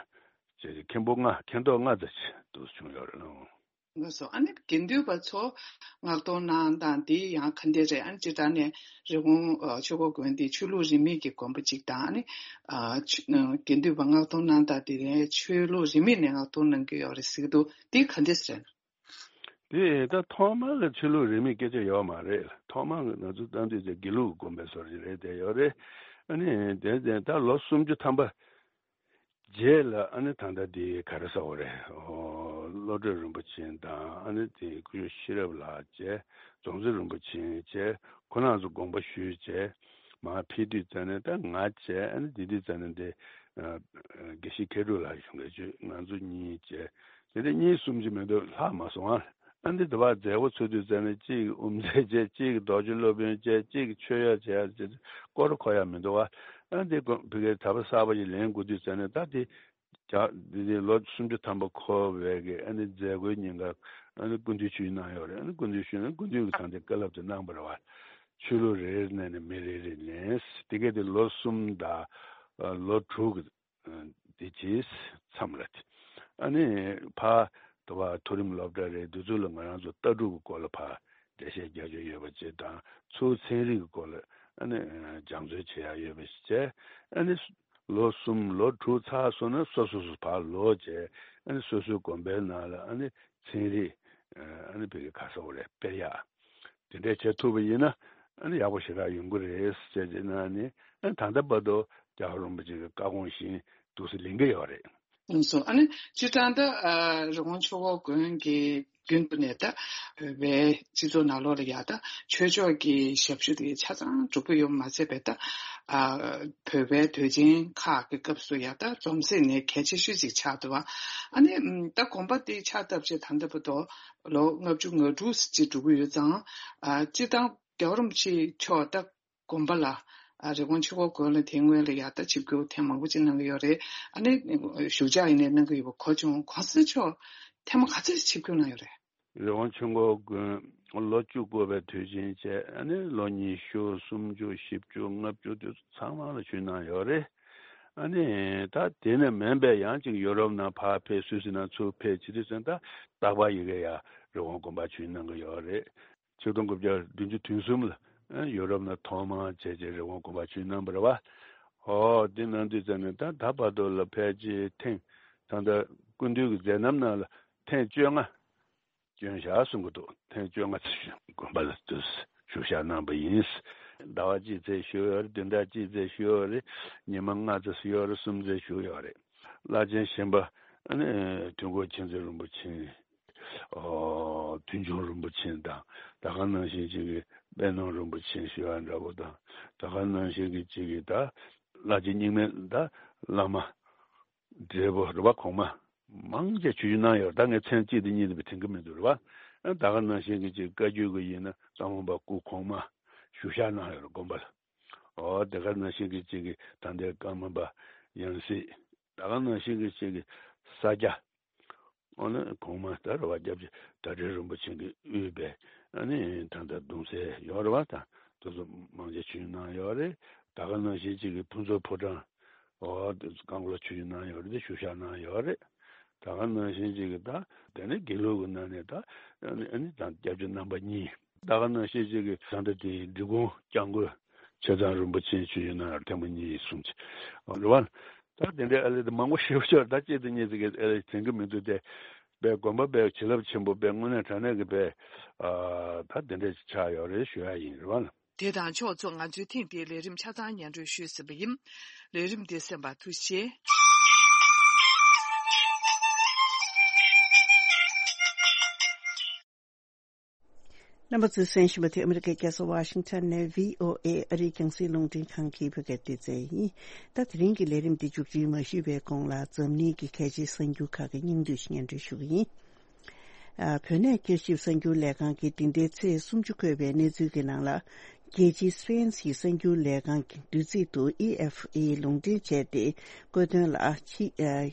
བྱས། མཁན་པོ་ལྔ། མཁན་ཐོག་ལྔ་ཙམ་ཅིག་འདུག་བྱུང་ཡོད་རེད། ལགས་སོ། ཨ་ནི་དགེ་འདུན་པ་ཚོ་མངགས་གཏོང་གནང་སྟངས་དེ་ཡང་ག་འདྲ་རེད། ཨ་ནི་སྤྱིར་བཏང་ནས་རི་ཀོན་ཨ་ཆོས་འཁོར་དགོན་དེ་ཆོས་ལུགས་རིས་མེད་ཀྱི་དགོན་པ་ཅིག་དང་། ཨ་ནི་ཨ་ཆོས་དགེ་འདུན་པ་མངགས་གཏོང་གནང་སྟངས་དེ་ནས་ཆོས་ལུགས་རིས་མེད་ནས་མངགས་གཏོང་གནང་གི་ཡོད་རེད་ཟེར་གྱི་འདུག་དེ་ག་འདྲ་རེད། དེ་ད་ཐོག་མ་ལ་ཆོས་ལུགས་རིས་མེད་སྐད་ཆ་ཡོད་མ་རེད། ཐོག་མ་ང་ཚོ་བཏང་དུས་དེ་དགེ་ལུགས་དགོན་པའི་བཟོ་འདྲ་རེད། དེ་ཡོད་རེད། ཨ་ནི་དེ་དེ་ད་ལོ་སུམ་ཅུ་ཐམ་པ་རྗེས་ལ་ཨ་ནི་ད་ལྟ་དེ་ག་རེ་ཟེར་དགོས་རེད། ཨོ་བློ་གྲོས་རིན་པོ་ཆེ་དང་། ཨ་ནི་དེ་སྐུ་ཞབས་ཤེས་རབ་ལགས་བྱས། རྫོང་གསར་རིན་པོ་ཆེ་བྱས། ཁོང་རྣམ་ཚོ་དགོངས་པ་ཞུས་བྱས་མར་ཕེབས་དུས་ཙམ་ནས་ད་ང་བྱས། ཨ་ནི་དེ་དུས་ཙམ་ནས་དེ་ཨ་དགེ་བཤེས་མཁས་གྲུབ་ལགས་ཡོང་གི་བྱས། ང་ཚོ་གཉིས་བྱས། དེ་འདྲ་གཉིས་གསུམ་ཅིག་མི་འདུག་ལྷག་མ་སོང་ཨ། ཨ་འདི་འདི་བར་མཛད་སྒོ་ཚུགས་དུས་ཙམ་ནས་གཅིག་དབུ་མཛད་བྱས། གཅིག་རྡོ་རྗེ་སློབ་དཔོན་བྱས། གཅིག་ཆོས་ཡོད་བྱས། ཅེས་སྐོར་གོ་ཡ་མི་འདུག་བ། ཨ་འདི་དགོན་ཕ་གིར་གྲྭ་པ་གསར་པ་ཞིག་ལེན་དགོས་དུས་ཙམ་ནས་ད་དེ་ རྒྱ་འདི་ནི་ལོ་སུམ་ཅུ་ཐམ་པ་འཁོར་བའི་གི་ཨ་ནི་མཛད་སྒོའི་ཉིན་ཀ་ཨ་ནི་སྐུ་མདུན་ཆིབས་གནང་ཡོད་རེད། ཨ་ནི་སྐུ་མདུན་ཆིབས་གནང་སྐུ་མདུན་གྱི་ད་ལྟའི་བཀའ་སློབ་དེ་གནང་བ་རེད་བ། ཆོས་ལུགས་རེ་རེ་ནས་ནི་མི་རེ་རེ་ནས་དེ་ག་དེ་ལོ་གསུམ་དང་ལོ་དྲུག་གི་དེ་རྗེས་མཚམས་རེད། ཨ་ནི་ཕ་དུ་བ་མཐོ་རིམ་སློབ་གྲྭ་རེད། འདི་ཚོ་ལ་ང་རང་ཚོ་ལྟ་གྲུབ་ཀྱི་སྐོར་ལ་ཕ་འགྲེལ་བཤད་རྒྱག་རྒྱུ་ཡོད་པ་བཅས་དང་ཚུར་ཚན་རིག་གི་སྐོར་ལ་ཨ་ནི་སྦྱང་བརྩོན་བྱེད་ཡག་ཡོད་པ་བཅས་ཨ་ནི་ལོ་གསུམ་ལོ་དྲུག་ཚར་སོང་ན་སོ་སོ་སོ་ཕར་ལོག་བྱས་ཨ་ནི་སོ་སོའི་དགོན་པའི་ནང་ལ་ཨ་ནི་ཚན་རིག་ཨ་ནི་བོད་ཀྱི་ག་ས་འོ་རེད་སྤེལ་ཡག་དེ་འདྲས་བྱེད་ཐུབ་པ་ཡིན་ན་ཨ་ནི་ཡག་པོ་ཞེ་དྲག་ཡོང་གི་རེད་ཟེར་བྱས་ནས་ཨ་ནི་ཨ་ནི་ད་ལྟ་བར་དུ་རྒྱལ་བ་རིན་པོ་ཆེ་གི་བཀའ་དགོངས་བཞིན་འདུག་སེ་ལེན་གྱི་ཡོད་རེད། ཡིན་སོང་། ཨ་ནི་སྤྱིར་བཏང་ད་ཨ་རི་ཀོན་ཆོས་འཁོར་དགོན་གྱི་རྒྱུན་དུ་ནས་ད་བོད་པའི་སྤྱི་ཚོགས་ནང་ལོགས་ལ་ཡ་ད་ཆོས་ཕྱོགས་ཀྱི་ཞབས་ཞུ་དེ་ཆ་ཚང་གྲུབ་ཀྱི་ཡོད་མ་ཚད་པའི་ད་ཨ་བོད་པའི་དུས་ཆེན་ཁག་གི་སྐབས་སུ་ཡ་ད་འཛོམས་སྲིད་ནས་གལ་ཆེ་ཤོས་ཅིག་ཆགས་འདུག་བ། ཨ་ནི་ད་དགོན་པ་དེ་ཕྱག་བཏབ་རྗེས་ད་ལྟ་བར་དུ་ལོ་ལྔ་བཅུ་ང་དྲུག་ཅིག་འགྲོ་གི་ཡོད་ཙང་ཨ་སྤྱིར་བཏང་རྒྱལ་བ་རིན་པོ་ཆེ་མཆོག་ད་དགོན་པ་ལ་ཨ་རི་ཀོན་ཆོས་འཁོར་དགོན་ལ་དེ་སྔོན་ལ་ཡ་ད་ཆིབས་བསྒྱུར་ཐེངས་མང་པོ་ཅིག་གནང་གི་ཡོད་རེད། ཨ་ནི་བཞུགས་ཕྱག་ཡིན་ནའི་གནང་གི་ཡོད་པ་གོ་བྱུང་། གོང་ས་མཆོག་ཐེངས་མ་ག་ཚོད་ཆིབས་བསྒྱུར་གནང་ཡོད་རེད། རི་ཀོན་ཆོས་འཁོར་དགོན་ལོ་བཅུ་འཁོར་བའི་དུས་ཆེན་བཅས་ཨ་ནི་ལོ་ཉི་ཤུ་སུམ་ཅུ་བཞི་བཅུ་ལྔ་བཅུ་དེ་ཚོ་ཚང་མ་ལ་ཆིབས་གནང་ཡོད་རེད། ཨ་ནི་ད་དེ་ནས་མིན་པའི་ཡང་ཅིག་ཡོ་རོབ་ནང་ཕར་ཕེབས་སུད་སི་ནང་ཚུར་ཕེབས་བྱེད་དུས་ཙང་ད་རྟག་པར་ཡི་གེ་ཡ་རི་ཀོན་དགོན་པ་ཆིབས་གནང་གི་ཡོད་རེད། ཆིག་སྟོང་དགུ་བརྒྱ་བདུན་ཅུ་དོན་གསུམ་ལ་ཡོ་རོབ་ནང་ཐོག་མར་བྱས་རྗེས་རི་ཀོན་དགོན་པ་ཆིབས་གནང་བ་རེད་བ། ཨོ་དེ་གནང་དུས་ཙམ་ནས་ད་ད་བར་དུ་ལ་ཕལ་ཆེར་ཐེངས་ད་ལྟ་སྐུ་མདུན་གྱི་མཛད་རྣམ་ནང་ལ་ཐེངས་བཅོ་ལྔ་བསྐྱོན་བཞག་གསུང་གི་འདུག་ཐེངས་བཅོ་ལྔ་ཙམ་དགོན་པ་ལ་དུ་བཞུགས་ཞག་གནང་བ་ཡིན། ཟླ་བ་གཅིག་ཙམ་བཞུགས་ཡོད་རེད། བདུན་ཕྲག་གཅིག་ཙམ་བཞུགས་ཡོད་རེད། ཉི་མ་ལྔ་ཙམ་བཞུགས་ཡོད་རེད། གསུམ་ཙམ་བཞུགས་ཡོད་རེད། བླ་ཆེན་གཞན་པ་ཨ་ནི་དུས་འཁོར་མཁྱེན་བརྩེ་རིན་པོ་ཆེ། ཨོ་དུས་འཁོར་རིན་པོ་ཆེ་དང་ད་ག་ནང་བཞིན་ཅིག་གི་དཔལ་ནོར་རིན་པོ་ཆེ་ཞུ་བ་འདྲ་པོ་དང་ད་ག་ནང་བཞིན་གྱི་ཅིག་གི་ད་བླ་ཆེན་རྙིང་མའི་ད་བླ་མ་འབྲས་བུ་རུ་བ་གོང་མ་མང་ཆེ་ཆོས་ཞུ་གནང་ཡོད། ད་ངས་མཚན་གཅིག་དང་གཉིས་དེ་དྲན་གྱི་མི་འདུག་རུ་བ། ད་ག་ནང་བཞིན་གྱི་ཅིག་བཀའ་བརྒྱུད་ཀྱི་ཡིན་ན་བཀའ་མོལ་པ་སྐུ་གོང་མ་ཞུ་བཞག་གནང་ཡོད་རེད་དགོན་པ་ལ། ཨོ་དེ་ག་ནང་བཞིན་གྱི་ཅིག་གི་ད་ལྟའི་བཀའ་མོལ་པ་ཡང་སྲིད་ད་ག་ནང་བཞིན་གྱི་ཅིག་གི་ས་སྐྱ། ཨོ་ན་གོང་མ་ད་རུ་བ་སྐྱབས་རྗེ་ཟླ་སྒྲོན་རིན་པོ་ཆེ་གིས་དབུས་པའི་ཨ་ནི་ད་ལྟ་གདུང་སྲས་ཡོད་རེད་བ། ད་དེ་ཚོ་མང་ཆེ་ཆིབས་གནང་ཡོད་རེད། ད་ག་ནང་བཞིན་ཅིག་གི་ཕུན་ཚོགས་ཕོ་བྲང་ཨོ་དེ་ཚོ་བཀའ་འཁོར་ལ་ཆིབས་གནང་ཡོད་རེད། དེ་བཞུགས་ཞག་གནང་ཡོད་རེད། ད་ག་ནང་བཞིན་ཅིག་གི་ད་དེ་ནས་དགེ་ལུགས་ཀྱི་ནང་ནས་ད་ཨ་ནི་ཨ་ནི་ད་སྐྱབས་རྗེ་རྣམ་པ་གཉིས། ད་ག་ནང་བཞིན་ཅིག་གི་ད་ལྟ་དེ་འབྲི་གུང་སྐྱབས་མགོན་ཆེ་ཚང་རིན་པོ་ཆེ་ཆིབས་གནང་ཡོད་རེད། ཐེངས་མ་གཉིས་གསུམ་ཅིག་རེད་བ། ད་དེ་འདྲའི་ཨ་ལེ་དེ་མང་པོ་ཞེ་པོ་ཅིག་ད་གཅིག་དང་གཉིས་དེ་གའི་ཨ་ལེ་དྲན་གྱི་མི་འདུག་སྟེ། དཔེ་དགོན་པ་དཔེ་བྱིན་རླབས་ཆེན་པོ་དཔེ་དངོས་གནས་དྲང་གནས་ཀྱི་དཔེ་ཨ་ད་དེ་འདྲ་ཅིག་ཆགས་ཡོད་རེད་ཞུ་ཡ་ཡིན་རེད་བ། དེ་དང་ཕྱོགས་མཚུངས་ང་ཚོའི་ཐེངས་འདིའི་ལས་རིམ་ཆ་ཚང་སྙན་སྒྲོན་ཞུས་ཟིན་པ་ཡིན། ལས་རིམ་འདི་གསན་པར་ཐུགས་རྗེ་ཆེ། རྣམ་པ་ཚོས་གསན་བཞིན་པ་དེ་ཨ་མི་རི་ཀའི་རྒྱལ་ས་ཝ་ཤིང་ཊོན་ནས་བྷི་ཨོ་ཨེ་ཨ་རིའི་རྒྱང་སྲིང་རླུང་འཕྲིན་ཁང་གི་བོད་སྐད་སྡེ་ཚན་ཡིན། ད་དེ་རིང་གི་ལས་རིམ་འདི་མཇུག་སྒྲིལ་མ་ཞུས་པའི་གོང་ལ་འཛམ་གླིང་གི་གལ་ཆེའི་གསར་འགྱུར་ཁག་གི་སྙིང་བསྡུས་ཤིག་སྙན་སྒྲོན་ཞུ་གི་ཡིན། ཨ། བོད་གནས་བསྐྱར་ཞིབ་གསར་འགྱུར་ལས་ཁང་གིས་འདི་ཟླའི་ཚེས་སུམ་ཅུ་འཁོད་པའི་གནས་ཚུལ་གྱི་ནང་ལ། རྒྱལ་སྤྱི་སི་པེན་གྱི་གསར་འགྱུར་ལས་ཁང་གི་བདུད་རྩི་དུ་ཨེ་ཨེཕ་ཨེ་ལུང་འདྲེན་བྱས་ཏེ། བཀོད་དོན་ལ་ཕྱི་ཨ།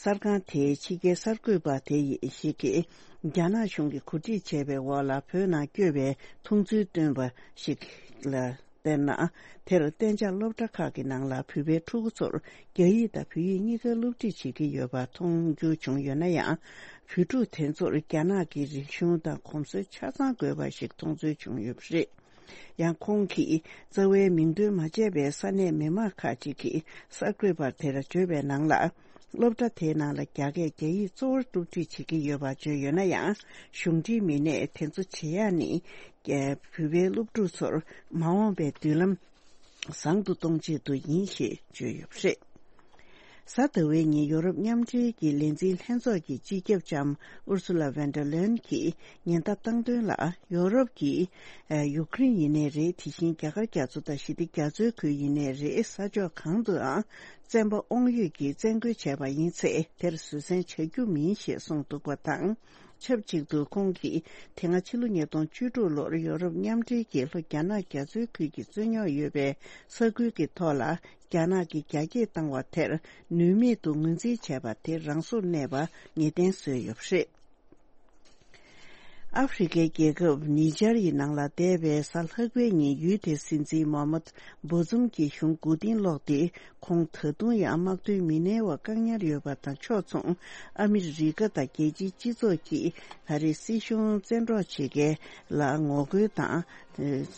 གསར་ཁང་དེའི་ཕྱི་རྒྱལ་གསར་འགོད་པ་དེ་ཡིས་ཞིག་གིས་རྒྱ་ནག་གཞུང་གིས་གོ་སྒྲིག་བྱས་པའི་འོག་ལ་བོད་ནང་བསྐྱོད་པའི་མཐོང་ཚུལ་བཏོན་པ་ཞིག་ལ་བལྟས་ན། དེར་གཏན་འཇགས་སློབ་གྲྭ་ཁག་གི་ནང་ལ་བོད་པའི་ཕྲུ་གུ་ཚོར་རྒྱ་ཡིག་དང་བོད་ཡིག་གཉིས་ཀ་སློབ་ཁྲིད་བྱེད་ཀྱི་ཡོད་པ་མཐོང་རྒྱུ་བྱུང་ཡོད་ན་ཡང་། བོད་ཕྲུག་དེ་ཚོར་རྒྱ་ནག་གི་རིག་གཞུང་དང་གོམས་སྲོལ་ཆ་ཚང་དགོས་པ་ཞིག་མཐོང་ཚུལ་བྱུང་ཡོད་པ་རེད། ཡང་ཁོང་གིས་རྩ་བའི་མིང་འདོན་མ་བྱས་པའི་ས་གནས་མི་མང་ཁག་ཅིག་གིས་གསར་འགོད་པར་དེར་བརྗོད་པའི་ནང་ལ། སློབ་གྲྭ་དེའི་ནང་ལ་རྒྱ་སྐད་རྒྱ་ཡིག་གཙོ་བོར་སློབ་ཁྲིད་བྱེད་ཀྱི་ཡོད་པ་བརྗོད་ཡོད་ན་ཡང་། གཞུང་འབྲེལ་མི་སྣས་དེ་ཚོ་བྱེད་ཡག་ནི། བོད་པའི་སློབ་ཕྲུག་ཚོར་མ་འོངས་པའི་མདུན་ལམ་བཟང་དུ་གཏོང་ཆེད་དུ་ཡིན་ཞེས་བརྗོད་ཡོད་པ་རེད། གཟའ་ཟླ་བའི་ཉིན་ཡོ་རོབ་མཉམ་འབྲེལ་གྱི་ལས་འཛིན་ལྷན་ཚོགས་ཀྱི་སྤྱི་ཁྱབ་ལྕམ་ཨུར་སུ་ལ་ཝན་ཌར་ལེན་གྱིས་ཉེན་བརྡ་བཏང་དོན་ལ། ཡོ་རོབ་ཀྱིས་ཡུཀ་རེན་ཡིན་ནའི་རེད། དེ་བཞིན་རྒྱ་གར་རྒྱ་མཚོ་དང་ཞི་བདེ་རྒྱ་མཚོའི་ཁུལ་ཡིན་ནའི་རེད། ས་ཕྱོགས་གང་དུའང་ བཙན་པ་དབང་ཡོད་ཀྱིས་བཙན་རྒོལ་བྱས་པ་ཡིན་ཚེ། དེར་བཟོད་བསྲན་བྱ་རྒྱུ་མིན་ཞེས་གསུངས་འདུག་པ་དང་། ཆབས་ཅིག་ཏུ་ཁོང་གིས་དེ་སྔ་ཕྱི་ལོ་ཉིས་སྟོང་བཅུ་དྲུག་ལོར་ཡོ་རོབ་མཉམ་འབྲེལ་གྱིས་ལྷོ་རྒྱ་ནག་རྒྱ་མཚོའི་ཁུལ་གྱི་རྩོད་རྙོག་ཡོད་པའི་ས་ཁུལ་གྱི་ཐོག་ལ་རྒྱ་ནག་གིས་རྒྱ་སྐྱེད་བཏང་བ་དེར་ནུས་མེད་དུ་ངོས་འཛིན་བྱས་པ་དེ་རང་སོར་གནས་པ་ངེས་གཏན་བཟོས་ཡོད་པ་རེད། ཨ་ཧྥེ་རི་ཁའི་རྒྱལ་ཁབ་ནི་ཇར་ཡི་ནང་ལ་འདས་པའི་གཟའ་ལྷག་པའི་ཉིན་ཡུལ་དེའི་སྲིད་འཛིན་མོ་ཧམ་མད་བྷོ་ཛུམ་གྱི་གཞུང་མགོ་རྟིང་སློག་སྟེ། ཁོང་ད་དུང་ཡང་དམག་དོན་མི་སྣའི་འོག་བཀག་ཉར་ཡོད་པ་དང་ཕྱོགས་མཚུངས། ཨ་མི་རི་ཀ་དང་རྒྱལ་སྤྱིའི་སྤྱི་ཚོགས་ཀྱིས་ད་རེས་སྲིད་གཞུང་བཙན་འཕྲོག་བྱེད་མཁན་ལ་ངོ་རྒོལ་དང་།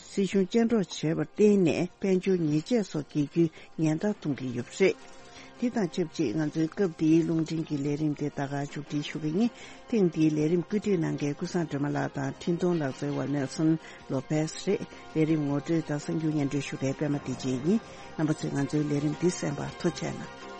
སྲིད་གཞུང་བཅའ་སྒྲོག་བྱས་པར་བརྟེན་ནས་དཔལ་འབྱོར་ཉེས་ཆད་སོགས་འགེལ་རྒྱུའི་ཉེན་བརྡ་གཏོང་གི་ཡོད་པ་རེད། དེ་དང་ཆབས་ཅིག་ང་ཚོའི་སྐབས་འདིའི་རླུང་འཕྲིན་གྱི་ལས་རིམ་དེ་ད་ག་མཇུག་སྒྲིལ་ཞུ་གི་ཡིན། ཐེངས་འདིའི་ལས་རིམ་བཀོད་སྒྲིག་གནང་མཁན་ཀུན་བཟང་སྒྲོལ་མ་ལགས་དང་འཕྲིན་གཏོང་ལག་རྩལ་བ་ནེལ་སོན་ལོ་པེས་རེད། ལས་རིམ་ངོ་སྤྲོད་དང་གསར་འགྱུར་སྙན་སྒྲོན་ཞུ་མཁན་པད་མ་བདེ་ཆེན་ཡིན། རྣམ་པ་ཚོས་ང་ཚོའི་ལས་རིམ་འདི་གསན་པར་ཐུགས་རྗེ་གནང་།